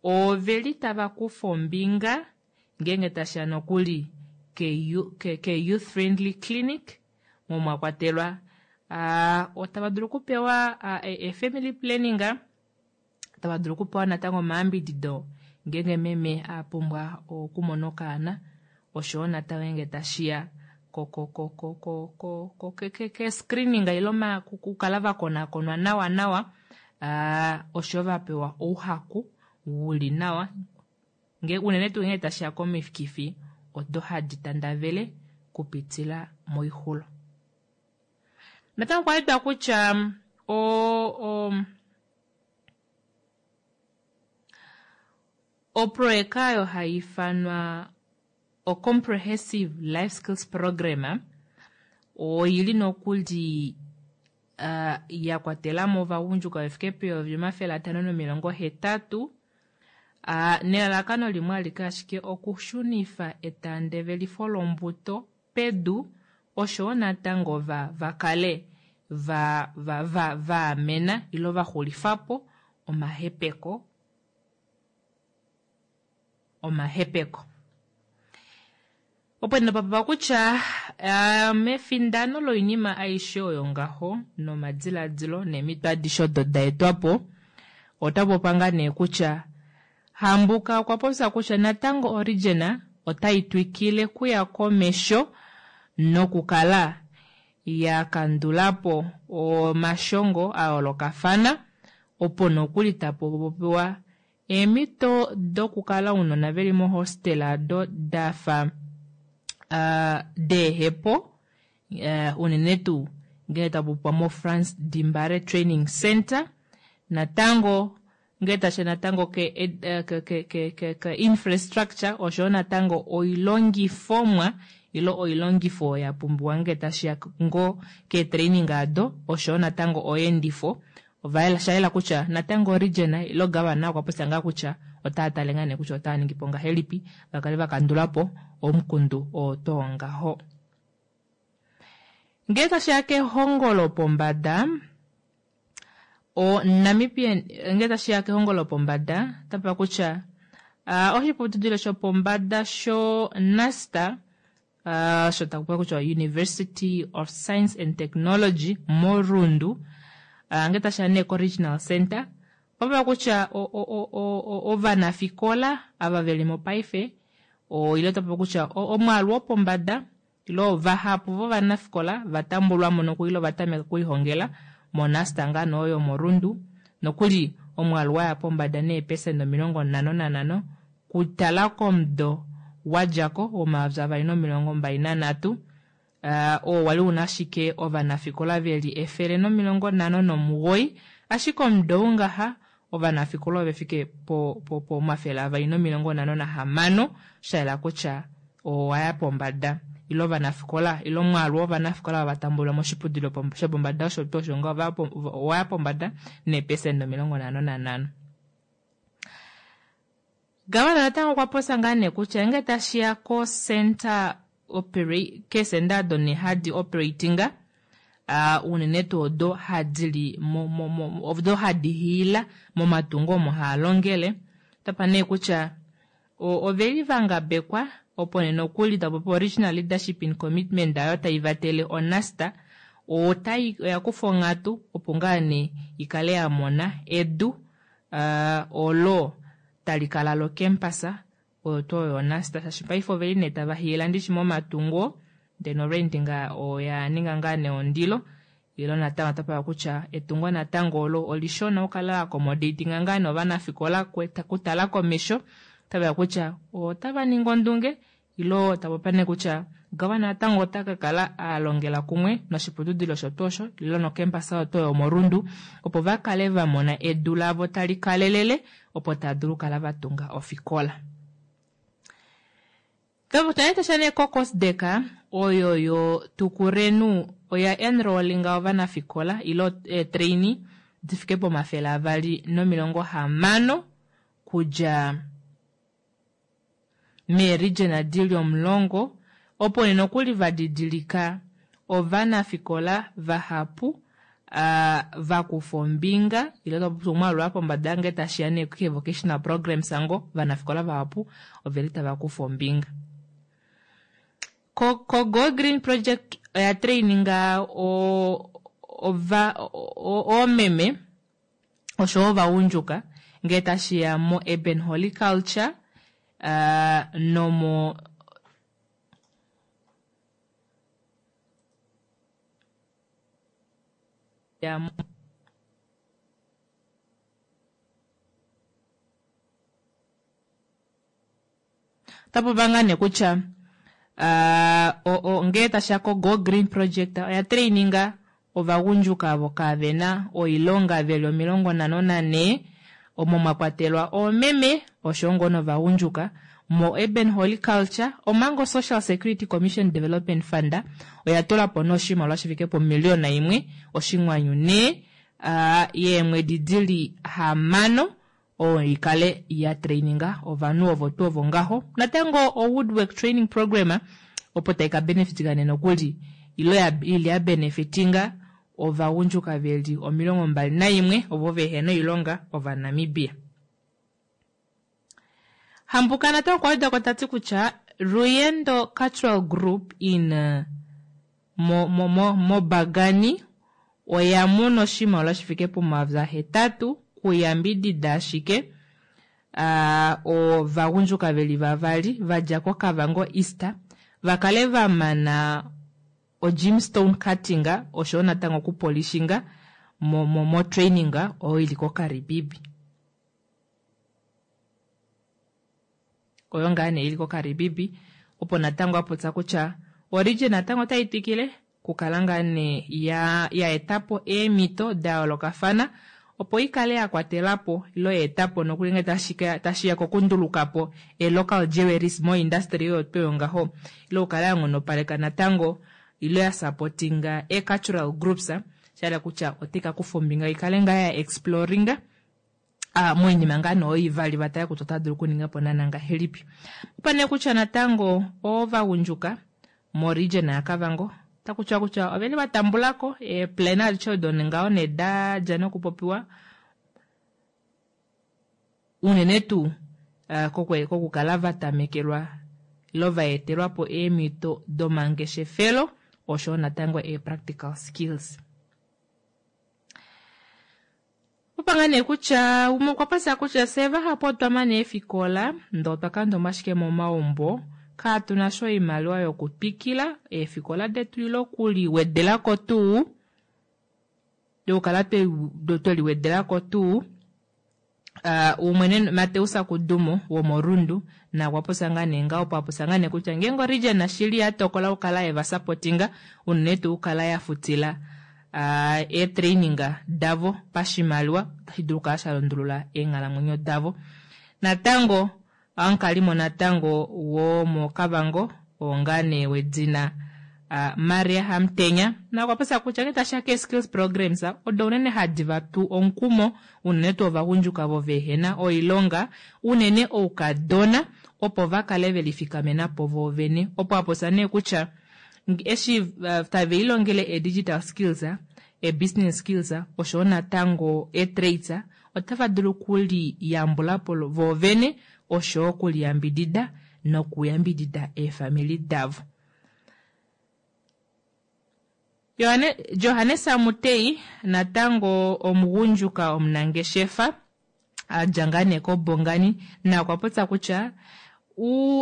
oveli tava kufa ombinga ngeenge tashiya nokuli ke, ke youth friendly clinic mo mwa kwatelwa uh, otava dulu okupewa uh, e, e family planning, tava dulu okupewa natango omayambidido ngeenge meme a pumbwa okumona okaana oshowo natango ngeenge tashiya ko ko ko ko ko ko ko ke ke ke screening ilo kukala vakonakonwa nawa nawa uh, oshowo vapewa ouhaku wuli nawa nge unene tuu ngee tashiya komikifi odo hadi tandavele kupitila moixulo. Natango okwa yedwa kutya o, o oproyeka oyo hai ifanwa o Comprehensive Life Skills Program oili nokuli uh, ya kwatelamo ovagundjuka vefike peyovi omafele atano nomilongo hetatu uh, nelalakano limwe alike ashike okushunifa etandevelifo lombuto pedu oshowo natango va vakale va va va vaamena ilo vaxulifapo omahepeko omahepeko. Opo nopapa kutya uh, mefindano loinima aishe oyo ngaho nomadiladilo neemhito adishe odo da etwapo ota popa ngaa nee kutya Hambuka okwa popya kutya natango Origin otai twikile kuya komesho nokukala ya kandulapo omashongo a yoolokafana opo nokuli tapopiwa eemhito dokukala ounona veli mohostela ado dafa uh, deehepo uh, unene tuu ngee tapopiwa mo Frans Dimbare Training Center natango ngee tasha natango ke, ke, ke, ke, ke, ke infrastructure oshowo natango oilongifomwa ilo oilongifo ya pumbiwa ngee tashiya ngo keetraining ado oshowo natango oyeendifo ovayela shayela kutya natango region ilo governor okwa popya ngaa kutya Otaa tale ngaa nee kutya otaa ningi po ngahelipi vakale vakandulapo omukundu oo too ngaho. Ngee tashiya kehongo lopombada o Namibian ngee tashiya kehongo lopombada otapa kutya uh, oshiputudilo shopombada sho NASTA uh, sho takupa kutya University of Science and Technology moRundu uh, ngee tashiya nee ko Regional Center papa kutya ovanafikola ava veli mo paife o ile tapa kutya omwaalu wopombada ilo vahapu vovanafikola vatambulwamo nokuli ilo vatameka okulihongela moNASTA ngaa nee oyo moRundu nokuli omwaalu waya pombada neepesenda omilongo nhano nanhano kutala komudo wadjako womayovi avali nomilongo mbali nanhatu uh, oo wali una ashike ovanafikola veli efele nomilongo nhano nomugoyi ashike omudo ou ngaha ovanafikola ovefike po, po, po omafele avali nomilongo nhano nahamano shayela kutya owaya pombada ile ovanafikola ile omwaalu wovanafikola vatambulwa moshiputudilo shopombada osho tuu osho nga owaya pombada neepesenda omilongo nhano nanhano. Gavana natango okwa popya ngaa nee kutya ngee tashiya ko center keesenda odo nee hadi operatinga uh, unene tuu odo hadili mo, mo, mo, odo hadi hiila momatungo omo haa longele otapa nee kutya oveli vangabekwa opo nee nokuli tapopi original leadership in commitment ayo tai vatele oNASTA otai oya kufa onghatu opo ngaa nee ikale ya mona edu uh, olo tali kala locampus oyo tuu oyo oNASTA shaashi paife oveli nee tava hiila ndishi momatungo ndee norentinga oya ninga ngaa nee ondilo ilo natango otapaka kutya etungo natango olo olishona okukala accommodatinga ngaa nee ovanafikola kutala komesho otavaya kutya otava ningi ondunge ilo tapopi nee kutya gavana natango ota ka kala alongela kumwe noshiputudilo osho tuu osho ilo nocampus oyo tuu yomorundu opo vakale vamona edu lavo tali kalelele opo tava dulu okukala vatunga ofikola. Tanesha nee koCOSDEC oyo yo Tukurenu oya enrollinga ovanafikola ilo eetrainee difike pomafele avali nomilongo hamano kudja meeregion dili omulongo opo nee nokuli vadidilika ovanafikola vahapu uh, vakufa ombinga ile omwaalu wa pombada ngee tashiya nee ke vocational programs ngo ovanafikola vahapu oveli tava kufa ombinga. Ko, ko Go Green Project oya traininga o, ova, oomeme oshowo ovagundjuka ngee tashiya mo urban horticulture uh, nomo ya otapopa ngaa nee kutya uh, ngee tashiya ko Go Green Project oya traininga ovagundjuka avo kavena oilonga veli omilongo nhano nanhee omo mwakwatelwa oomeme oshowo ngoo novagundjuka mo urban horticulture omanga Social Security Commission Development Fund oya tulapo nee oshimaliwa shifike pomiliyona imwe oshinghwanyu nhee uh, yeemwedi dili hamano oyo ikale ya traininga ovanhu ovo tuu ovo ngaho natango o woodwork training program opo tai ka benefitinga nee nokuli ilo ili ya benefitinga ovagundjuka veli omilongo mbali naimwe ovo vehena oilonga ovanamibia. Hambuka natango okwa wedako tati kutya Ruyendo Cultural Group in uh, mo, mo, mo, mobagani oya mona oshimaliwa shifike pomayovi ahetatu kuyambidida ashike uh, ovagundjuka veli vavali vadja koKavango East vakale vamana o gemstone cutting oshowo natango okupolishinga mo, mo, mo training oyo ili koKaribibi. Oyo ngaa nee ili koKaribibi opo natango apopya kutya oregion natango otai twikile kukala ngaa nee ya, ya etapo eemhito da yoolokafana opo ikale ya kwatelapo ilo ya etapo nokuli ngee tashiya kokundulukapo e local jewelries mo industry oyo tuu ngaho ilo okukala ya nghonopaleka natango ilo ya supportinga e cultural groups shahala kutya otai ka kufa ombinga ikale ngaa ya exploringa Moinima ngaa nee oyo ivali vatale kutya otava dulu okuningapo naana ngahelipi. Opa nee kutya natango ovagundjuka moregion yaKavango otakutiwa kutya oveli vatambulako eeplan adishe odo ngaho nee dadja nokupopiwa unene tuu kokukala vatamekelwa ile vaetelwapo eemito domangeshefelo oshoyo natango ee-practical skills. Opanga nee kutya umwe okwa popya kutya fye vahapu otwa mana eefikola ndee otwa kandoma ashike momaumbo katunasha oimaliwa yokutwikila eefikola detu ile okuliwedelako tuu yokukala tweliwedelako tuu. Umwe Mateus Kudumo womorundu nakwa popya ngaa nee ngaho opo apopya ngaa nee kutya ngeenge oregion shili yatokola okukala yevasupportinga unene tuu okukala yafutila eetraining davo pashimaliwa otashi dulu okukala shalundulula eenghalamwenyo davo. Natango omukalimo natango womoKavango oo nee wedina Maria Hamutenya nakwa popya kutya ngee tashiya kee-skills programs odo unene hadi vatu omukumo unene tuu ovagundjuka ovo vehena oilonga unene oukadona opo vakale velifikamenapo voovene. Opo apopya nee kutya eshi tave lilongele e-digital skills, e-business skills oshoyo natango e-trades otava dulu okuliyambulapo voovene oshoyo okuliyambidida nokuyambidida eefamili davo. Johannes Amutei natango omugundjuka omunangeshefa adja ngaa nee koBongani nakwa popya kutya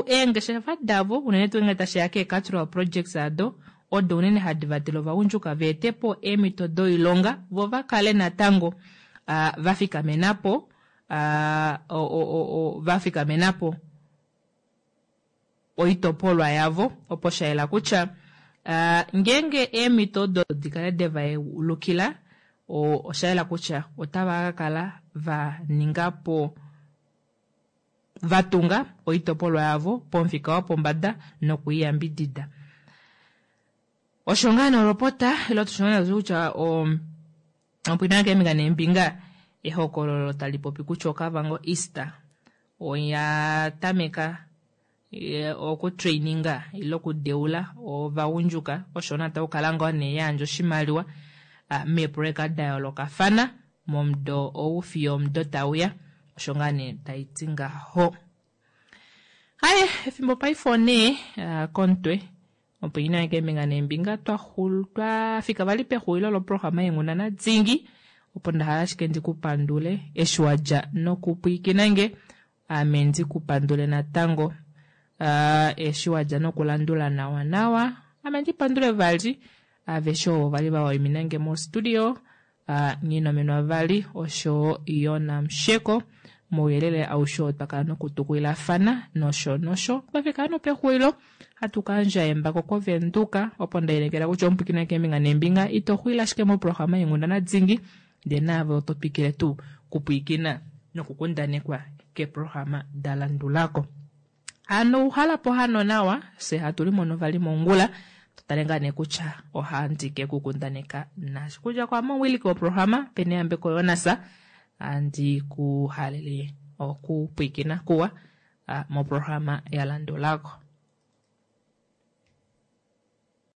eengeshefa davo unene tuu ngee tashiya kee-cultural projects ado odo unene hadi vatele ovagundjuka veetepo eemito doilonga vo vakale natango vafikamenapo vafikamenapo oitopolwa yavo opo shayela kutya ngeenge eemito odo dikale devayeulukila oshayela kutya otava kakala vaningapo vatunga oitopolwa yavo pomufika wopombada nokuiyambidida. Osho ngaa nee olopota ile tushona kutya opwina keembinga neembinga ehokololo tali popi kutya Okavango East oya tameka okutraininga ile okudeula ovagundjuka osho natango okukala ngoo nee yayandja oshimaliwa meeproyeka dayoolokafana momudo ou fiyo omudo tauya osho ngaa nee taiti ngaho. Haye efimbo paife onee komutwe opo ina keembinga neembinga twafika vali pexulilo loprograma yeenghundana dingi opo ndahala ashike ndikupandule eshi wadja nokupwiikinange ame ndikupandule natango eshi wadja nokulandula nawa nawa ame ndipandule vali aveshe ovo vali vawaiminange mostudio Nghinomenwa vali osho Yona Musheko mouyelele aushe oo twakala nokutukulilafana nosho nosho. Twafika nopexulilo hatu kayandja embako kovenduka opo ndainekela kutya omupwiikini keembinga neembinga ito xulile ashike moprograma yeenghundana dingi ndee naave oto twikile tuu kupwiikina nokukundanekwa keeprograma dalandulako. Hano uhalapo hano nawa fye hatu limono vali mongula totale ngaa nee kutya ohandi kekukundaneka nasho kudja kwaame omuwiliki woprograma Peneyambeko Jonas andi kuhalele okupwiikina kuwa moprograma yalandulako.